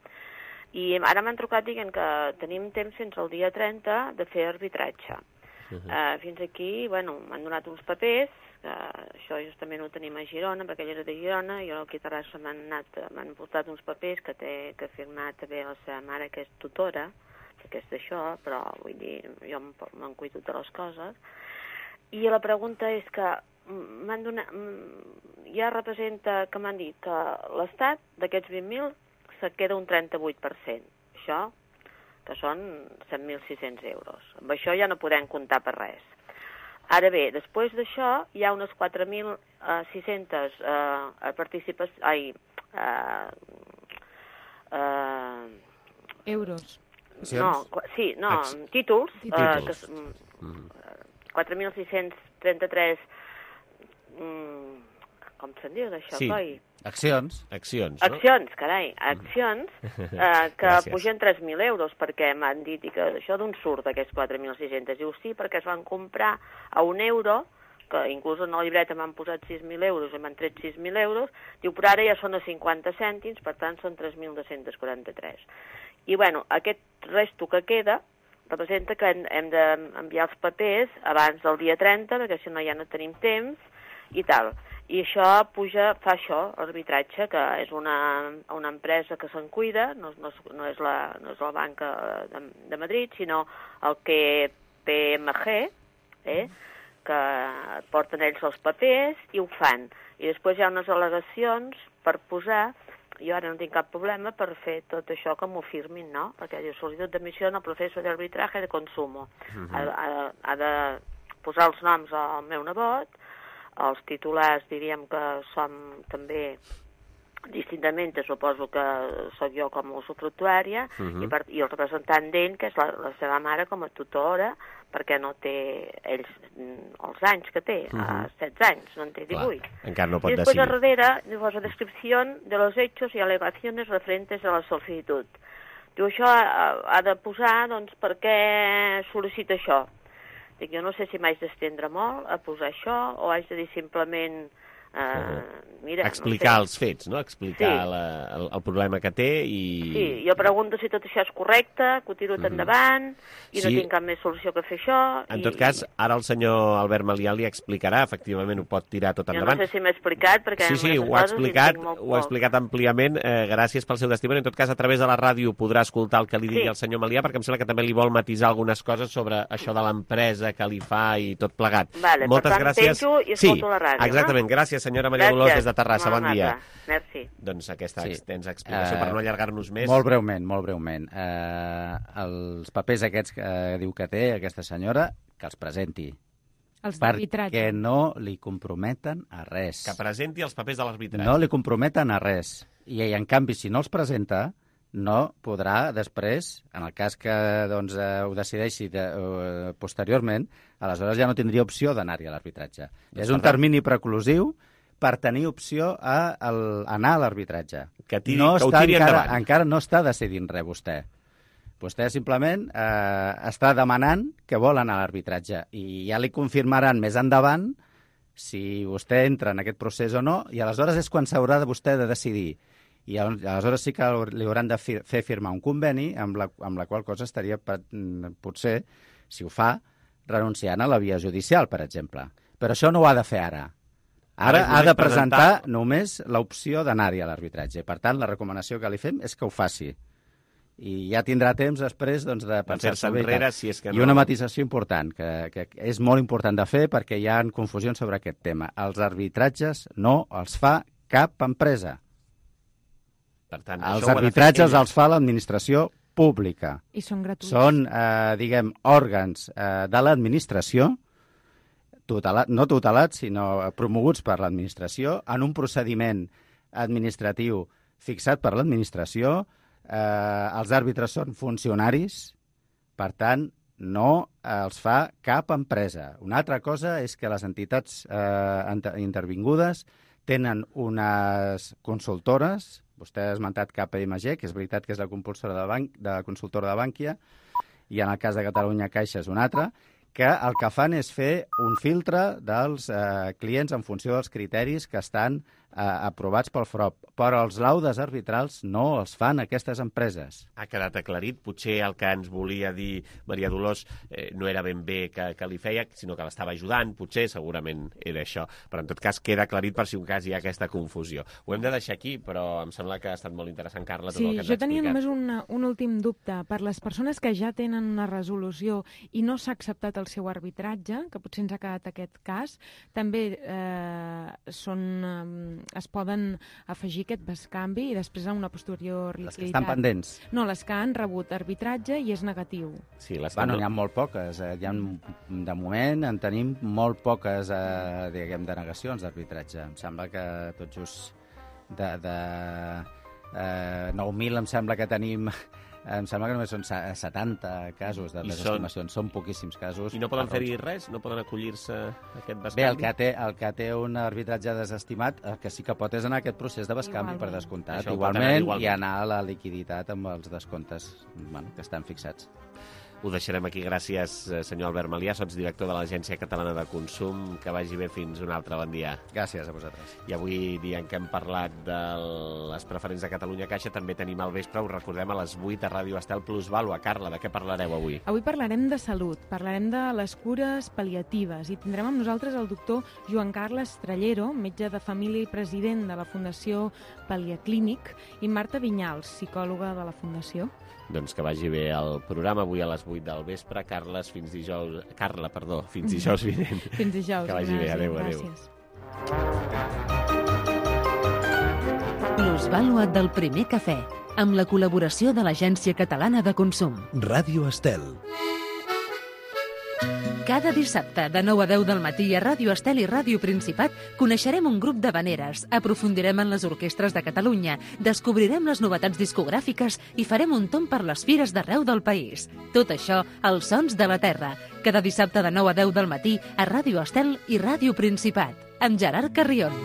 I ara m'han trucat dient que tenim temps fins al dia trenta de fer arbitratge. Uh-huh. uh, fins aquí, bueno, m'han donat uns papers, que això justament ho tenim a Girona, perquè ell era de Girona, i jo aquí a Terrassa m'han m'han portat uns papers que té que ha firmat també la seva mare, que és tutora, perquè és d'això, però vull dir, jo me'n cuido de les coses. I la pregunta és que m'han donat, ja representa que m'han dit que l'Estat d'aquests vint mil se queda un trenta-vuit per cent. Això, que són set mil sis-cents euros. Amb això ja no podem comptar per res. Ara bé, després d'això hi ha unes quatre mil sis-cents eh, participacions... Ai... Eh, eh, Euros. No, sí, no, Ex... títols. títols. Eh, que, mm. quatre mil sis-cents trenta-tres... Mm, com se'n diu d'això, sí. coi? Accions. Accions, no? Accions, carai, accions eh, que pugen tres mil euros, perquè m'han dit que això d'on surt aquests quatre mil sis-cents. Diu, sí, perquè es van comprar a un euro, que inclús en la llibreta m'han posat sis mil euros i m'han tret sis mil euros, diu, però ara ja són a cinquanta cèntims, per tant són tres mil dos-cents quaranta-tres. I, bueno, aquest resto que queda representa que hem d'enviar els papers abans del dia trenta, perquè si no ja no tenim temps, i tal. I això puja, fa això, arbitratge, que és una, una empresa que se'n cuida, no, no, no, és la, no és la banca de, de Madrid, sinó el K P M G, eh, que porten ells els papers i ho fan. I després hi ha unes al·legacions per posar, jo ara no tinc cap problema per fer tot això que m'ho firmin, no? Perquè diu, sol·licitud d'admissió en el proceso de arbitraje de consumo. Uh-huh. ha, ha, ha de posar els noms al meu nebot, els titulars diríem que som també distintament, suposo que sóc jo com a usufructuària, uh-huh. i, per, i el representant d'ell, que és la, la seva mare com a tutora, perquè no té ells els anys que té, uh-huh. a setze anys, no en té divuit. Clar, encara no pot decidir. I després decidir. a darrere diu la descripció de los hechos y alegaciones referentes a la solicitud. Diu, això ha, ha de posar, doncs, per què sol·licita això. Dic, jo no sé si m'haig d'estendre molt a posar això o haig de dir simplement... Uh, mira, explicar no sé. els fets, no? Explicar sí. la, el, el problema que té i... Sí, jo pregunto si tot això és correcte, que ho tiro mm. endavant i sí. no tinc cap més solució que fer això. En i... tot cas, ara el senyor Albert Malià li explicarà, efectivament ho pot tirar tot endavant. Jo no sé si m'he explicat, perquè... Sí, sí, ho ha explicat, ho ha explicat àmpliament, eh, gràcies pel seu testimoni. En tot cas, a través de la ràdio podrà escoltar el que li digui sí. el senyor Malià, perquè em sembla que també li vol matisar algunes coses sobre això de l'empresa que li fa i tot plegat. Vale, Moltes per tant, gràcies. penjo i escolto sí, la ràdio. Exactament, no? gràcies Gràcies, senyora Maria Dolors, des de Terrassa. Bon dia. Merci. Doncs aquesta Sí. extensa explicació, per no allargar-nos més. Molt breument, molt breument. Eh, els papers aquests que eh, diu que té aquesta senyora, que els presenti. Els d'arbitratge. Perquè no li comprometen a res. Que presenti els papers de l'arbitratge. No li comprometen a res. I, en canvi, si no els presenta, no podrà després, en el cas que doncs, eh, ho decideixi de, eh, posteriorment, aleshores ja no tindria opció d'anar-hi a l'arbitratge. Doncs És un per termini preclusiu per tenir opció a el, anar a l'arbitratge. Que, tiri, no que ho està tiri encara, endavant. encara no està decidint res, vostè. Vostè simplement eh, està demanant que vol anar a l'arbitratge i ja li confirmaran més endavant si vostè entra en aquest procés o no, i aleshores és quan s'haurà de vostè de decidir. I aleshores sí que li hauran de fi fer firmar un conveni amb la, amb la qual cosa estaria potser, si ho fa, renunciant a la via judicial, per exemple. Però això no ho ha de fer ara. Ara ha de presentar només l'opció d'anar-hi a l'arbitratge. Per tant, la recomanació que li fem és que ho faci. I ja tindrà temps després doncs, de pensar-se bé. enrere, si és que no. I una matisació important, que, que és molt important de fer perquè hi ha confusions sobre aquest tema. Els arbitratges no els fa cap empresa. Per tant, els arbitratges els fa l'administració pública. I són gratuïts. Són, eh, diguem, òrgans eh, de l'administració, tutelat, no tutelats, sinó promoguts per l'administració, en un procediment administratiu fixat per l'administració. Eh, els àrbitres són funcionaris, per tant, no els fa cap empresa. Una altra cosa és que les entitats eh, intervingudes tenen unes consultores. Vostè ha esmentat K P M G, que és veritat que és la compulsora de, banc, de la consultora de Bànquia, i en el cas de Catalunya Caixa és una altra, que el que fan és fer un filtre dels eh, clients en funció dels criteris que estan eh, aprovats pel F R O P. Però els laudes arbitrals no els fan aquestes empreses. Ha quedat aclarit. Potser el que ens volia dir Maria Dolors eh, no era ben bé que, que li feia, sinó que l'estava ajudant. Potser, segurament, era això. Però, en tot cas, queda aclarit per si un cas hi ha aquesta confusió. Ho hem de deixar aquí, però em sembla que ha estat molt interessant, Carla, tot sí, el que ens jo ha tenia explicat. només una, un últim dubte. Per les persones que ja tenen una resolució i no s'ha acceptat el seu arbitratge, que potser ens ha quedat aquest cas, també eh, són, eh, es poden afegir aquest bescanvi i després a una posterior liquiditat. Les que estan pendents. No, les que han rebut arbitratge i és negatiu. Sí, les bueno, no... n'hi ha molt poques. Eh? Hi ha, de moment en tenim molt poques eh, diguem, denegacions d'arbitratge. Em sembla que tot just de, de eh, nou mil em sembla que tenim... Em sembla que només són setanta casos de desestimacions. Són... són poquíssims casos. I no poden fer-hi res? No poden acollir-se a aquest bescanvi? Bé, el que té, el que té un arbitratge desestimat, el que sí que pot és anar a aquest procés de bescanvi per descomptat. Igualment, igualment, i anar a la liquiditat amb els descomptes bueno, que estan fixats. Ho deixarem aquí. Gràcies, senyor Albert Malià, sots director de l'Agència Catalana de Consum. Que vagi bé fins un altre bon dia. Gràcies a vosaltres. I avui, dia en què hem parlat de les preferents de Catalunya Caixa, també tenim al vespre, us recordem, a les vuit a Ràdio Estel Plusvàlua. Carla, de què parlareu avui? Avui parlarem de salut, parlarem de les cures pal·liatives i tindrem amb nosaltres el doctor Joan Carles Trallero, metge de família i president de la Fundació Pal·liaclínic, i Marta Vinyals, psicòloga de la Fundació. Doncs que vagi bé el programa avui a les vuit del vespre. Carles, fins dijous... Carla, perdó, fins dijous vinent. Fins dijous. Que vagi bé. Adéu, adéu. Plusvàlua del primer cafè, amb la col·laboració de l'Agència Catalana de Consum. Ràdio Estel. Cada dissabte, de nou a deu del matí, a Ràdio Estel i Ràdio Principat, coneixerem un grup d'havaneres, aprofundirem en les orquestres de Catalunya, descobrirem les novetats discogràfiques i farem un tomb per les fires d'arreu del país. Tot això, als Sons de la Terra. Cada dissabte de nou a deu del matí, a Ràdio Estel i Ràdio Principat, amb Gerard Carrion.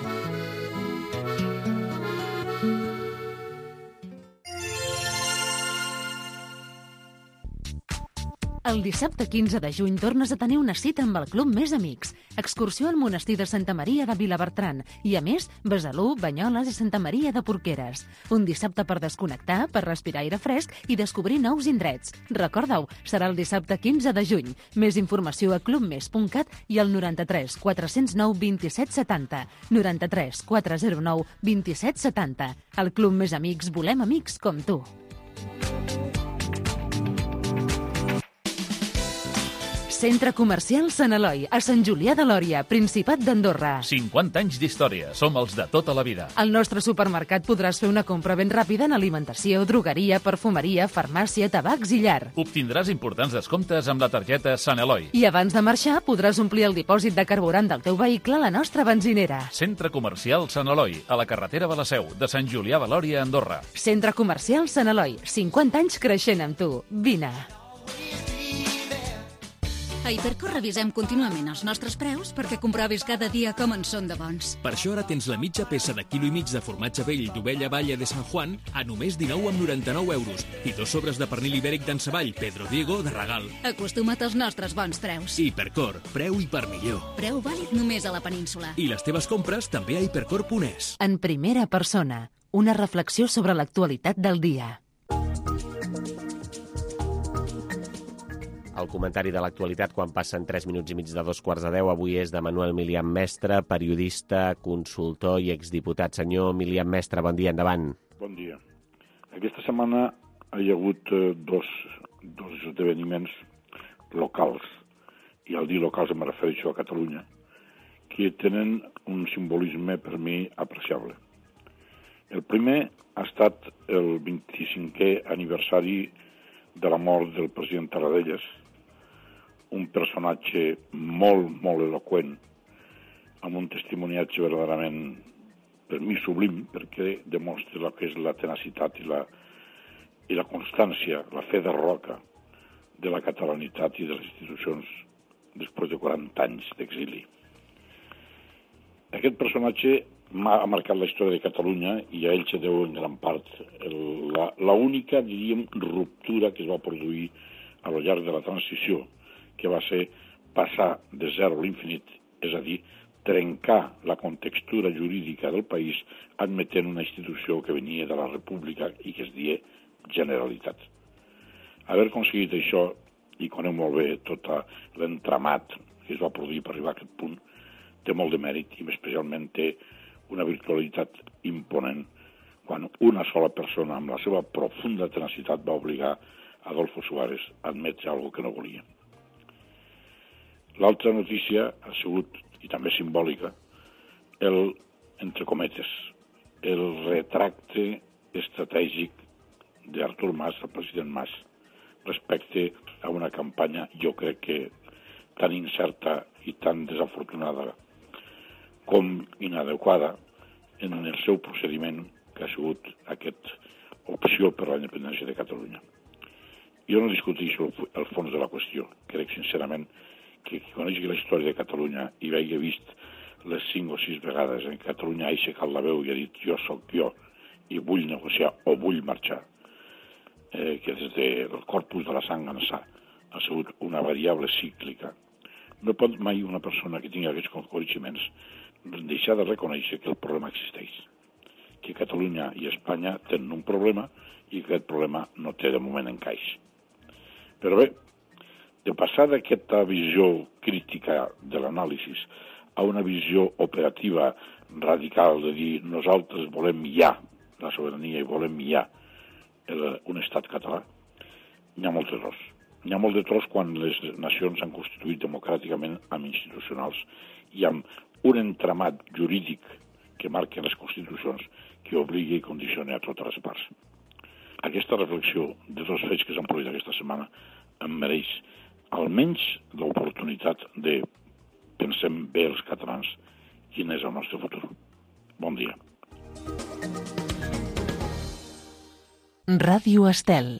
El dissabte quinze de juny tornes a tenir una cita amb el Club Més Amics. Excursió al monestir de Santa Maria de Vilabertran i, a més, Besalú, Banyoles i Santa Maria de Porqueres. Un dissabte per desconnectar, per respirar aire fresc i descobrir nous indrets. Recorda-ho, serà el dissabte quinze de juny. Més informació a clubmes punt cat i al noranta-tres quatre zero nou dos set set zero. noranta-tres quatre zero nou dos set set zero. Al Club Més Amics volem amics com tu. Centre Comercial Sant Eloi, a Sant Julià de Lòria, Principat d'Andorra. cinquanta anys d'història. Som els de tota la vida. Al nostre supermercat podràs fer una compra ben ràpida en alimentació, drogueria, perfumeria, farmàcia, tabacs i llar. Obtindràs importants descomptes amb la targeta Sant Eloi. I abans de marxar podràs omplir el dipòsit de carburant del teu vehicle a la nostra benzinera. Centre Comercial Sant Eloi, a la carretera de la Seu, de Sant Julià de Lòria, Andorra. Centre Comercial Sant Eloi, cinquanta anys creixent amb tu. Vine. A Hipercor revisem contínuament els nostres preus perquè comprovis cada dia com en són de bons. Per això ara tens la mitja peça de quilo i mig de formatge vell d'ovella Valle de San Juan a només dinou coma noranta-nou euros i dos sobres de pernil ibèric d'en Savall Pedro Diego de regal. Acostuma't als nostres bons preus. Hipercor, preu i per millor. Preu vàlid només a la península. I les teves compres també a hipercor punt es. En primera persona, una reflexió sobre l'actualitat del dia. El comentari de l'actualitat quan passen tres minuts i mig de dos quarts de deu. Avui és de Manuel Milian Mestre, periodista, consultor i exdiputat. Senyor Milian Mestre, bon dia, endavant. Bon dia. Aquesta setmana hi ha hagut eh, dos, dos esdeveniments locals, i al dir locals em refereixo a Catalunya, que tenen un simbolisme per mi apreciable. El primer ha estat el vint-i-cinquè aniversari de la mort del president Tarradellas, un personatge molt, molt eloqüent, amb un testimoniatge verdaderament, per mi, sublim, perquè demostra el que és la tenacitat i la, i la constància, la fe de roca de la catalanitat i de les institucions després de quaranta anys d'exili. Aquest personatge m'ha marcat la història de Catalunya i a ell se deu en gran part el, la, la única, diríem, ruptura que es va produir a lo llarg de la transició, que va ser passar de zero a l'infinit, és a dir, trencar la contextura jurídica del país admetent una institució que venia de la República i que es deia Generalitat. Haver aconseguit això, i conec molt bé tot l'entramat que es va produir per arribar a aquest punt, té molt de mèrit i especialment té una virtualitat imponent quan una sola persona amb la seva profunda tenacitat va obligar Adolfo Suárez a admetre alguna que no volia. L'altra notícia ha sigut, i també simbòlica, el, entre cometes, el retracte estratègic d'Artur Mas, el president Mas, respecte a una campanya, jo crec que tan incerta i tan desafortunada com inadequada en el seu procediment que ha sigut aquesta opció per la independència de Catalunya. Jo no discuteixo el fons de la qüestió. Crec sincerament que qui conegui la història de Catalunya i hagi vist les cinc o sis vegades en què Catalunya ha aixecat la veu i ha dit jo sóc jo i vull negociar o vull marxar, eh, que des del corpus de la sang ençà ha sigut una variable cíclica. No pot mai una persona que tingui aquests coneixements deixar de reconèixer que el problema existeix, que Catalunya i Espanya tenen un problema i que aquest problema no té de moment encaix. Però bé, de passar d'aquesta visió crítica de l'anàlisi a una visió operativa radical de dir nosaltres volem ja la sobirania i volem ja el, un estat català, n'hi ha molts errors. N'hi ha molt de tros quan les nacions s'han constituït democràticament amb institucionals i amb un entramat jurídic que marquen les constitucions que obligui i condicioni a totes les parts. Aquesta reflexió de dos fets que s'han produït aquesta setmana em mereix almenys l'oportunitat de pensem bé els catalans quin és el nostre futur. Bon dia. Ràdio Estel.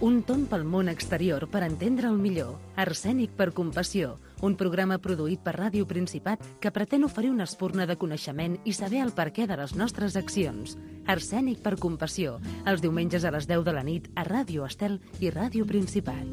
Un tomb pel món exterior per entendre el millor. Arsènic per compassió. Un programa produït per Ràdio Principat que pretén oferir una espurna de coneixement i saber el perquè de les nostres accions. Arsènic per compassió. Els diumenges a les deu de la nit a Ràdio Estel i Ràdio Principat.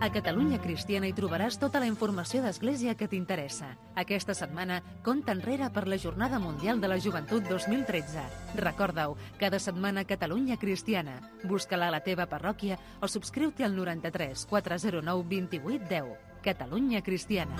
A Catalunya Cristiana hi trobaràs tota la informació d'Església que t'interessa. Aquesta setmana, compta enrere per la Jornada Mundial de la Joventut dos mil tretze. Recorda-ho, cada setmana Catalunya Cristiana. Busca-la a la teva parròquia o subscriu-te al noranta-tres quatre zero nou vint vuit deu. Catalunya Cristiana.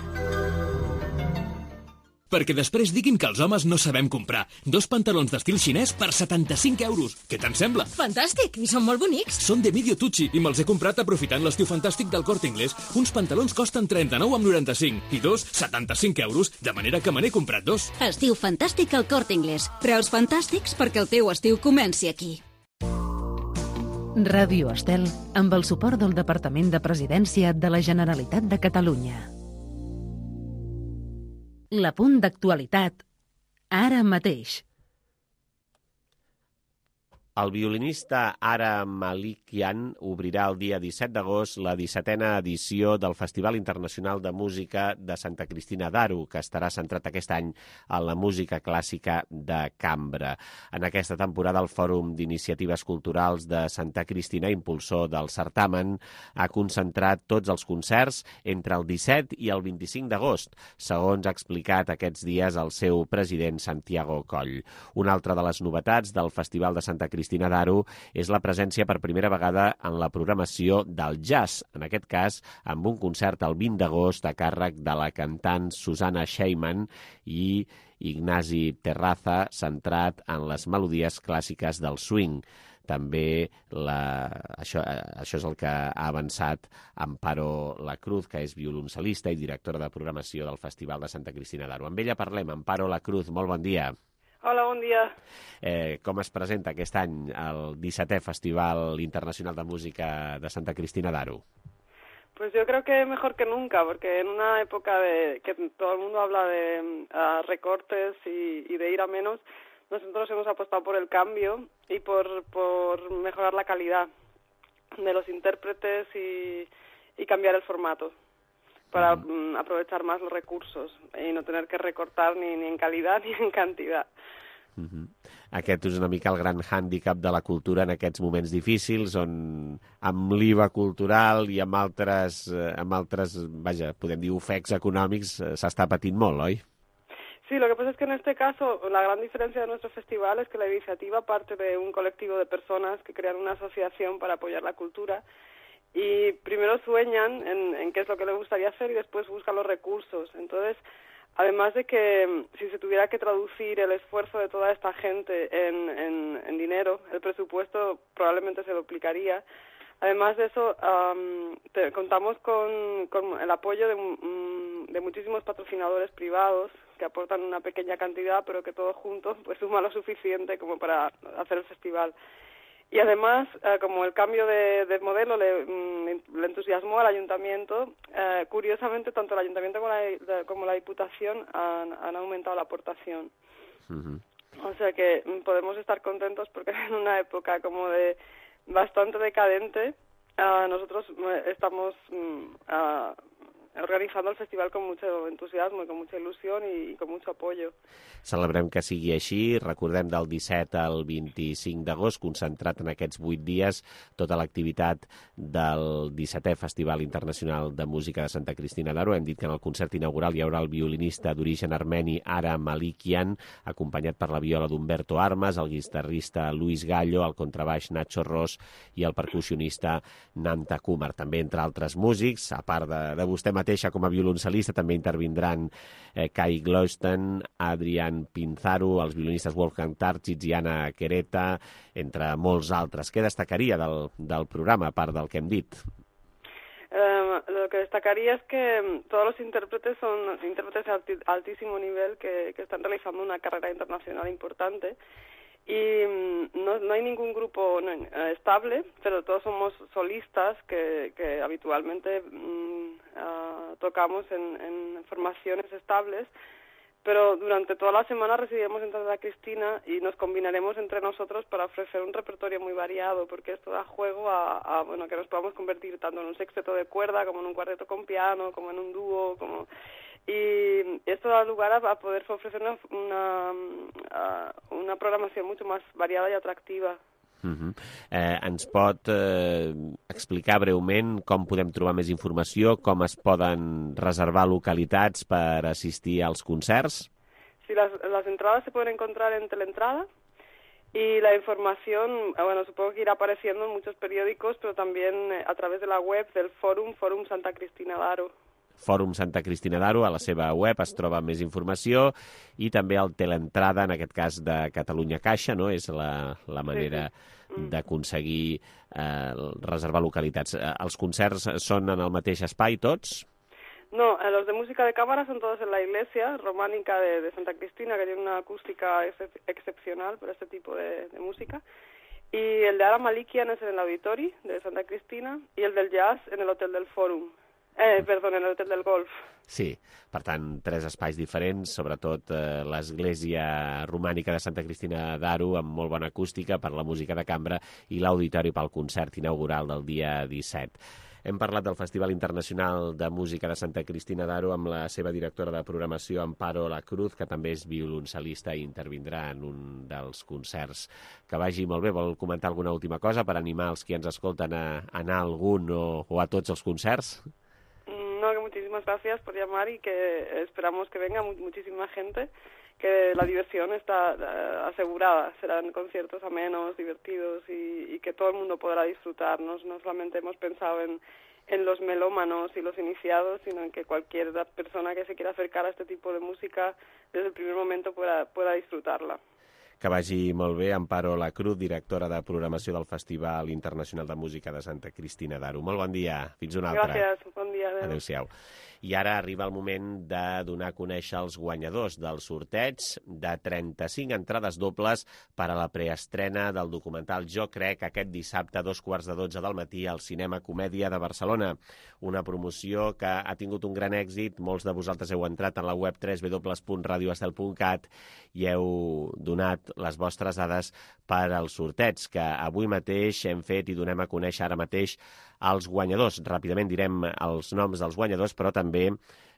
Perquè després diguin que els homes no sabem comprar. Dos pantalons d'estil xinès per setanta-cinc euros. Què te'n sembla? Fantàstic, i són molt bonics. Són de Medio Tucci i me'ls he comprat aprofitant l'estiu fantàstic del Corte Inglés. Uns pantalons costen trenta-nou amb noranta-cinc i dos, setanta-cinc euros, de manera que me n'he comprat dos. Estiu fantàstic al Corte Inglés. Preus fantàstics perquè el teu estiu comenci aquí. Ràdio Estel, amb el suport del Departament de Presidència de la Generalitat de Catalunya. L'apunt d'actualitat, ara mateix. El violinista Ara Malikian obrirà el dia disset d'agost la dissetena edició del Festival Internacional de Música de Santa Cristina d'Aro, que estarà centrat aquest any en la música clàssica de cambra. En aquesta temporada, el Fòrum d'Iniciatives Culturals de Santa Cristina, impulsor del certamen, ha concentrat tots els concerts entre el disset i el vint-i-cinc d'agost, segons ha explicat aquests dies el seu president Santiago Coll. Una altra de les novetats del Festival de Santa Cristina d'Aro és la presència per primera vegada en la programació del jazz, en aquest cas amb un concert el vint d'agost a càrrec de la cantant Susana Sheyman i Ignasi Terraza, centrat en les melodies clàssiques del swing. També la, això, això és el que ha avançat Amparo Lacruz, que és violoncel·lista i directora de programació del Festival de Santa Cristina d'Aro. Amb ella parlem. Amparo Lacruz, molt bon dia. Hola, bon dia. Eh, com es presenta aquest any el dissetè Festival Internacional de Música de Santa Cristina d'Aro? Pues yo creo que mejor que nunca, porque en una época de que todo el mundo habla de uh, recortes y, y de ir a menos, nosotros hemos apostado por el cambio y por, por mejorar la calidad de los intérpretes y, y cambiar el formato para mm, aprovechar más los recursos y no tener que recortar ni, ni en calidad ni en cantidad. Uh-huh. Aquest és una mica el gran hàndicap de la cultura en aquests moments difícils, on amb l'I V A cultural i amb altres, amb altres, vaja, podem dir ofecs econòmics, s'està patint molt, oi? Sí, lo que pasa es que en este caso la gran diferencia de nuestro festival es que la iniciativa parte de un colectivo de personas que crean una asociación para apoyar la cultura y primero sueñan en, en qué es lo que les gustaría hacer y después buscan los recursos. Entonces, además de que si se tuviera que traducir el esfuerzo de toda esta gente en, en, en dinero, el presupuesto probablemente se duplicaría. Además de eso, um, te, contamos con, con el apoyo de, um, de muchísimos patrocinadores privados que aportan una pequeña cantidad, pero que todos juntos pues suma lo suficiente como para hacer el festival. Y además, eh, como el cambio de, de modelo le, le entusiasmó al ayuntamiento, eh, curiosamente tanto el ayuntamiento como la, como la diputación han, han aumentado la aportación. Uh-huh. O sea que podemos estar contentos porque en una época como de bastante decadente, uh, nosotros estamos uh, organizando el festival con mucho entusiasmo i con mucha il·lusió i, i con mucho apoyo. Celebrem que sigui així. Recordem del disset al vint-i-cinc d'agost, concentrat en aquests vuit dies, tota l'activitat del dissetè Festival Internacional de Música de Santa Cristina d'Aro. Hem dit que en el concert inaugural hi haurà el violinista d'origen armeni Ara Malikian, acompanyat per la viola d'Umberto Armas, el guitarrista Luis Gallo, el contrabaix Nacho Ros i el percussionista Nanta Kumar. També, entre altres músics, a part de, de vostè mateixa com a violoncel·lista, també intervindran eh, Kai Glosten, Adrián Pinzaro, els violinistes Wolfgang Tarchitz i Anna Quereta, entre molts altres. Què destacaria del, del programa, a part del que hem dit? Eh, lo que destacaría es que todos los intérpretes son intérpretes de altísimo nivel que, que están realizando una carrera internacional importante. Y no, no hay ningún grupo no, eh, estable, pero todos somos solistas que, que habitualmente mm, uh, tocamos en, en formaciones estables, pero durante toda la semana residiremos en Santa Cristina y nos combinaremos entre nosotros para ofrecer un repertorio muy variado, porque esto da juego a, a bueno, que nos podamos convertir tanto en un sexteto de cuerda, como en un cuarteto con piano, como en un dúo, como... Y esto da lugar a poder ofrecer una, una, una programació mucho más variada i atractiva. Uh-huh. eh, ens pot eh, explicar breument com podem trobar més informació, com es poden reservar localitats per assistir als concerts? Sí, las, las entradas se pueden encontrar en Teleentrada y la información, bueno, supongo que irá apareciendo en muchos periódicos, pero también a través de la web del Fórum, Fórum Santa Cristina d'Aro. Fòrum Santa Cristina d'Aro, a la seva web es troba més informació, i també el Teleentrada, en aquest cas de Catalunya Caixa, no? És la, la manera d'aconseguir eh, reservar localitats. Els concerts són en el mateix espai, tots? No, los de música de cámara son todos en la iglesia románica de, de Santa Cristina, que tiene una acústica ex excepcional para este tipo de, de música. Y el de Ara Malikian es en el Auditori de Santa Cristina, y el del jazz en el Hotel del Fòrum. Eh, perdó, en el Hotel del Golf. Sí, per tant, tres espais diferents, sobretot eh, l'església romànica de Santa Cristina d'Aro, amb molt bona acústica per la música de cambra, i l'auditori pel concert inaugural del dia disset. Hem parlat del Festival Internacional de Música de Santa Cristina d'Aro amb la seva directora de programació, Amparo La Cruz, que també és violoncel·lista i intervindrà en un dels concerts. Que vagi molt bé. Vol comentar alguna última cosa per animar els que ens escolten a anar a algun o, o a tots els concerts? No, que muchísimas gracias por llamar y que esperamos que venga muchísima gente, que la diversión está uh, asegurada. Serán conciertos amenos, divertidos y, y que todo el mundo podrá disfrutarnos. No solamente hemos pensado en, en los melómanos y los iniciados, sino en que cualquier persona que se quiera acercar a este tipo de música desde el primer momento pueda, pueda disfrutarla. Que vagi molt bé. Amparo La Cruz, directora de programació del Festival Internacional de Música de Santa Cristina d'Aro. Molt bon dia. Fins una altra. Gràcies. Bon dia. Adéu. Adéu-siau. I ara arriba el moment de donar a conèixer els guanyadors del sorteig de trenta-cinc entrades dobles per a la preestrena del documental Jo Crec, aquest dissabte a dos quarts de dotze del matí al Cinema Comèdia de Barcelona. Una promoció que ha tingut un gran èxit. Molts de vosaltres heu entrat en la web w w w punt radio estel punt cat i heu donat les vostres dades per al sorteig, que avui mateix hem fet i donem a conèixer ara mateix els guanyadors. Ràpidament direm els noms dels guanyadors, però també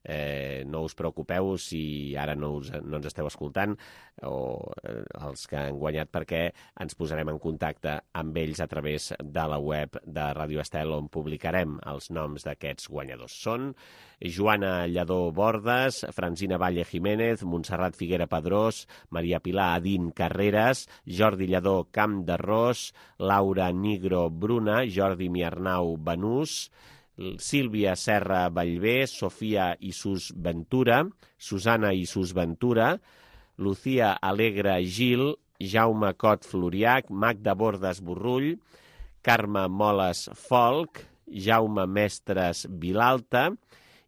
eh, no us preocupeu si ara no, us, no ens esteu escoltant, o eh, els que han guanyat, perquè ens posarem en contacte amb ells a través de la web de Radio Estel, on publicarem els noms d'aquests guanyadors. Són Joana Lledó Bordes, Francina Valle Jiménez, Montserrat Figuera Pedrós, Maria Pilar Adín Carreras, Jordi Lledó Camp d'Arròs, Laura Nigro Bruna, Jordi Miarnau Benús, Sílvia Serra Vallvé, Sofia Isus Ventura, Susana Isus Ventura, Lucía Alegre Gil, Jaume Cot Floriac, Magda Bordes Borrull, Carme Moles Folk, Jaume Mestres Vilalta,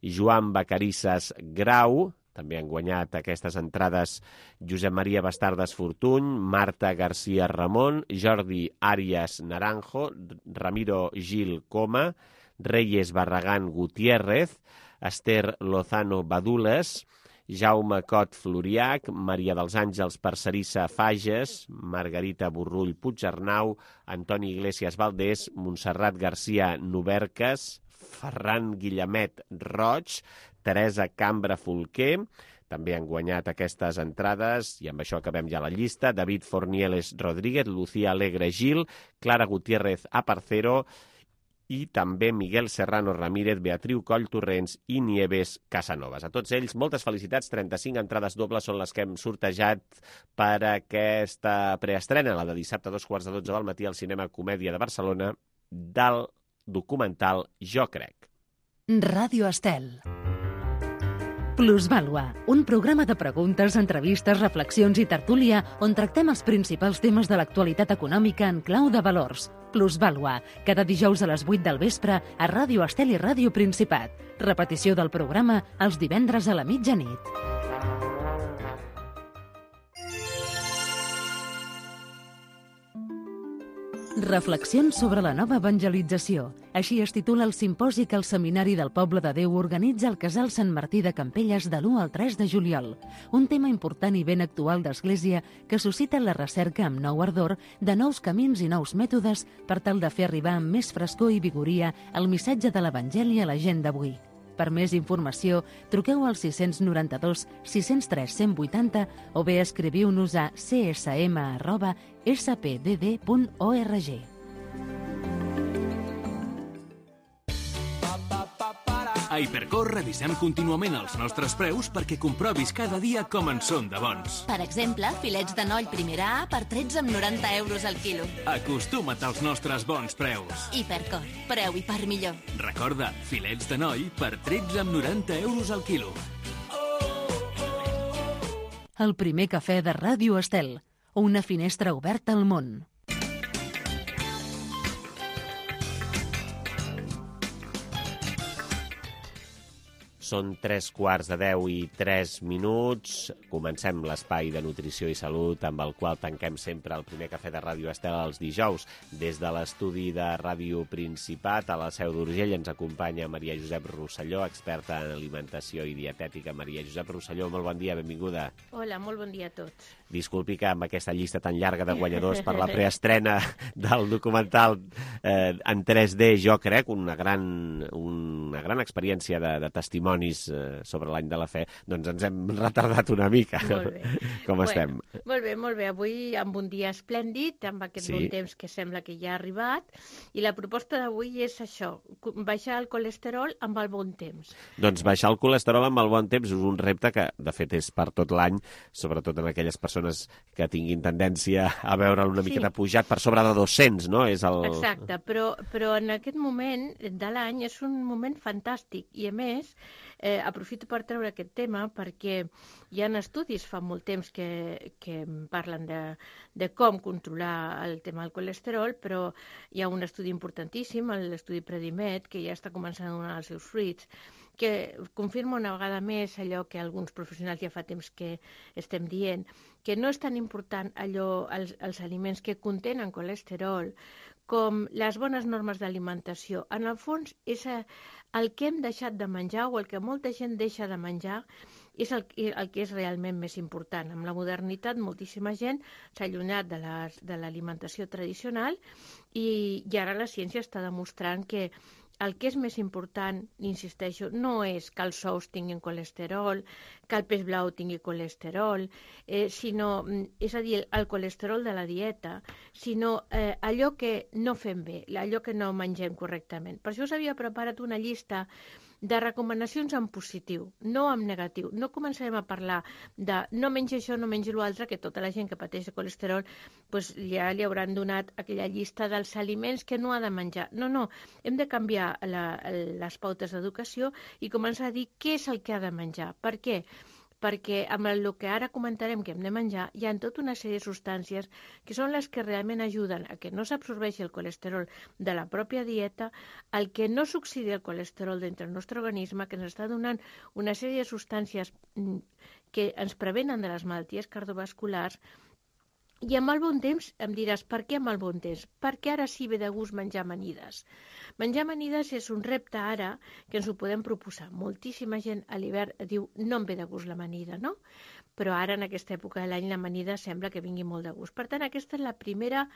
Joan Bacarisses Grau, també han guanyat aquestes entrades Josep Maria Bastardes Fortuny, Marta García Ramon, Jordi Arias Naranjo, Ramiro Gil Coma, Reyes Barragán Gutiérrez, Esther Lozano Badules, Jaume Cot Floriac, Maria dels Àngels Parcerissa Fages, Margarita Borrull Puigarnau, Antoni Iglesias Valdés, Montserrat García Noverques, Ferran Guillemet Roig, Teresa Cambra Folquer. També han guanyat aquestes entrades, i amb això acabem ja la llista, David Fornieles Rodríguez, Lucía Alegre Gil, Clara Gutiérrez Aparcero, i també Miguel Serrano Ramírez, Beatriu Coll Torrents i Nieves Casanovas. A tots ells, moltes felicitats. trenta-cinc entrades dobles són les que hem sortejat per aquesta preestrena, la de dissabte a dos quarts de dotze del matí al Cinema Comèdia de Barcelona, del documental Jo Crec. Ràdio Estel. Plusvàlua, un programa de preguntes, entrevistes, reflexions i tertúlia on tractem els principals temes de l'actualitat econòmica en clau de valors. Plusvàlua, cada dijous a les vuit del vespre a Ràdio Estel i Ràdio Principat. Repetició del programa els divendres a la mitjanit. Reflexions sobre la nova evangelització. Així es titula el simposi que el Seminari del Poble de Déu organitza al Casal Sant Martí de Campelles de l'u al tres de juliol. Un tema important i ben actual d'Església que suscita la recerca amb nou ardor de nous camins i nous mètodes per tal de fer arribar amb més frescor i vigoria el missatge de l'Evangeli a la gent d'avui. Per més informació, truqueu al sis nou dos, sis zero tres, cent vuitanta o bé escriviu-nos a c s m arroba s p d d punt org. A Hipercor revisem contínuament els nostres preus perquè comprovis cada dia com en són de bons. Per exemple, filets de noll primera A per tretze coma noranta euros al quilo. Acostuma't als nostres bons preus. Hipercor, preu i per millor. Recorda, filets de noll per tretze coma noranta euros al quilo. El primer cafè de Ràdio Estel. Una finestra oberta al món. Són tres quarts de deu i tres minuts. Comencem l'espai de nutrició i salut amb el qual tanquem sempre el primer cafè de Ràdio Estel els dijous. Des de l'estudi de Ràdio Principat a la Seu d'Urgell ens acompanya Maria Josep Rosselló, experta en alimentació i dietètica. Maria Josep Rosselló, molt bon dia, benvinguda. Hola, molt bon dia a tots. Disculpi que amb aquesta llista tan llarga de guanyadors per la preestrena del documental eh, en tres D, jo crec, una gran, una gran experiència de, de testimonis eh, sobre l'any de la fe, doncs ens hem retardat una mica. Molt bé. Com bueno, estem? Molt bé, molt bé. Avui amb un dia esplèndid, amb aquest Sí. bon temps que sembla que ja ha arribat, i la proposta d'avui és això, baixar el colesterol amb el bon temps. Doncs baixar el colesterol amb el bon temps és un repte que, de fet, és per tot l'any, sobretot en aquelles persones que tinguin tendència a veure'l una Sí. miqueta pujat per sobre de dos-cents, no? És el... Exacte, però, però en aquest moment de l'any és un moment fantàstic i, a més, eh, aprofito per treure aquest tema perquè hi ha estudis fa molt temps que, que parlen de, de com controlar el tema del colesterol, però hi ha un estudi importantíssim, l'estudi Predimed, que ja està començant a donar els seus fruits, que confirma una vegada més allò que alguns professionals ja fa temps que estem dient, que no és tan important allò, els, els aliments que contenen colesterol com les bones normes d'alimentació. En el fons, és el que hem deixat de menjar o el que molta gent deixa de menjar és el, el que és realment més important. Amb la modernitat, moltíssima gent s'ha allunyat de les, de l'alimentació tradicional i, i ara la ciència està demostrant que el que és més important, insisteixo, no és que els ous tinguin colesterol, que el peix blau tingui colesterol, eh, sinó, és a dir, el colesterol de la dieta, sinó eh, allò que no fem bé, allò que no mengem correctament. Per això us havia preparat una llista de recomanacions en positiu, no en negatiu. No començarem a parlar de no mengi això, no mengi l'altre, que tota la gent que pateix de colesterol pues, ja li hauran donat aquella llista dels aliments que no ha de menjar. No, no, hem de canviar la, les pautes d'educació i començar a dir què és el que ha de menjar. Per què? Perquè amb el que ara comentarem que hem de menjar hi ha tota una sèrie de substàncies que són les que realment ajuden a que no s'absorbeixi el colesterol de la pròpia dieta, al que no s'oxidi el colesterol dintre del nostre organisme, que ens està donant una sèrie de substàncies que ens prevenen de les malalties cardiovasculars. I amb el bon temps em diràs, per què amb el bon temps? Perquè ara sí ve de gust menjar amanides. Menjar amanides és un repte ara que ens ho podem proposar. Moltíssima gent a l'hivern diu no em ve de gust l'amanida, no? Però ara en aquesta època de l'any l'amanida sembla que vingui molt de gust. Per tant, aquesta és la primera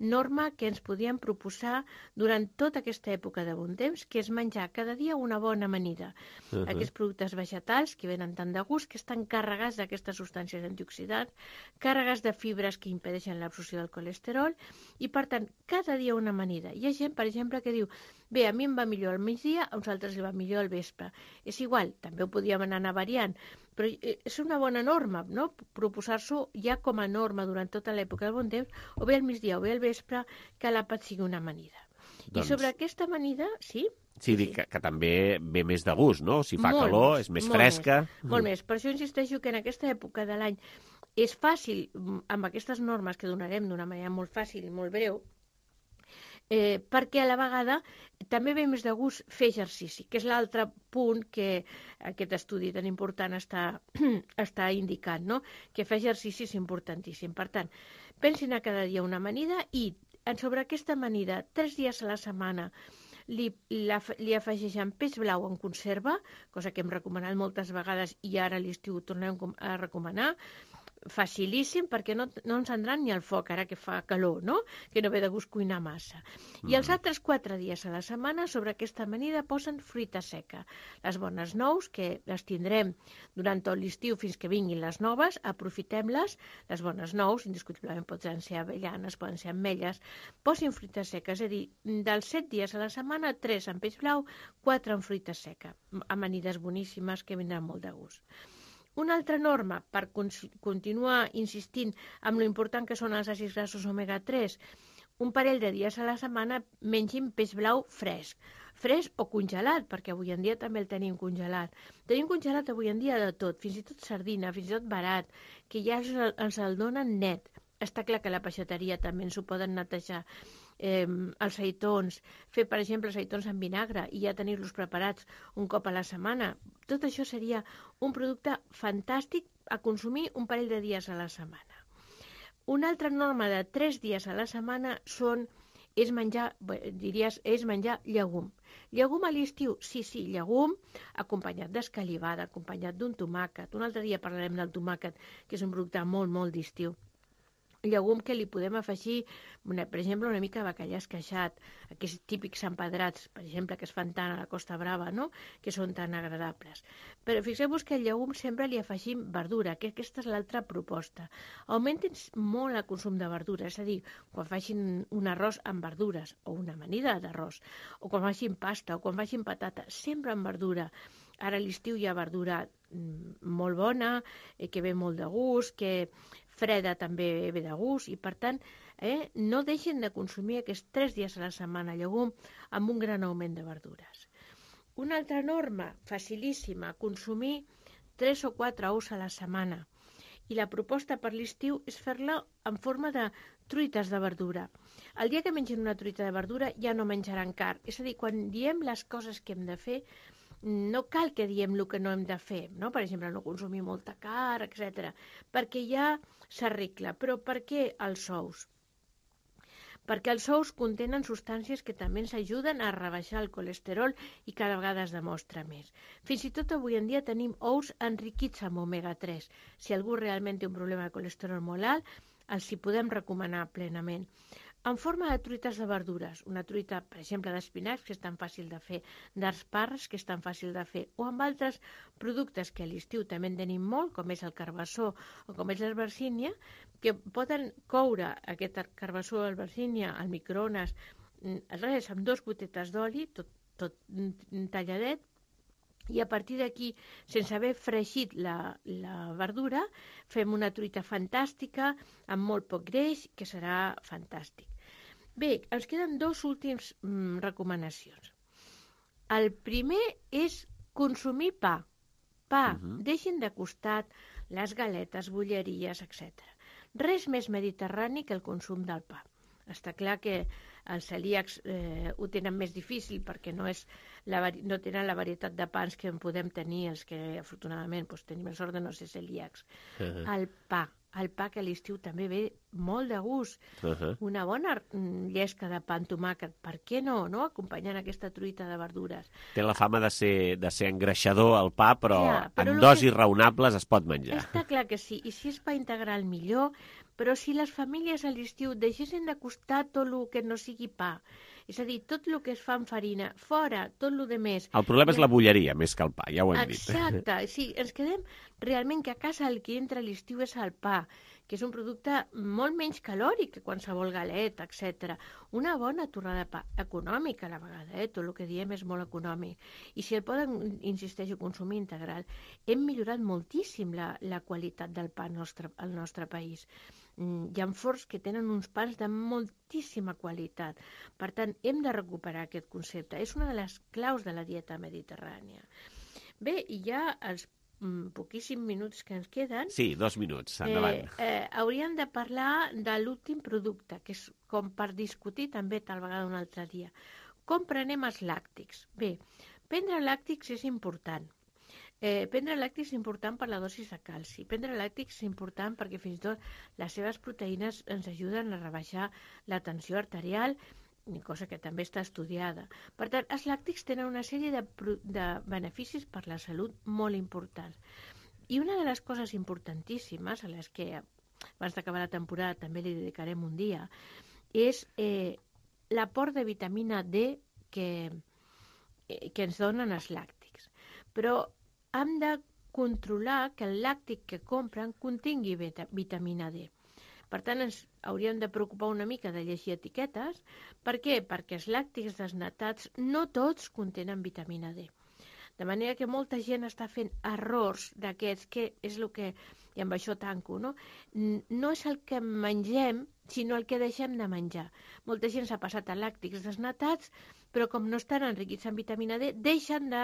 norma que ens podíem proposar durant tota aquesta època de bon temps, que és menjar cada dia una bona amanida. Uh-huh. Aquests productes vegetals que venen tant de gust, que estan carregats d'aquestes substàncies antioxidants, carregats de fibres que impedeixen l'absorció del colesterol, i per tant, cada dia una amanida. Hi ha gent, per exemple, que diu bé, a mi em va millor al migdia, a uns altres li va millor al vespre. És igual, també ho podíem anar variant, però és una bona norma, no? Proposar-s'ho ja com a norma durant tota l'època del bon temps, o bé al migdia o bé al vespre, que l'àpat sigui una amanida. Doncs... I sobre aquesta amanida, sí? Sí, dic que, que també ve més de gust, no? Si fa molt calor, més, és més molt fresca. Més, molt més. Per això insisteixo que en aquesta època de l'any és fàcil, amb aquestes normes que donarem d'una manera molt fàcil i molt breu, Eh, perquè a la vegada també ve més de gust fer exercici, que és l'altre punt que aquest estudi tan important està, està indicant, no? Que fer exercici és importantíssim. Per tant, pensin a cada dia una amanida i sobre aquesta amanida, tres dies a la setmana, li, la, li afegeixen peix blau en conserva, cosa que hem recomanat moltes vegades i ara a l'estiu ho tornem a recomanar, facilíssim perquè no, no encendran ni el foc, ara que fa calor, no? Que no ve de gust cuinar massa. Mm. I els altres quatre dies a la setmana sobre aquesta amanida posen fruita seca. Les bones nous, que les tindrem durant tot l'estiu fins que vinguin les noves, aprofitem-les. Les bones nous, indiscutiblement poden ser avellanes, poden ser ametlles, posin fruita seca, és a dir, dels set dies a la setmana, tres en peix blau, quatre en fruita seca. Amanides boníssimes que vindran molt de gust. Una altra norma, per continuar insistint amb lo important que són els àcids grassos omega tres, un parell de dies a la setmana mengin peix blau fresc. Fresc o congelat, perquè avui en dia també el tenim congelat. Tenim congelat avui en dia de tot, fins i tot sardina, fins i tot barat, que ja ens el donen net. Està clar que la peixateria també ens ho poden netejar. Eh, els seitons, fer per exemple seitons en vinagre i ja tenir-los preparats un cop a la setmana. Tot això seria un producte fantàstic a consumir un parell de dies a la setmana. Una altra norma de tres dies a la setmana són, és menjar, diries, és menjar llegum. Llegum a l'estiu? Sí, sí, llegum acompanyat d'escalivada, acompanyat d'un tomàquet. Un altre dia parlarem del tomàquet, que és un producte molt, molt d'estiu. Llegum que li podem afegir, per exemple, una mica de bacallà esqueixat, aquests típics empedrats, per exemple, que es fan tant a la Costa Brava, no?, que són tan agradables. Però fixeu-vos que al llegum sempre li afegim verdura, que aquesta és l'altra proposta. Augmenten molt el consum de verdura, és a dir, quan facin un arròs amb verdures, o una amanida d'arròs, o quan facin pasta, o quan facin patata, sempre amb verdura. Ara a l'estiu hi ha verdura molt bona, que ve molt de gust, que freda també ve de gust, i per tant eh, no deixen de consumir aquests tres dies a la setmana llegum amb un gran augment de verdures. Una altra norma facilíssima, consumir tres o quatre ous a la setmana. I la proposta per l'estiu és fer-la en forma de truites de verdura. El dia que mengen una truita de verdura ja no menjaran carn. És a dir, quan diem les coses que hem de fer, no cal que diem el que no hem de fer, no? Per exemple, no consumir molta carn, etcètera, perquè ja s'arregla. Però per què els ous? Perquè els ous contenen substàncies que també ens ajuden a rebaixar el colesterol i cada vegada es demostra més. Fins i tot avui en dia tenim ous enriquits amb omega tres. Si algú realment té un problema de colesterol molt alt, els hi podem recomanar plenament. En forma de truites de verdures, una truita, per exemple, d'espinacs, que és tan fàcil de fer, d'esparres, que és tan fàcil de fer, o amb altres productes que a l'estiu també en tenim molt, com és el carbassó o com és l'albergínia, que poden coure aquest carbassó o albergínia al microones, res, amb dos gotetes d'oli, tot, tot talladet, i a partir d'aquí, sense haver fregit la, la verdura, fem una truita fantàstica, amb molt poc greix, que serà fantàstic. Bé, ens queden dos últims mm, recomanacions. El primer és consumir pa. Pa, uh-huh. Deixin de costat les galetes, bolleries, etcètera. Res més mediterrani que el consum del pa. Està clar que els celíacs eh, ho tenen més difícil perquè no, és la, no tenen la varietat de pans que en podem tenir els que afortunadament doncs, tenim la sort de no ser celíacs. Uh-huh. El pa, el pa que a l'estiu també ve molt de gust. Uh-huh. Una bona llesca de pa amb tomàquet, per què no, no? Acompanyant aquesta truita de verdures. Té la fama de ser, de ser engreixador el pa, però, ja, però en dosis que... raonables es pot menjar. Està clar que sí, i si és pa integral millor, però si les famílies a l'estiu deixessin de costar tot el que no sigui pa, és a dir, tot el que es fa amb farina, fora, tot el de més... El problema és la bulleria, més que el pa, ja ho hem Exacte, dit. Exacte, sí, ens quedem realment que a casa el que entra a l'estiu és el pa, que és un producte molt menys calòric que qualsevol galeta, etcètera. Una bona torrada de pa, econòmica a la vegada, eh? Tot el que diem és molt econòmic. I si el poden, insisteixo, consumir integral, hem millorat moltíssim la, la qualitat del pa al nostre, al nostre país. Hi ha forns que tenen uns pans de moltíssima qualitat. Per tant, hem de recuperar aquest concepte. És una de les claus de la dieta mediterrània. Bé, i ja els mm, poquíssims minuts que ens queden... Sí, dos minuts, endavant. Eh, eh, hauríem de parlar de l'últim producte, que és com per discutir també tal vegada un altre dia. Com prenem els làctics? Bé, prendre làctics és important. Eh, prendre làctics és important per la dosi de calci. Prendre làctics és important perquè fins i tot les seves proteïnes ens ajuden a rebaixar la tensió arterial, cosa que també està estudiada. Per tant, els làctics tenen una sèrie de, de beneficis per la salut molt importants. I una de les coses importantíssimes, a les que abans d'acabar la temporada també li dedicarem un dia, és eh, l'aport de vitamina D que, eh, que ens donen els làctics. Però hem de controlar que el làctic que compren contingui vita- vitamina D. Per tant, ens hauríem de preocupar una mica de llegir etiquetes. Per què? Perquè els làctics desnatats no tots contenen vitamina D. De manera que molta gent està fent errors d'aquests, que és el que, i amb això tanco, no? No és el que mengem, sinó el que deixem de menjar. Molta gent s'ha passat a làctics desnatats, però com no estan enriquits en vitamina D, deixen de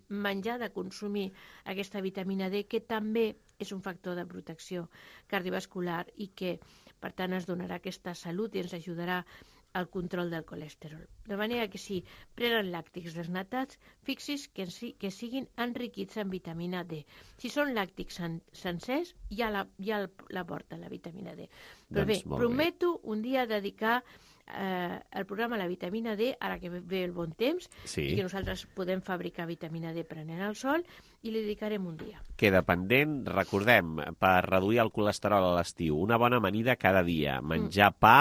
menjar, de consumir aquesta vitamina D, que també és un factor de protecció cardiovascular i que, per tant, ens donarà aquesta salut i ens ajudarà al control del colesterol. De manera que si prenen làctics desnatats, fixis que, que siguin enriquits en vitamina D. Si són làctics sen sencers, ja la, ja la porta la vitamina D. Però doncs, bé, prometo bé. un dia dedicar eh, el programa a la vitamina D, ara que ve el bon temps, sí. i que nosaltres podem fabricar vitamina D prenent el sol, i li dedicarem un dia. Queda pendent, recordem, per reduir el colesterol a l'estiu, una bona amanida cada dia, menjar mm. pa,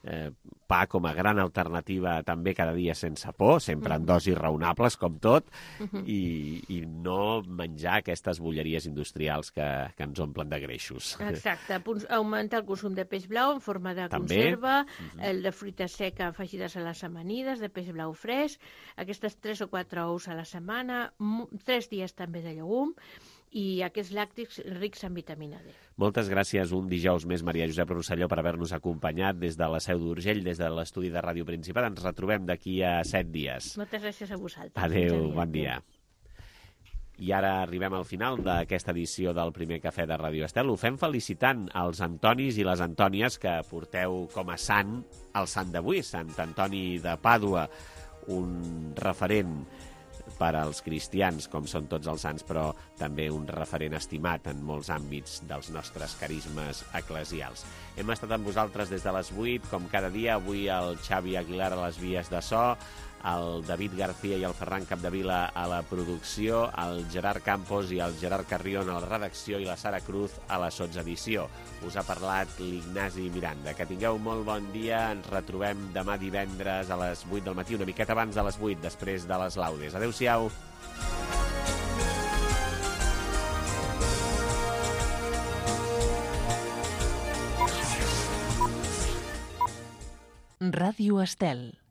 Eh, pa com a gran alternativa també cada dia sense por, sempre en dosis raonables com tot, uh-huh. i, i no menjar aquestes bolleries industrials que, que ens omplen de greixos. Exacte, augmentar el consum de peix blau en forma de també. conserva, uh-huh. el de fruita seca afegides a les amanides, de peix blau fresc, aquestes tres o quatre ous a la setmana, tres dies també de llegum, i aquests làctics rics en vitamina D. Moltes gràcies un dijous més, Maria Josep Rosselló, per haver-nos acompanyat des de la Seu d'Urgell, des de l'estudi de Ràdio Principat. Ens retrobem d'aquí a set dies. Moltes gràcies a vosaltres. Adéu, bon dia. I ara arribem al final d'aquesta edició del primer cafè de Ràdio Estel. Ho fem felicitant els Antonis i les Antònies que porteu com a sant el sant d'avui, Sant Antoni de Pàdua, un referent per als cristians, com són tots els sants, però també un referent estimat en molts àmbits dels nostres carismes eclesials. Hem estat amb vosaltres des de les vuit, com cada dia, avui el Xavi Aguilar a les vies de so, el David García i el Ferran Capdevila a la producció, el Gerard Campos i el Gerard Carrion a la redacció i la Sara Cruz a la sotsedició. Us ha parlat l'Ignasi Miranda. Que tingueu molt bon dia. Ens retrobem demà divendres a les vuit del matí, una miqueta abans de les vuit, després de les laudes. Adéu-siau. Ràdio Estel.